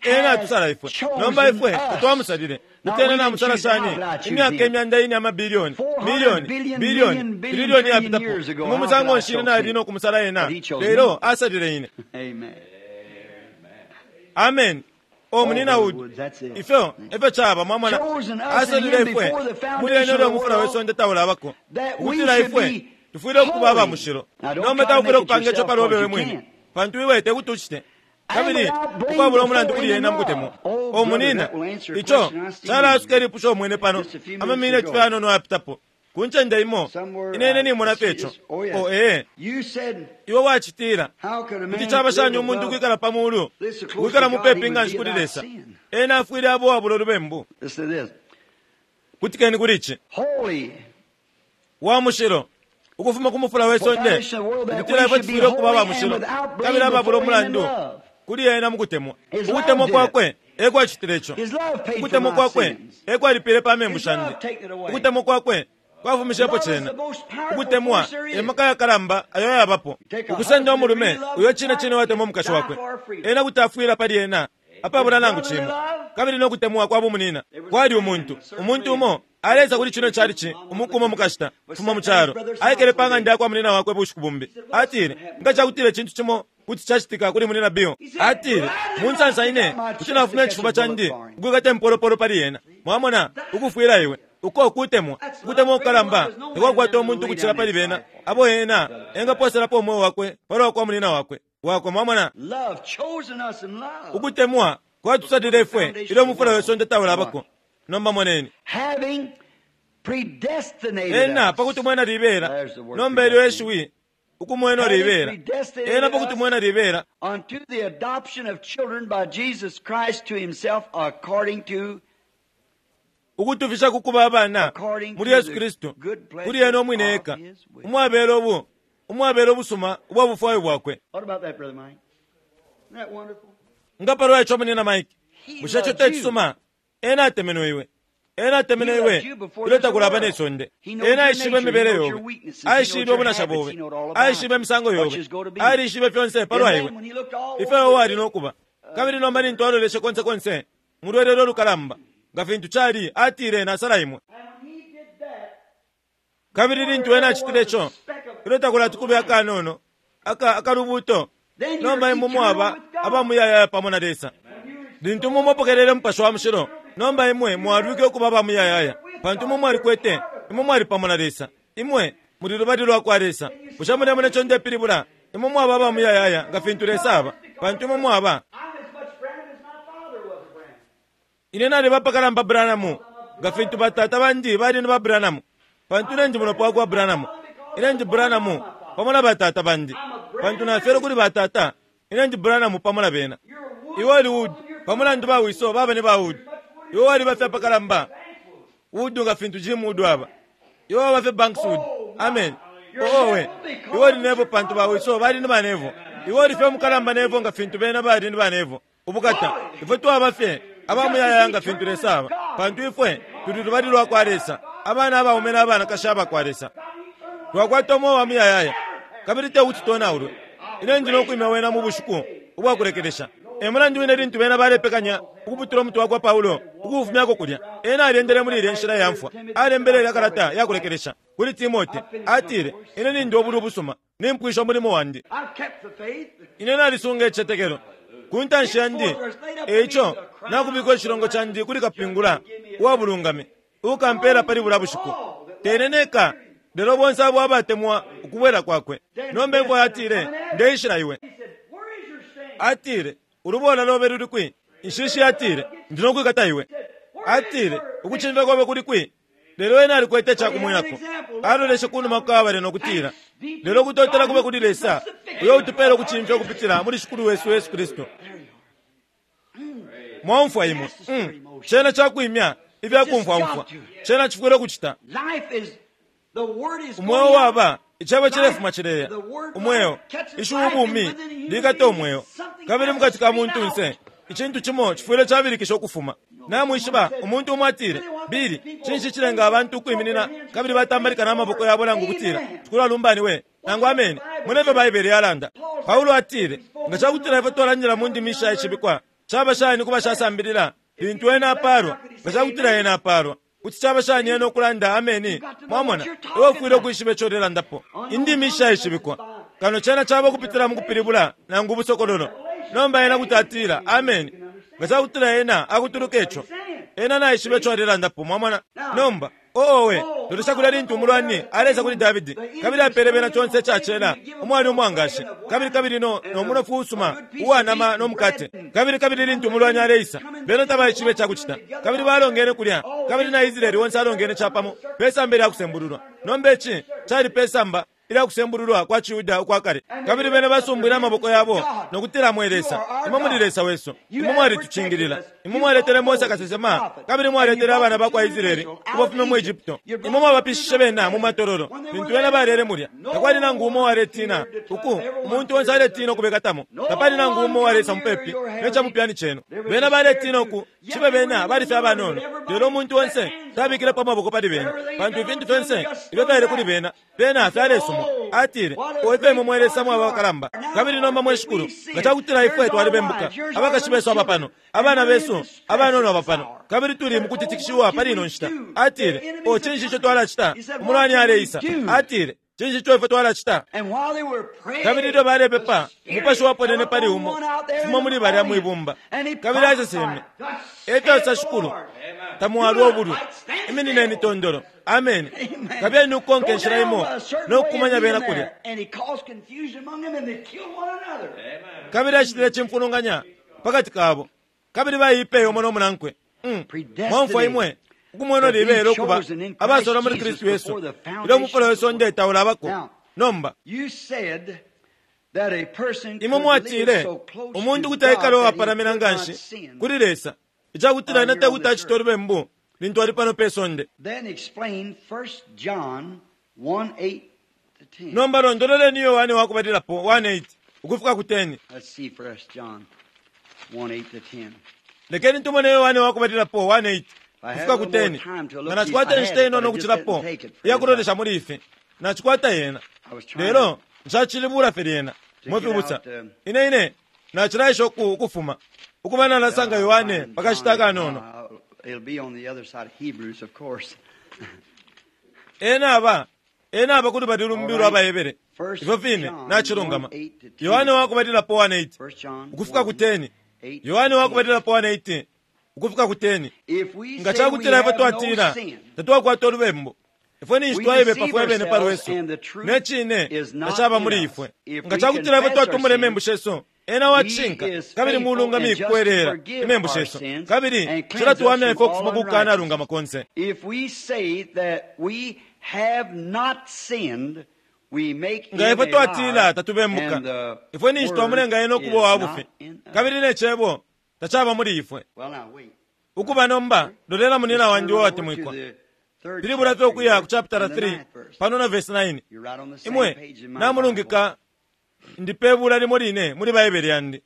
ena atusala ifwe. Nomba ifwe tatwamusalile. Mutene namusala shani imyaka imyanda ine amabilioni, milioni, bilioni, trillioni yapitapo. Mu musango nshine nali no kumusala ena. Lelo asalile ine. Amen. O munina Wood, ifyo efyo chaba mwamona asalile ifwe muli ene ulyo mufula wesonde taulabako ukutila ifwe tufwile ukuba aba mushilo. Nomba taufwile kupanga ico palobe we mwine, pantu iwe tekuti ucite kabili ukwabula umulandu kuli ena mukutemwa. O munina, ico calasuka ilipusho umwine pano amamineti fye anono yapitapo ku ncende imo inene nimona fye ico. O ee, iwe wacitila kuti caba shani umuntu kwikala pa mulu kwikala mupepi nga nshi kuli Lesa? Ena afwile abo wabula ulubembu. Kutikeni kuli ici wa mushilo ukufuma ku mufula wesonde, ukutila ifwe tufwile ukuba aba mushilo kabili ababula umulandu kuli ena mukutemwa. Ukutemwa kwakwe ekwacitile ico. Ukutemwa kwakwe ekwalipile pa membu shandi. Ukutemwa kwakwe kwafumishepo cena. Ukutemwa emaka yakalamba ayo yabapo. Ukusenda umulume uyo cine cine watemwa umukashi wakwe, ena kuti afwila pali ena apabula nangu cimo. Kabili nokutemwa kwa bumunina kwali umuntu umuntu umo aleza kuli chino chalichi umukumo mukashita fuma muchalo aikele pa ng'anda yakwa munina wakwe bushiku bumbi. Atile nga chakutile chintu chimo kuti chachitika kuli munina Bill. Atile munsansa ine kuti nafumya ichifuba chandi ukwikata impolopolo pali yena. Mwamona ukufwila iwe uko kutemwa kutemwa kukalamba tekwakwata umuntu kuchila pali bena abo ena engaposelapo umwoyo wakwe palwa kwa munina wakwe wakwe. Mwamona ukutemwa kwatusalile ifwe ilyo mufula wesonde taulabako. Nomba moneni ena pakuti mwena libela. Nomba ilyo eshiwi ukumwena libela ena pakuti mwena libela unto the adoption of children by Jesus Christ to himself according to ukutufisha kukuba abana muli Yesu Kristu kuli ena umwine eka umwabela obu umwabela obusuma ubwa bufwayo bwakwe. Nga palwa ico munina Mike, bushe ico tecisuma? Ena atemenwe iwe, ena atemenwe iwe ilyo takulaba nesonde. Ena aishibe imibele yobe, aishibe obunasha bobe, aishibe imisango yobe, alishibe fyonse palwa iwe ifyo wali nokuba. Kabili nomba nintu aloleshe konse konse mulwelelo lukalamba nga fintu chali atile nasala imwe. Kabili lintu ena acitile ico ilyo takulati kube akanono aka akalubuto. Nomba imwe mwaba abamuyayaya pamo na Lesa. Lintu mumupokelele Mupashi wa Mushilo, nomba imwe mwalwike ukuba abamuyayaya, pantu imwe mwalikwete, imwe mwali pamo na Lesa. Imwe muli lubali lwa kwa Lesa. Bushe mulemona ico ndepilibula? Imwe mwaba abamuyayaya nga fintu Lesa aba, pantu imwe mwaba. Ine nali bapakalamba Branham nga fintu batata bandi bali ni ba Branham, pantu ine ndi mulopa wakwa Branham. Ine ndi Branham pamo na batata bandi, pantu nafyelwe kuli batata. Ine ndi Branham pamo na bena. Iwe oli Wood pamulandu ba wiso baba ni ba Wood. Iwe wali bafye apakalamba Wood nga fintu Jim Wood aba. Iwe waba fye Banks Wood. Amen. Owe iwe oli Nevo pantu ba wiso bali ni ba Nevo. Iwe oli fye mukalamba Nevo nga fintu bena bali ni ba Nevo. Ubukata ifwe twaba fye abamuyayaya nga fintu Lesa aba, pantu ifwe tuli lubali lwa kwa Lesa, abana abaume n'abanakashi abakwa Lesa. Twakwata umwoyo wa muyayaya kabili tekuti tonaulwe. Ine ndi nokwimya wena mu bushiku ubwakulekelesha. Emulandu wine lintu bena balepekanya ukuputula umutwe wakwa Paulo ukufumyako kulya, ena alyendele muli ilya nshila ya mfwa. Alembele ilya kalata yakulekelesha kuli Timote. Atile ine nindi obulwi ubusuma, nimpwisha umulimo wandi, ine nalisunga icicetekelo ku ntanshi yandi. Eico nakubika icilongo candi kuli kapingula uwa bulungami ukampela pali bula bushiku. Tene neka lelo bonse abo abatemwa ukubwela kwakwe. Nomba imfwa yatile ndeishila iwe. Atile ulubola lobe luli kwi? Inshishi yatile ndi nokwikata iwe. Atile ukucimfya kobe kuli kwi? Lelo ena alikwete icakumwenako. Aloleshe kunuma kukabale nokutila lelo kutotela kube kuli Lesa uyo utupela ukucimfya ukupitila muli Shikulu wesu Yesu Kristu. Mwaumfwa imwe. Mm. Cena cakwimya ifyakumfwaumfwa. Cena cifwile ukucita. Umweo waba Icebo cilefuma cileya umweo, ishiwi ubumi likata umweo, kabili mukati ka muntunse icintu cimo cifwile cabilikisha ukufuma. Namwishiba umuntu umo atile, Bili, cinshi cilenga abantu ukwiminina kabili batambalika n'amaboko yabo nangu kutila Shikulu alumbaniwe nangu ameni? Mune ifyo Baibele yalanda. Paulo atile, nga cakutila ifwe twalandila mu ndimi ishaishibikwa, caba shani ku bashasambilila lintu ena apalwa? Nga cakutila ena apalwa, kuti caba shani ena ukulanda ameni? Mwamona, iwe ufwile ukwishiba ico ulelandapo. Indimi ishaishibikwa kano cena caba kupitila mu kupilibula nangu ubusokololo. Nomba ena kuti atila ameni nga cakutila ena akutuluka ico, ena naishiba ico alelandapo. Mwamona? Nomba oowe lolesha kulya lintu umulwani alesa kuli Davidi, kabili apele bena conse icacela umwali umwangashi, kabili kabili no no munofu usuma uwanama no mukate, kabili kabili lintu umulwani aleisa, bena tabaishibe icakucita, kabili balongene kulya, kabili na Israeli wonse alongene capamo pesamba ilya kusembululwa. Nomba ici cali pesamba ilya kusembululwa kwa Ciyuda ukwa kale, kabili bena basumbwile amaboko yabo nokutila, mwe Lesa, imwe muli Lesa wesu, imwe mwalitucingilila, imwe mwaletele Mose kasesema, kabili mwaletele abana bakwa Israeli ukubafumya mu Egypto, imwe mwabapishishe bena mu matololo. Lintu bena balele mulya, takwali nangu umo waletina uku, umuntu onse aletina ukubekatamo, tapali nangu umo walesa mupepi necamupyani cenu. Bena baletina uku cibe bena bali fye abanono, lelo umuntu onse tabikilepo amaboko pali bena, pantu ifintu fyonse ifyo fyali kuli bena, bena fyalesumwa. Atile, oife imwe mwe Lesa mwaba bakalamba, kabili nomba mwe Shikulu, nga cakutila ifwe twalibembuka, abakashi besu aba pano, abana besu abanono aba pano, kabili tuli mukutitikishiwa pali ino nshita. Atile, o cinshi ico twalacita? Umulwani aleisa. Atile, cinshi ico ifwe twalacita? Kabili ilyo balepepa, umupashi waponene pali umo fuma muli balya mwibumba, kabili aseseme, efyo Shikulu, tamwalwa ubulwi, iminineni tondolo. Amen. Kabili nukonke inshila imo nokukumanya bena kulya. Kabili acitile cimfulunganya pakati kabo, kabili baipeye umo nomunankwe. Mwamfwa imwe ukumwena libele ukuba abasola muli Kristu Yesu ilyo umufula we sonde taulabako. Nomba imwe mwatile umuntu kuti aikala uwapalamina nganshi kuli Lesa icakutila ena tekuti acite ulubembu lintu ali pano pe sonde. Nomba londololeni Yohane wakubalilapo one eight ukufika ku ten. Lekeni tumone Yohane wakubalilapo one eight kufika ku ten. Nga nacikwata inshita inono ukucilapo iyakulolesha muli ifi, nacikwata yena, lelo nshacilibula fye lyena. Mwefibusa, ine ine nacilaisha ukufuma ukuba nalasanga Yohane pakashita akanono. Ena aba ena aba kuli bali lumbi lwa Bahebere, ifyo fine nacilungama. Yohane wakubalilapo one eight ukufika ku ten. Yohane wakubalilapo one eight ukufika ku ten. Nga cakutila ifwe twatila tatwakwata ulubembu, ifwe ninshi twaibepa fwe bene palwesu, ne cine tacaba muli ifwe. Nga cakutila ifwe twatumula imembu shesu, ena wacishinka kabili mulungami kukwelela imembu shesu, kabili cilatuwamya ifwe ukufuma kukukanalungama konse. Nga ifwe twatila tatubembuka, ifwe ninshi twamulenga ena ukuba wabufi, kabili ne cebo tacaba muli ifwe. Ukuba nomba lolela munina wandi wawatemwikwa, pilibula fye ukuya ku chapter three pano na verse nine. Imwe namulungika, ndipebula limo line muli Baibele yandi.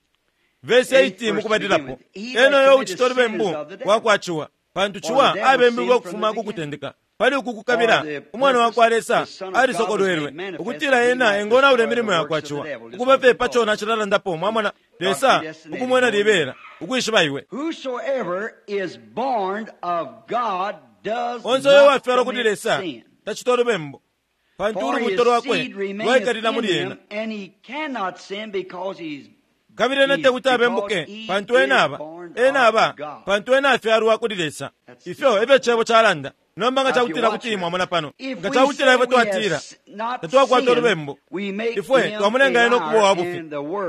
Verse eight mukubalilapo, eno yo uchita ulubembu wakwa ciwa, pantu ciwa abembelwe ukufuma kukutendeka. Pali uku kukabila umwana wakwa Lesa alisokolwelwe ukutila ena engonaula imilimo yakwa ciwa, ukuba fye paco nacilalandapo. Mwamona Lesa ukumwena libela ukwishiba iwe. Onse uyo wafyalwa kuli Lesa tacita ulubembu, pantu ulubuto lwakwe lwaikalila muli ena, kabili ena tekuti abembuke, pantu ena aba ena aba pantu ena afyalwa kuli Lesa. Ifyo efyo cebo calanda. Nomba nga cakutila kuti mwamona pano, nga cakutila ifwe twatila tatwakwata ulubembu, ifwe twamulenga ena ukuba wabufi,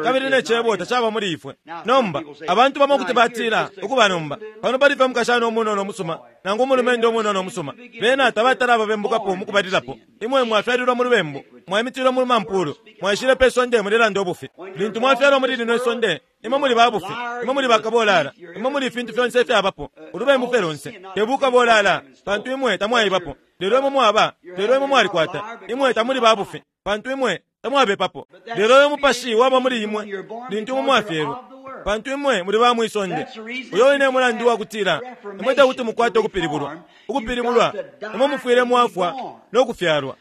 kabili ne cebo tacaba muli ifwe. Nomba abantu bamo kuti batila ukuba nomba pano pali fye mukashana umunono umusuma nangu umulumendo umunono umusuma, bena tabatala ababembukapo mukubalilapo. Imwe mwafyalilwa mu lubembu, mwaimitilwa mu mampulu, mwaishile pe sonde mulelanda ubufi. Lintu mwafyalwa muli lino isonde, imwe muli babufi, imwe muli bakabolala, imwe muli ifintu fyonse ifyabapo, ulubembu fye lonse tebukabolala, pantu imwe tamwaibapo. Lelo imwe mwaba, lelo imwe mwalikwata, imwe tamuli babufi, pantu imwe tamwabepapo. Lelo uyo mupashi waba muli imwe lintu imwe mwafyelwe, pantu imwe muli ba mwisonde. Uyo wine mulandu wakutila imwe takuti mukwate ukupilibulwa. Ukupilibulwa, imwe mufwile mwafwa no kufyalwa.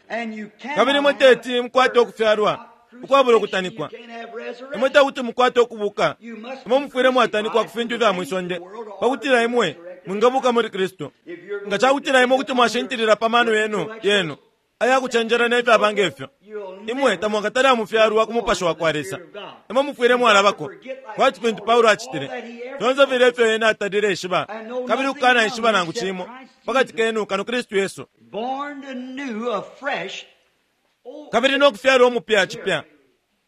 Kabili imwe teti mukwate ukufyalwa ukwabula ukutanikwa. Imwe takuti mukwate ukubuka. Imwe mufwile mwatanikwa ku fintu ifya mwisonde pakutila imwe mwingabuka muli Kristu. Nga cakutila imwe kuti mwashintilila pa mano yenu yenu ayakucenjela nefyaba ngefyo, imwe tamwakatale amufyalwa ku mupashi wa kwa Lesa. Imwe mufwile mwalabako kwati fintu Paulo acitile. Fyonse file ifyo ena atalile ishiba, kabili ukukana ishiba nangu cimo pakati kenu kano Kristu Yesu. Kabili nokufyalwa umupya cipya.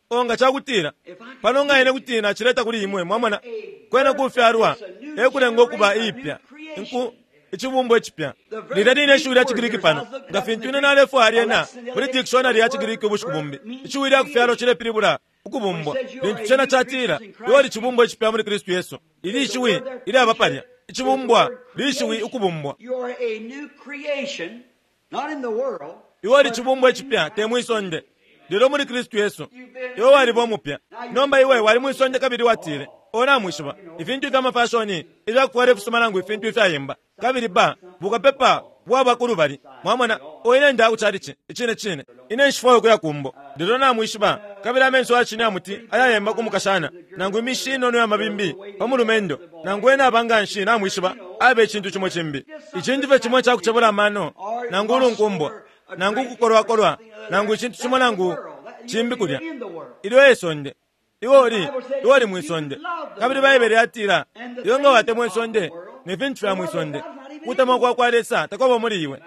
O nga cakutila pano nga ine kuti nacileta kuli imwe, mwamona, kwena kufyalwa ekulenga ukuba iipya inku icibumbwa icipya. Lilya line ishiwi lya Chigiriki pano, nga fintu ine nalefwaya lyena muli dictionary ya Chigiriki ubushiku bumbi, ishiwi lya kufyalwa cilepilibula ukubumbwa. Lintu cena catila iwe uli cibumbwa icipya muli Kristu Yesu, ili ishiwi ilyaba palya icibumbwa lishiwi ukubumbwa. Iwe uli cibumbwa icipya te mwisonde, lelo muli Kristu Yesu iwe waliba umupya. Nomba iwe wali mwisonde kabili watile, o namwishiba ifintu ifya mafashoni ifyakufwala ifisuma nangu ifintu ifyayemba, kabili ba bukapepa bwaba kulubali. Mwamona, o ine nda kuchalichi icine cine ine nshifwayo kuya kumbo, lelo namwishiba kabili amenso acine amuti ayayemba kumukashana nangu imishi inono ya mabimbi pa mulumendo nangu ena abanganshi namwishiba abe icintu cimo cimbi, icintu fye cimo icakucebula amano nangu ulunkumbwa nangu kukolwakolwa nangu icintu cimo nangu cimbi kulya. Ilyo esonde iwe uli iwe uli mwisonde. Kabili Baibele yatila iwe nga watemwa isonde ne fintu fya mwisonde, kutemwa kwa kwa Lesa takwaba muli iwe.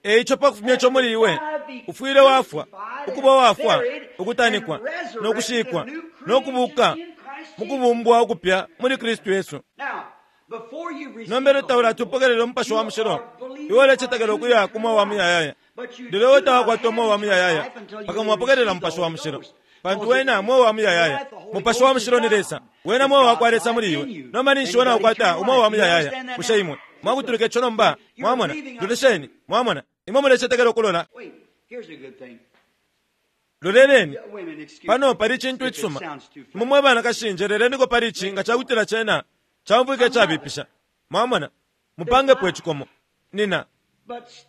Eico pakufumya ico muli iwe ufwile wafwa, ukuba wafwa, ukutanikwa nokushikwa nokubuka mukubumbwa ukupya muli Kristu Yesu. Nombelo taulatupokelela umupashi wa mushilo, iwe ulecetekela ukuya ku mweo wa muyayaya. Lelo iwe tawakwata umweo wa muyayaya mpaka mwapokelela umupashi wa mushilo, pantu wena mweo wa muyayaya. Mupashi wa mushilo ni Lesa, wena mweo wa kwa Lesa muli iwe. Nomba ninshi wena wakwata umweo wa muyayaya? Bushe imwe mwakutulika ico nomba? Mwamona, lolesheni, mwamona, imwe mulecetekela ukulola. Loleleni pano pali icintu icisuma. Imwe mwe banakashi njeleleniko pali ici nga cakutila cena camvwika icabipisha. Mwamona, mupangepo icikomo nina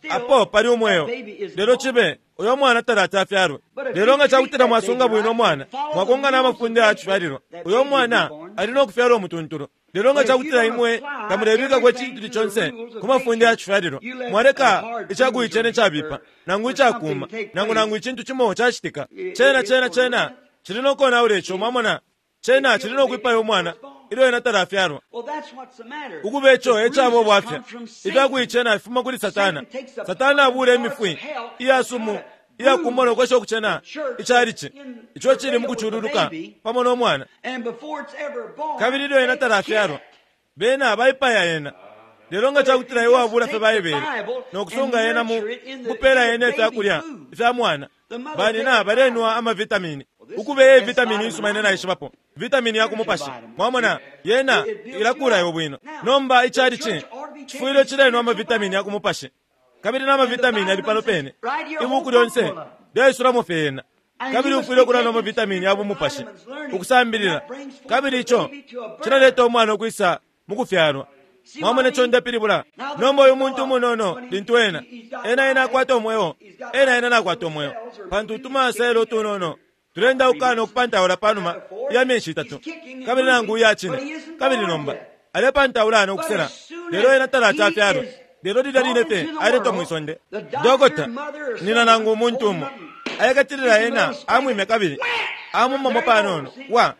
apo pali umweo, lelo cibe uyo mwana talati afyalwe. Lelo nga cakutila mwasunga bwino umwana, mwakonga n'amafunde ayacifyalilwa, uyo mwana ali nokufyalwa umutuntulu. Lelo nga cakutila imwe tamulebikako icintu conse ku mafunde ayacifyalilwa, mwaleka icakuicena icabipa nangu icakuma nangu nangu icintu cimo cacitika, cena cena cena cili nokonaula ico. Mwamona, cena cili nokwipaya umwana ilyo ena talafyalwa. Ukuba ico ecaba ubwafya. Ifyakuicena ifuma kuli Satana. Satana abula imifwi iyasumu iyakumona nokwesha ukucena icalici ico cili mukucululuka pamo n'omwana. Kabili ilyo ena talafyalwa, bena baipaya ena. Lelo nga cakutila iwe wabula fye Baibele nokusunga ena mu kupela ena ifyakulya ifya mwana, banina balenwa amavitamini. Ukuba eye vitamini isuma ine naishibapo, vitamini ya kumupashi. Mwamona, yena ilakula iwe bwino. Nomba icalici cifwile cilenwa amavitamini ya kumupashi, kabili n'amavitamini ali pano pene. Ibuku lyonse lyaisulamo fye yena. Kabili ufwile ukulanwa amavitamini ya bumupashi, ukusambilila, kabili ico cilaleta umwana ukwisa mukufyalwa. Mwamona ico ndepilibula? Nomba uyu muntu umunono lintu ena ena ena akwata umweo, ena ena nakwata umweo, pantu utumaselo utunono tulenda ukana okupantaula panuma ya myeshi itatu, kabili nangu iya cine. Kabili nomba alepantaula nokusela, lelo ena talati afyalwe. Lelo lilya line fye aletwa mwisonde, dokota nina nangu umuntu umo ayekatilila ena amwime kabili amumamo panono wa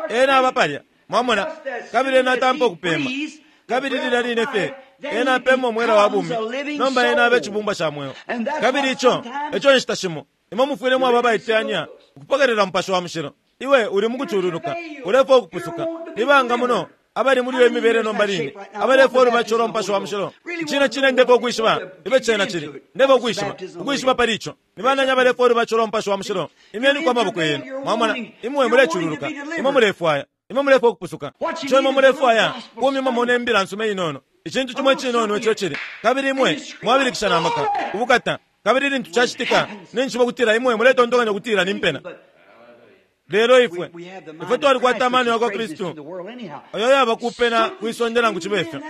ena aba palya. Mwamona, kabili ena atampa okupema, kabili lilya line fye ena apema omwela wa bumi. Nomba ena abe icibumbwa ca mweo. Kabili ico eco nshita shimo imwe mufwile mwaba abaiteyanya ukupokelela mupashi wa mushilo. Iwe uli mukucululuka, ulefwa ukupusuka. Nibanga muno abali muli iyo imibele nomba line abalefwa ulubatisho lwa mupashi wa mushilo? Icine cine ndefwa ukwishiba ibe cena cili, ndefwa ukwishiba ukwishiba pali ico. Nibanani abalefwa ulubatisho lwa mupashi wa mushilo? Imyeniko amaboko yenu. Mwamona, imwe mulecululuka, imwe mulefwaya Imwe mulefwaya ukupusuka. Ico imwe mulefwaya kumimamo ne mbila nsuma inono. Icintu cimo icinono ico cili. Kabili imwe mwabilikisha na maka. Ubukata. Kabili lintu cacitika ninshi kutila imwe muletontonkanya kutila ni mpena. Lelo ifwe ifwe twalikwata amano yakwa Kristu ayo yaba kupena kwisonde nangu cibe ifyo.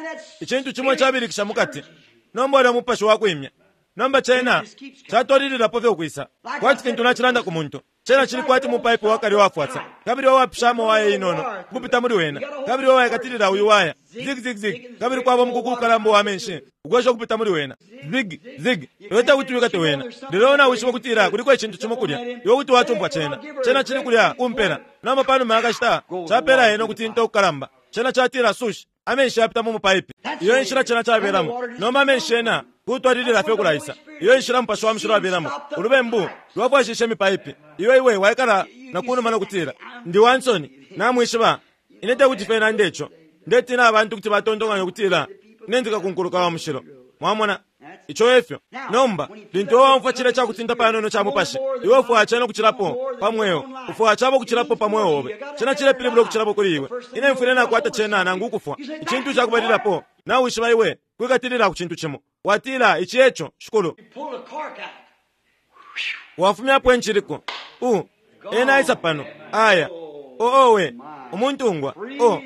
Icintu cimo cabilikisha mukati. Nomba ulya mupashi wakwimya. Nomba cena catwalililapo fye ukwisa. Kwati fintu nacilanda ku muntu. Cena cili kwati mupaipi wakali wafwasa. Kabili wawapishamo waya inono kupita muli wena. Kabili wawaikatilila uyu waya. Zig zig zig. Kabili kwaba mukuku ukalamba wa menshi. Ukwesha kupita muli wena. Zig zig. Leta kuti wikate wena. Lelo nawishiba kutila kuliko icintu cimo kulya. Iwe kuti wacumpwa cena. Cena cili kulya kumpela. Nomba panuma yakashita capela eno kutinta ukukalamba. Cena catila sushi. Amenshi yapita mu mupaipi. Iyo inshila cena cabelamo. Nomba amenshi ena kutwalilila fye kulaisa. Iyo inshila mupashi wa mushilo wabelamo. Ulubembu lwafwashishe mipaipi. Iwe iwe waikala na kunuma nokutila ndi wansoni namwishiba ine tekuti fye nande ico. Ndetina abantu kuti batontonkanya kutila ine ndikakunkuluka wa mushilo. Mwamona ico efyo. Nomba lintu waumfwa cile cakutinta panono ca mupashi, iwe ufwaya cena kucilapo pa mweo. Ufwaya cabo kucilapo pa mweo obe. Cena cilepilibula ukucilapo kuli iwe. Ine mfwile nakwata cena nangu ukufwa. Icintu cakubalilapo nawishiba iwe kwikatilila ku cintu cimo. Watila ici eco shikulu. Wafumyapo enchiliko. U ena aisa pano. Aya. O owe umuntungwa. O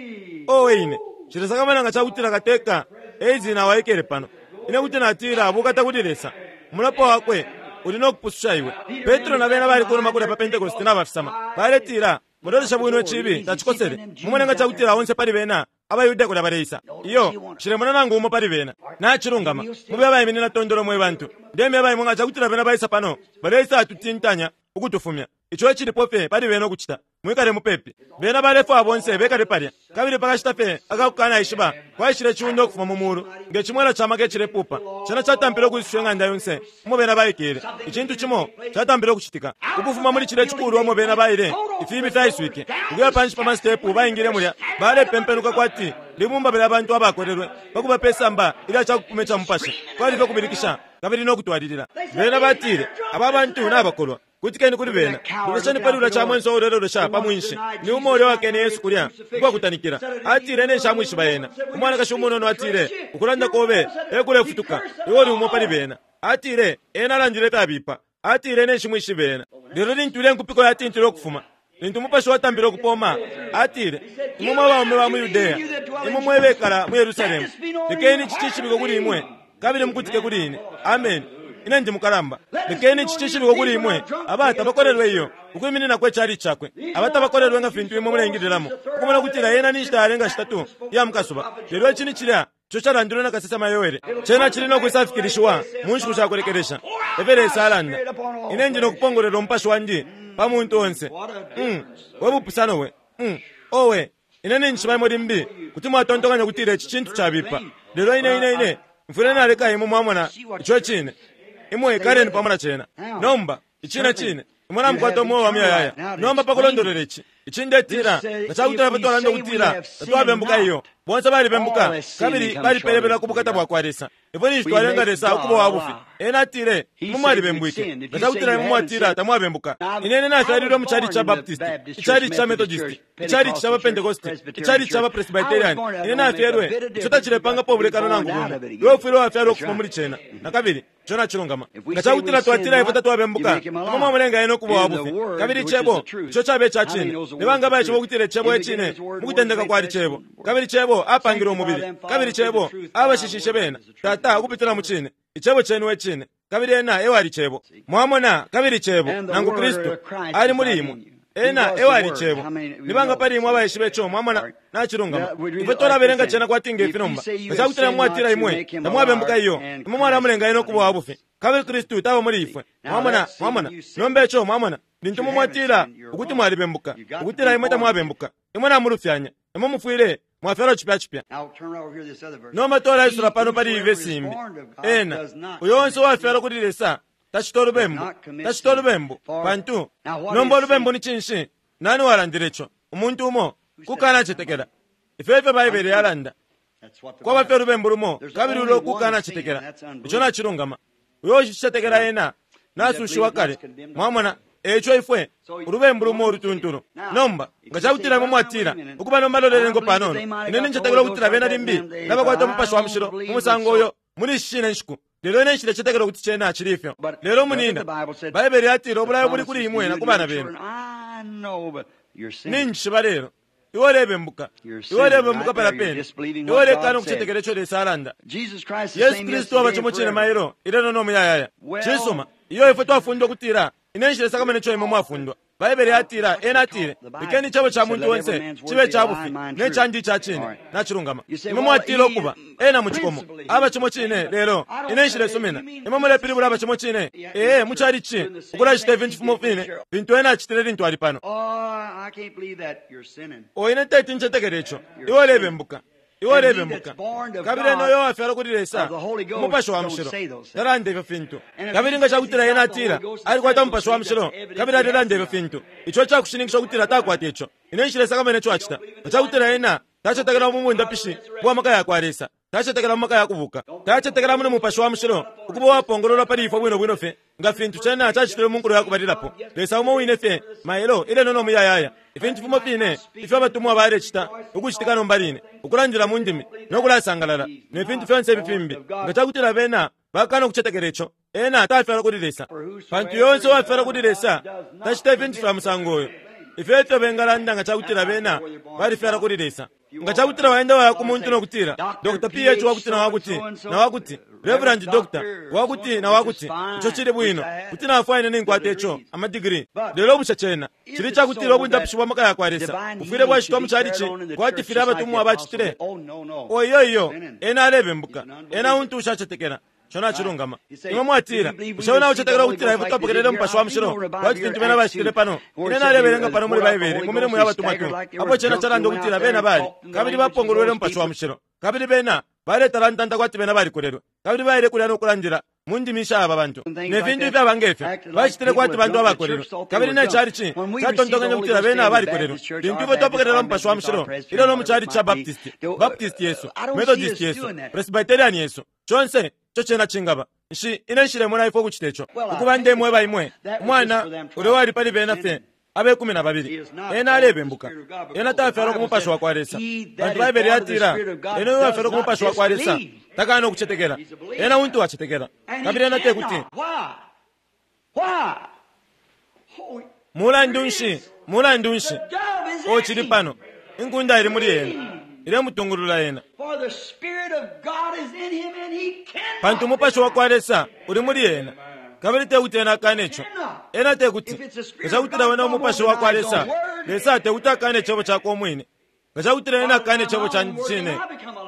owe ine. Cilesakamana nga cakutila kateka eizi na waikele pano. Ine kuti natila bukata kuli Lesa. Mulapo wakwe uli nokupususha iwe. Petro na bena bali kunuma kulya pa Pentecost nabafisama. Baletila mulolesha bwino cibi tacikosele. Mumone nga cakutila onse pali bena abayuda kulya baleisa. Iyo shilemona nangu umo pali bena. Nachilungama. Mube abayiminina tondolo mwe bantu. Ndembe abayimwe nga cakutila bena baisa pano. Baleisa atutintanya ukutufumya. Ico ecilipo fye pali bena ukucita. Mwikale mupepi. Bena balefwa bonse bekale palya. Kabili pakashita fye akakukana ishiba kwaishile ciundo ukufuma mu mulu. Nge cimwela ca maka ecilepupa. Cena catampile ukwisusha ing'anda yonse umo bena baikele. Icintu cimo catampile ukucitika. Ukufuma muli cile cikulu umo bena baile ifibi fyaiswike. Ukuya panshi pa masitepu baingile mulya. Balepempenuka kwati libumba bela abantu abakolelwe pakuba pesamba ilya cakupuma ca mupashi. Kwali fye kubilikisha kabili nokutwalilila. Bena batile aba bantu nabakolwa. Kutikeni kuli bena. Lolesheni pali ulya chamwenso ulelolesha pa mwinshi. Ni umo ulya wakene Yesu kulya ukwakutanikila. Atile ine nshamwishiba yena. Umwanakashi umunono atile ukulanda kobe ekulefutuka. Iwe uli umo pali bena. Atile ena alandile tabipa. Atile ine nshimwishiba yena. Lelo lintu ile nkupiko yatintile ukufuma. Lintu umupashi watambile ukupoma. Atile imwe mwe baume ba mu Yudea. Imwe mwe bekala mu Yerusalemu. Lekeni ici cishibiko kuli imwe. Kabili mukutike kuli ine. Amen. Ine ndi mukalamba. Lekeni ici cishibiko kuli imwe. Abata bakolelwe iyo ukwiminina kwe cali cakwe. Abata bakolelwe nga fintu imwe mulengililamo. Ukumona kutila yena ni nshita yalenga shitatu ya mukasuba. Lelo ici ni cilya ico calandilwe na kasesema Yoele. Cena cili nokwisafikilishiwa mu nshiku shakulekelesha. Efyo Lesa alanda. Ine ndi nokupongolera umupashi wandi pa muntu onse. Mm. We bupusano we. Mm. Owe ine ninjishiba imwe limbi kuti mwatontonkanya kutila ici cintu cabipa. Lelo ine ine ine mfwile naleka imwe mwamona ico cine. Imwe ikaleni pamo na cena. Nomba icine cine imwe namukwata umweo wa muyayaya. Nomba pakulondolola ici ici ndetila nga cakutila pe twalanda ukutila tatwabembuka iyo. Bonse balibembuka kabili balipelebela ku bukata bwakwa Lesa. Ifwe ninshi twalenga Lesa ukuba wa bufi. Ena atile imwe mwalibembwike. Nga cakutila imwe mwatila tamwabembuka. Ine ine nafyalilwe mu chalichi cha Baptist, ichalichi cha Methodist, ichalichi cha Pentecost, ichalichi cha Presbyterian. Ine nafyalwe ico tacilepangapo ubulekano nangu bumo. Iwe ufwile wafyalwa ukufuma muli cena. Na kabili ico nacilungama. Nga cakutila twatila ifwe tatwabembuka, imwe mwamulenga ena ukuba wa bufi. Kabili icebo ico cabe ica cine. Ni banga baishiba ukutila icebo ecine mukutendeka kwali cebo. Kabili cebo apangile umubili. Kabili cebo abashishishe bena. Tata ukupitila mu cine. Icebo cenu ecine. Kabili ena ewali cebo. Mwamona kabili cebo nangu Kristu ali muli imwe. Ena ewali cebo. Ni banga pali imwe abaishiba ico mwamona nacilungama. Ifwe twalabelenga cena kwati ngefi nomba. Nga cakutila mwatila imwe tamwabembuka iyo. Imwe mwalamulenga ena ukuba wa bufi. Kabili Kristu taba muli ifwe. Mwamona mwamona. Nomba ico mwamona. Lintu mumwatila ukuti mwalibembuka. Ukutila imwe tamwabembuka. Imwe namulufyanya. Imwe mufwile mwafyalwa cipya cipya. Nomba twalaisula pano pali iyi vesi imbi. Ena uyo onse uwafyalwa kuli Lesa tacita ulubembu. Tacita ulubembu pantu nomba ulubembu ni cinshi? Nani walandile ico? Umuntu umo kukanacetekela. Ifyo ifyo Baibele yalanda. Kwaba fye ulubembu lumo kabili ulo kukanacetekela. Ico nacilungama. Uyo ushicetekela ena nasushiwa kale. Mwamona Eico ifwe ulubembu lumo ulutuntulu. Nomba nga cakutila imwe mwatila ukuba nomba lolelengo panono, ine nincetekela ukutila bena limbi nabakwata Umupashi wa Mushilo mu musango uyo muli ishi shine nshiku, lelo ine nshilecetekela ukuti cena cili ifyo. Lelo munina, Baibele yatila ubulayo buli kuli imwe na ku bana benu. Ninjishiba lelo iwe ulebembuka, iwe ulebembuka pala pene, iwe ulekana ukucetekela ico Lesa alanda. Yesu Kristu aba cimo cine mailo, ilelo no muyayaya. Cisuma, iyo ifwe twafundwa ukutila ine nshilesakamana ico imwe mwafundwa. Baibele yatila, ena atile, lekeni icebo ca muntu onse cibe ca bufi ne candi ica cine. Nacilungama. Imwe mwatila ukuba ena mu cikomo aba cimo cine, lelo ine nshilesumina imwe mulepilibula aba cimo cine. Ee, mucalici ukulacita ifintu fimo fine fintu ena acitile lintu ali pano. O ine teti ncetekele ico. Iwe ulebembuka, iwe ulebembuka. Kabili ena uyo wafyalwa kuli Lesa, Umupashi wa Mushilo, talanda ifyo fintu. Kabili nga cakutila ena atila alikwata Umupashi wa Mushilo kabili alelanda ifyo fintu, ico cakushininkisha ukutila takwata ico. Ine nshilesakamana ico acita. Nga cakutila ena tacetekela mu bundapishi bwa maka yakwa Lesa, tacetekela mu maka ya kubuka, tacetekela mu Mupashi wa Mushilo ukuba wapongololwa pali ifwe bwino bwino fye nga fintu cena cacitile mu nkulo yakubalilapo. Lesa umo wine fye mailo, ilelo no muyayaya. Ifintu fimo fine ifyo abatumwa balecita ukucitika nomba line, ukulandila mu ndimi no kulasangalala ne fintu fyonse ifi fimbi, nga cakutila bena bakana ukucetekela ico, ena tafyalwa kuli Lesa. Pantu yonse uwafyalwa kuli Lesa tacita ifintu fya musango uyo. Ifyo efyo bengalanda nga cakutila bena balifyalwa kuli Lesa. Nga cakutila waenda waya ku muntu no kutila Doctor P H wakuti na wakuti na wakuti, Reverend Doctor wakuti na wakuti, ico cili bwino, kuti nafwaya ine ninkwata ico amadigiri. Lelo bushe cena cili cakutila ubundapishi bwa maka yakwa Lesa bufwile bwacitwa mu calici kwati filya abatumwa bacitile? O iyo iyo, ena alebembuka, ena untu ushacetekela. Ico nacilungama. Imwe mwatila, bushe wena ucetekela ukutila ifwe twapokelele Umupashi wa Mushilo kwati fintu bena bacitile pano? Ine nalebelenga pano muli Baibele mu milimo ya batumwa tu, apo cena calanda ukutila bena bali kabili bapongolwele Umupashi wa Mushilo, kabili bena baletalantanta kwati bena balikolelwe, kabili baile kulya no kulandila mu ndimi sha aba bantu ne fintu ifyaba ngefyo. Bacitile kwati bantu abakolelwe, kabili ne calici catontonkanya ukutila bena balikolelwe. Lintu ifwe twapokelela Umupashi wa Mushilo ilyo no mu calici ca Baptist, Baptist yesu, Methodist yesu, Presbyterian yesu, conse ico cena cingaba. Nshi ine nshilemona ifwe ukucita ico. Ukuba ndemweba imwe, umwana ulyo wali pali bena fye abe kumi na babili, ena alebembuka, ena tafyalwa ku Mupashi wa kwa Lesa. Pantu Baibele yatila, ena uyo wafyalwa ku Mupashi wa kwa Lesa takana ukucetekela, ena untu wacetekela. Kabili ena tekuti. Mulandu nshi, mulandu nshi o cili pano, inkunda ili muli ena, ilemutungulula ena. Pantu Umupashi wa kwa Lesa uli muli ena, kabili tekuti ena akane ico. Ena tekuti. Nga cakutila wena Umupashi wa kwa Lesa, Lesa tekuti akane icebo cakwe umwine. Nga cakutila ena akane icebo candi cine,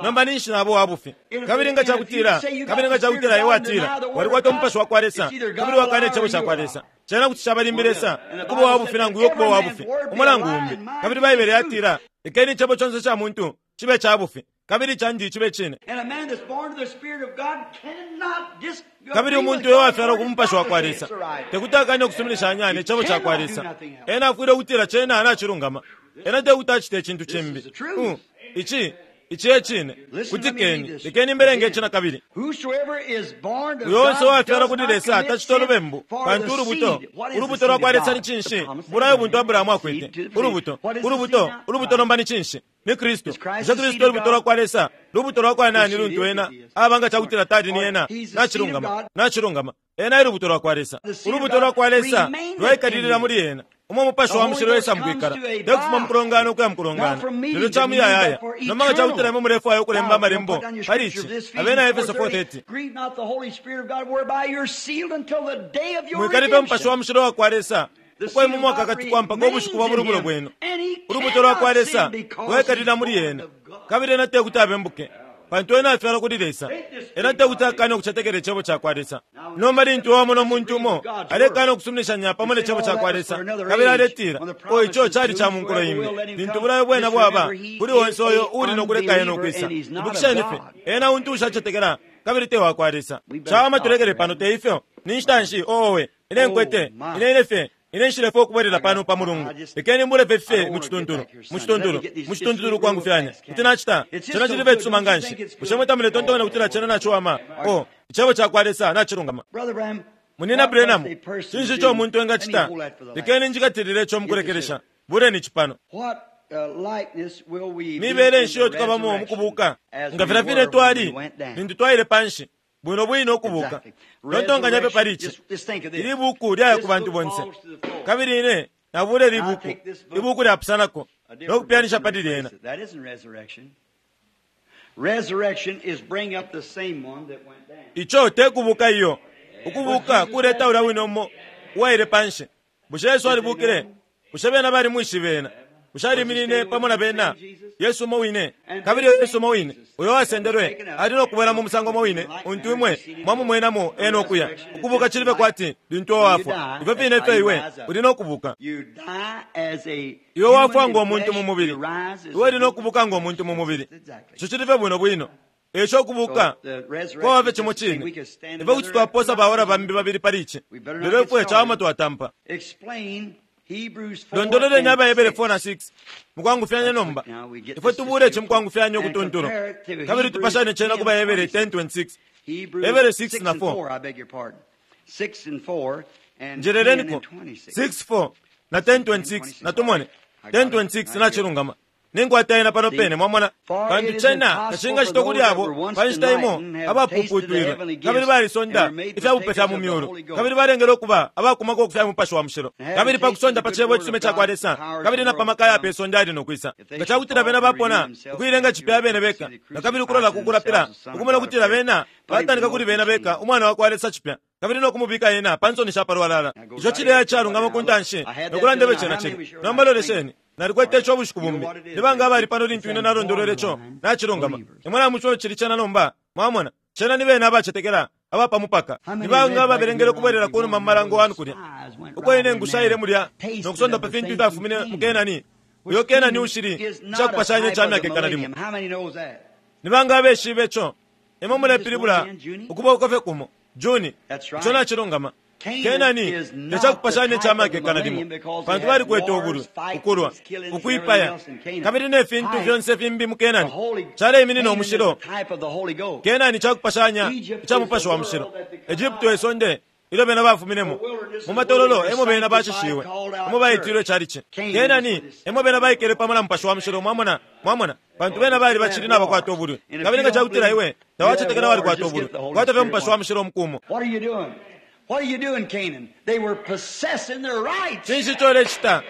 nomba ninshi nabo wabufi. Kabili nga cakutila, kabili nga cakutila iwe watila walikwata Umupashi wa kwa Lesa, kabili wakane icebo ca kwa Lesa, cena kuti cabalimbi Lesa ukuba wabufi nangu iwe ukuba wabufi, umulangu umbi. Kabili Baibele yatila, lekeni icebo conse ca muntu cibe ca bufi, kabili candi cibe cine. Kabili umuntu uyo wafyalwa ku Mupashi wa kwa Lesa tekuti akane ukusuminishanya ne cebo ca kwa Lesa. Ena afwile ukutila cena nacilungama. Ena tekuti acite icintu cimbi. Ici ici e cine. Kutikeni, lekeni mbelenge ici na kabili. Uyo onse uwafyalwa kuli Lesa tacita ulubembu, pantu ulubuto, ulubuto lwa kwa Lesa ni cinshi? Bulayo buntu Abrahamu akwete. Ulubuto, ulubuto, ulubuto nomba ni cinshi? Ni Kristu. Bushe Kristu ulubuto lwa kwa Lesa? Lubuto lwa kwa nani luntu ena aba nga cakutila tali ni ena? Nacilungama, nacilungama. Ena e lubuto lwa kwa Lesa. Ulubuto lwa kwa Lesa lwaikalilila muli ena. Umo Mupashi wa Mushilo Lesa mukwikala, tekufuma mukulongana ukuya mukulongana, lelo ca muyayaya. Nomba nga cakutila imwe mulefwaya ukulemba amalembo pali ici, Abena Efeso four thirty. Mwikalipe Mupashi wa Mushilo wa kwa Lesa uko imwe mwakakatikwa mpaka ubushiku bwa bulubulo bwenu. Ulubuto lwa kwa Lesa lwaikalila muli ena, kabili ena tekuti abembuke, pantu ena afyalwa kuli Lesa. Ena tekuti akane ukucetekela icebo ca kwa Lesa. Nomba lintu wamona umuntu umo alekana ukusuminishanya pamo ne cebo ca kwa Lesa, kabili aletila, o ico cali ca munkulo imbi, lintu bulayo bwena bwaba kuli onse uyo uli no kuleka ena ukwisa. Ibukisheni fye, ena untu ushacetekela kabili te wa kwa Lesa. Cawama tulekele pano, te ifyo? Ni nshita nshi owe ine nkwete, ine ine fye ine nshilefwaya ukubwelela pano pa mulungu. Lekeni mbule fye mu cituntulu, mu cituntulu, mu cituntulu kwangufyanya. Kuti nacita cena cili fye cisuma nganshi. Bushe mwe tamuletontonkanya ukutila cena naciwama? O icebo ca kwa Lesa nacilungama. Munina Branham, cinshi ico umuntu engacita? Lekeni njikatilile ico mukulekelesha. Buleni cipano. Mibele nshi iyo tukabamo mukubuka nga filya fine twali lintu twaile panshi, bwino bwino ukubuka. Tontonkanya pe pali ici. Ili buku lyaya ku bantu bonse, kabili ine nabule ili buku, ibuku lyapusanako no kupyanisha pali lyena. Ico te kubuka iyo. Ukubuka kuleta ulya wine umo uwaile panshi. Bushe Yesu alibukile? Bushe bena balimwishibe ena? Bushe aliminine pamo na bena? Yesu umo wine. Kabili Yesu umo wine uyo wasendelwe ali no kubwela mu musango umo wine untu imwe mwamumwenamo ena ukuya. Ukubuka cilibe kwati lintu wafwa, ifyo fine ifyo iwe uli no kubuka. Iwe wafwa ngo muntu mu mubili, iwe uli no kubuka ngo muntu mu mubili. Ico cilife bwino bwino. Eco kubuka kwaba cimo cine. Ifwe kuti twaposa baora bambi babili pali ici, lelo ifwe cawama twatampa. Londololeni Abahebere four na six mukwangufyanya nomba. Ifwe tubule ici mukwangufyanya ukutuntula, kabili tupashane cena ku Bahebere ten twenty-six. Hebere six na four. Njeleleniko six four na ten twenty-six na tumone ten twenty-six nachilungama. Ninkwata ena pano pene mwamona, pantu cena tacingacita kuli abo pa nshita imo abapuputwilwe kabili balisonda ifyabupe fya mu myulu, kabili balengele ukuba abakumako kufya mupashi wa mushilo, kabili pa kusonda pa cebo icisume ca kwa Lesa, kabili na pa maka ya pe sonde ali no kwisa. Nga cakutila bena bapona ukuilenga cipya bene beka, na kabili kulola kukulapila ukumona kutila bena batanika kuli bena beka umwana wa kwa Lesa cipya, kabili no kumubika ena pa nsoni sha palwalala. Ico cileya calungama ku ntanshi nokulandebe cena cili. Nomba lolesheni, nalikwete ico bushiku bumbi. Nibanga abali pano lintu ine nalondolwele ico nacilungama. Imwe namuco cili cena nomba, mwamona. Cena ni bena abacetekela abapamupaka. Nibanga ababelengele ukubwelela kunuma mu malango wanu kulya, uko ine ngushaile mulya nokusonda pa fintu ifyafumine mu Kenani. Uyo Kenani ushili icakupashanya ica myaka ikana limo. Nibanga abeshibe ico? Imwe mulepilibula ukuboko fye kumo. Juni, ico nacilungama. Kenani tecakupashanya ica myaka ikana limo, pantu balikwete ubulwi, ukulwa, ukuipaya, kabili ne fintu fyonse fimbi mu Kenani. Caleiminina umushilo. Kenani cakupashanya ica mupashi wa mushilo. Egypto esonde ilyo bena bafuminemo mu matololo, emo bena bashishiwe, emo baitilwe calici. Kenani emo bena baikele pamo na mupashi wa mushilo. Mwamona, mwamona, pantu bena bali bacili nabakwata ubulwi. Kabili nga cakutila iwe tawacetekela walikwata ubulwi, kwata fye mupashi wa mushilo mukumo. What are you doing, Canaan? They were possessing their rights. Cinshi ico ulecita?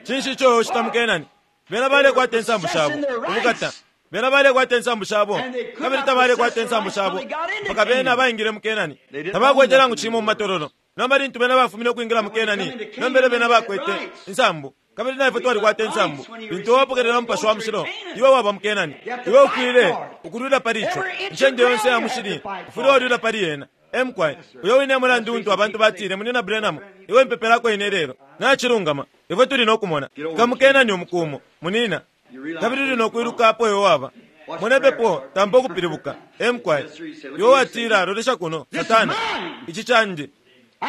Cinshi ico ucita mu Kenani? Bena balekwata insambu shabo ubukata. Bena balekwata insambu shabo, kabili tabalekwata insambu shabo mpaka bena baingile mu Kenani. Tabakwete nangu cimo mu matololo. Nomba lintu bena bafumine ukwingila mu Kenani, nombele bena bakwete insambu. Kabili naifwe twalikwata insambu. Lintu wapokelela mupashi wa mushilo, iwe waba mu Kenani. Iwe ufwile ukulwila pali ico. Incende yonse ya mushili ufwile walwila pali yena. Emkwai, uyo wine mulandu untu abantu batile Munina Branham, iwe mpepelako ine lelo. Nachilungama, ifwe tuli nokumona. Kamukenani umukumo, munina. Kabili tuli nokwiluka apo iwe waba. Munepepo, tampa ukupilibuka. Emkwai, iwe watila lolesha kuno, Satana. Ici candi.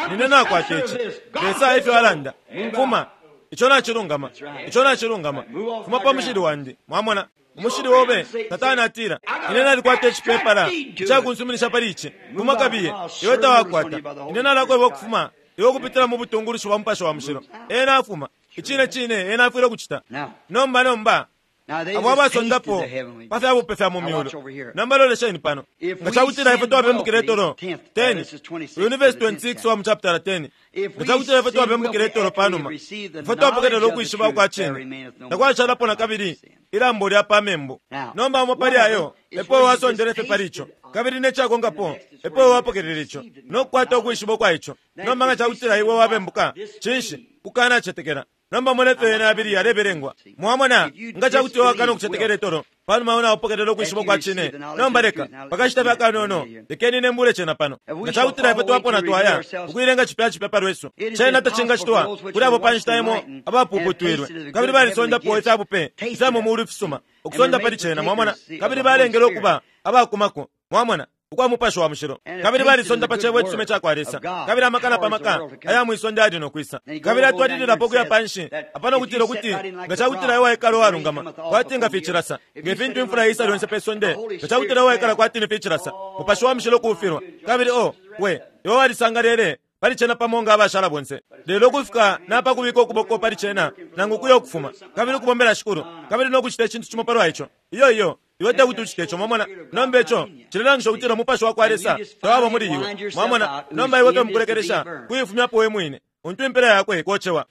Nine nakwata ici. Lesa ifyo alanda. Fuma. Ico nachilungama. Ico nachilungama. Fuma pa mushili wandi. Mwamona. Umushili wobe, Satana atila, ine nalikwata icipepala icakunsuminisha pali ici. Fuma kabiye, iwe tawakwata. Ine nalakweba ukufuma, iwe ukupitila mu butungulushi bwa mupashi wa mushilo. Ena afuma. Icine cine, ena afwile ukucita. Nomba, nomba, abo abasondapo pa fyabupe fya mu myulu. Nomba lolesheni pano. Nga cakutila ifwe twabembukile itolo ten, uyu verse twenty-six wa mu chapter ten. Nga cakutila ifwe twabembukile itolo panuma, ifwe twapokelela ukwishiba kwa cine, takwashalapo na kabili ilambo lya pa membu. Nomba umo pali ayo epo wasondele fye pali ico, kabili necakonkapo epo wapokelela ico nokukwata ukwishiba kwa ico. Nomba nga cakutila iwe wabembuka, cinshi kukanacetekela? Nomba mone fye yena abili yalebelengwa. Mwamona, nga cakuti wakana ukucetekela itolo panuma unapokelela ukwishiba kwa cine. Nomba leka pakashita fye akanono, lekeni nembule cena pano. Nga cakutila ifwe twapona twaya ukuilenga cipya cipya pa lwesu, cena tacingacitwa kuli abo pa nshita imo abapuputwilwe kabili balisondapo ifyabupe ifya mu mulu ifisuma ukusonda pali cena. Mwamona, kabili balengele ukuba abakumako. Mwamona, ukwa mupashi wa mushilo, kabili balisonda pa cebo icisume ca kwa Lesa, kabili amakana pa maka aya mwisonde ali no kwisa. Kabili atwalililapo ukuya panshi apano kutila ukuti nga cakutila iwe waikala uwalungama kwati nga ficilasa, nge fintu imfula isa lyonse pe sonde, nga cakutila iwe waikala kwati ni ficilasa, mupashi wa mushilo kuufilwa. Kabili o we iwe walisangalele pali cena pamo nga abashala bonse. Lelo kufika napa kubika ukuboko pali cena nangu kuya ukufuma kabili ukubombela Shikulu kabili no kucita icintu cimo palwa ico. Iyo iyo iwe te kuti ucite ico, mwamona. Nomba ico cilelangisha ukutila umupashi wa kwa Lesa tawaba muli iwe, mwamona. Nomba iwe fye mukulekelesha kuifumyapo we mwine untu impela yakwe ikocewa.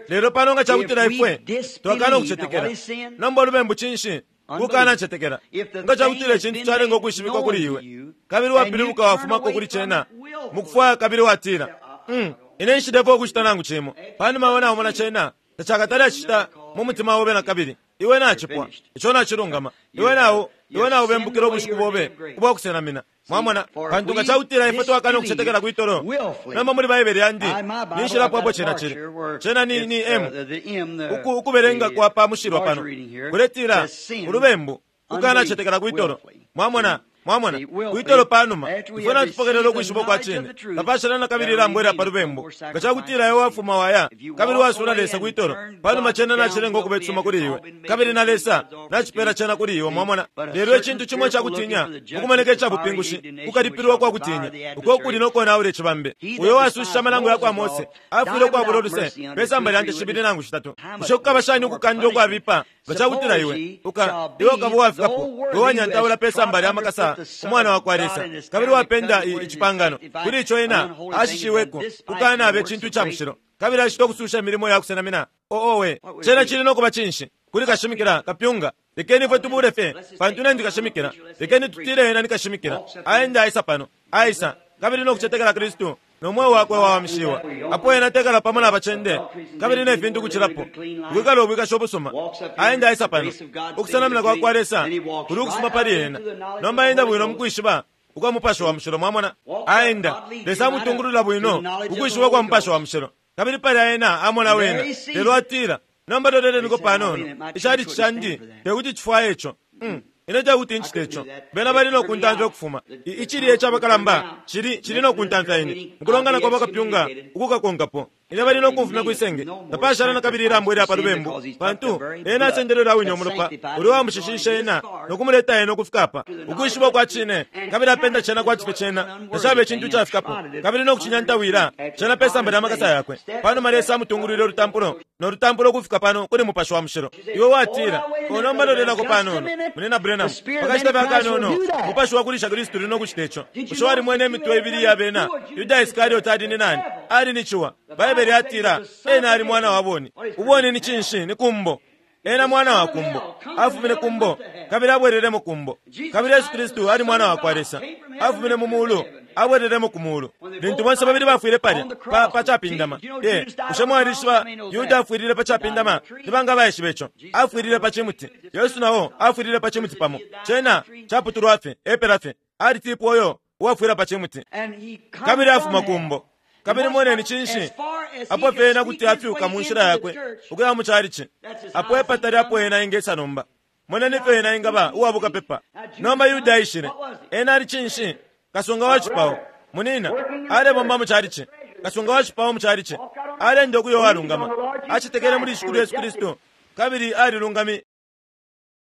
Lelo pano nga cakutila ifwe twakana ukucetekela. Nomba ulubembu cinshi? Kukana cetekela. Nga cakutila icintu calenga ukwishibikwa kuli iwe kabili wapilibuka wafumako kuli cena mukufwaya kabili watila, mm, ine nshilepo ukucita nangu cimo. Panuma iwe naumona cena tacakatale acicita mu mutima obe na kabili. Iwe nacipwa ico nacilungama. Iwe nawo iwe naubembukila ubushiku bobe ubwakusenamina, mwamona. Pantu nga cakutila ifwe twakana ukucetekela kwitolo. Nomba muli Baibele yandi ninshilapo apo cena cili. Cena ni ni M uku ukubelenga kwa pa mushilwa pano kuletila ulubembu kukana cetekela kwitolo, mwamona. Mwamona kwitolo panuma ifwe natupokelela ukwishiba kwa cine tapashala na kabili ilambo ilya pa lubembu. Nga cakutila iwe wafuma waya kabili wasula Lesa kwitolo panuma cena nacilenga ukuba icisuma kuli iwe kabili na Lesa nacipela cena kuli iwe, mwamona. Lelo icintu cimo cakutinya ukumoneka icabupingushi kukalipilwa kwa kutinya uko kuli nokonaula icibambe. Uyo wasushisha amalango ya kwa Mose afwile ukwabula uluse pe samba lya nte shibili nangu shitatu. Bushe kukaba shani ukukandwa ukwabipa nga cakutila iwe uka iwe ukaba uwafikapo iwe wanyantaula pe samba lya makasa umwana wa kwa Lesa kabili wapenda icipangano kuli ico ena ashishiweko kukana abe cintu ica mushilo kabili acita ukususha imilimo ya kusenamina. Oowe cena cili nokuba cinshi kuli kashimikila kapyunga? Lekeni ifwe tubule fye pantu ine ndikashimikila. Lekeni tutile ena nikashimikila aenda aisa pano aisa kabili nokucetekela Kristu no mweo wakwe wawamishiwa. Apo ena tekala pamo na bacende kabili ne fintu kucilapo ukwikala ubwikasha ubusuma aenda aisa pano ukusenamina kwa kwa Lesa kuli ukusuma pali ena. Nomba aenda bwino mukwishiba ukwa mupashi wa mushilo, mwamona. Aenda Lesa amutungulula bwino ukwishiba kwa mupashi wa mushilo kabili pali ena amona wena. Lelo atila, nomba toteleniko panono icali cishandi tekuti cifwaye ico. Mm. Ine tekuti ncite ico. Bena bali nokuntamfya ukufuma icili ecabakalamba cili cili nokuntamfya ine mukulongana kwa bakapyunga ukukakonkapo. Ine bali nokumfumya kwisenge tapashala na kabili ilambo ilya pa lubembu pantu ena asendelele awine umulopa uli wamushishisha ena nokumuleta ena ukufika apa ukwishiba kwa cine kabili apenda cena kwati fye cena tacaba icintu cafikapo kabili nokucinyantawila cena pe samba lya makasa yakwe. Panuma Lesa amutungulwile ulutampulo nolutampulo ukufika pano kuli mupashi wa mushilo. Iwe watila, onomba lolelako panono munena Branham pakashita fye akanono mupashi wa kulisha Kristu uli nokucita ico. Bushe walimwene imitwe ibili ya bena? Yuda Iskarioti ali ni nani? Ali ni ciwa. Baibele yatila ena ali mwana wa boni. Uboni ni cinshi? Ni kumbo. Ena mwana wa kumbo afumine kumbo kabili abwereremo kumbo. Kabili Yesu Kristu ali mwana wa kwa Lesa afumine mu mulu abwereremo ku mulu. Lintu bonse babili bafwile palya pa, pa capindama. Ye bushe mwalishiba Yuda afwilile pa capindama? Ni banga baishiba ico? Afwilile pa cimuti. Yesu nao afwilile pa cimuti pamo. Cena caputulwa fye epela fye. Alitipwa uyo uwafwila pa cimuti kabili afuma kumbo. Kabili moneni cinshi apo fye ena kuti afyuka mu nshila yakwe ukuya mu calici apo epatali apo ena ingesa nomba. Moneni fye ena ingaba uwabukapepa. Nomba Yuda aishile ena ali cinshi? Kasunga wa cipao munina alebomba mu calici. Kasunga wa cipao mu calici alenda ukuya uwalungama acetekele muli Shikulu Yesu Kristu kabili alilungami.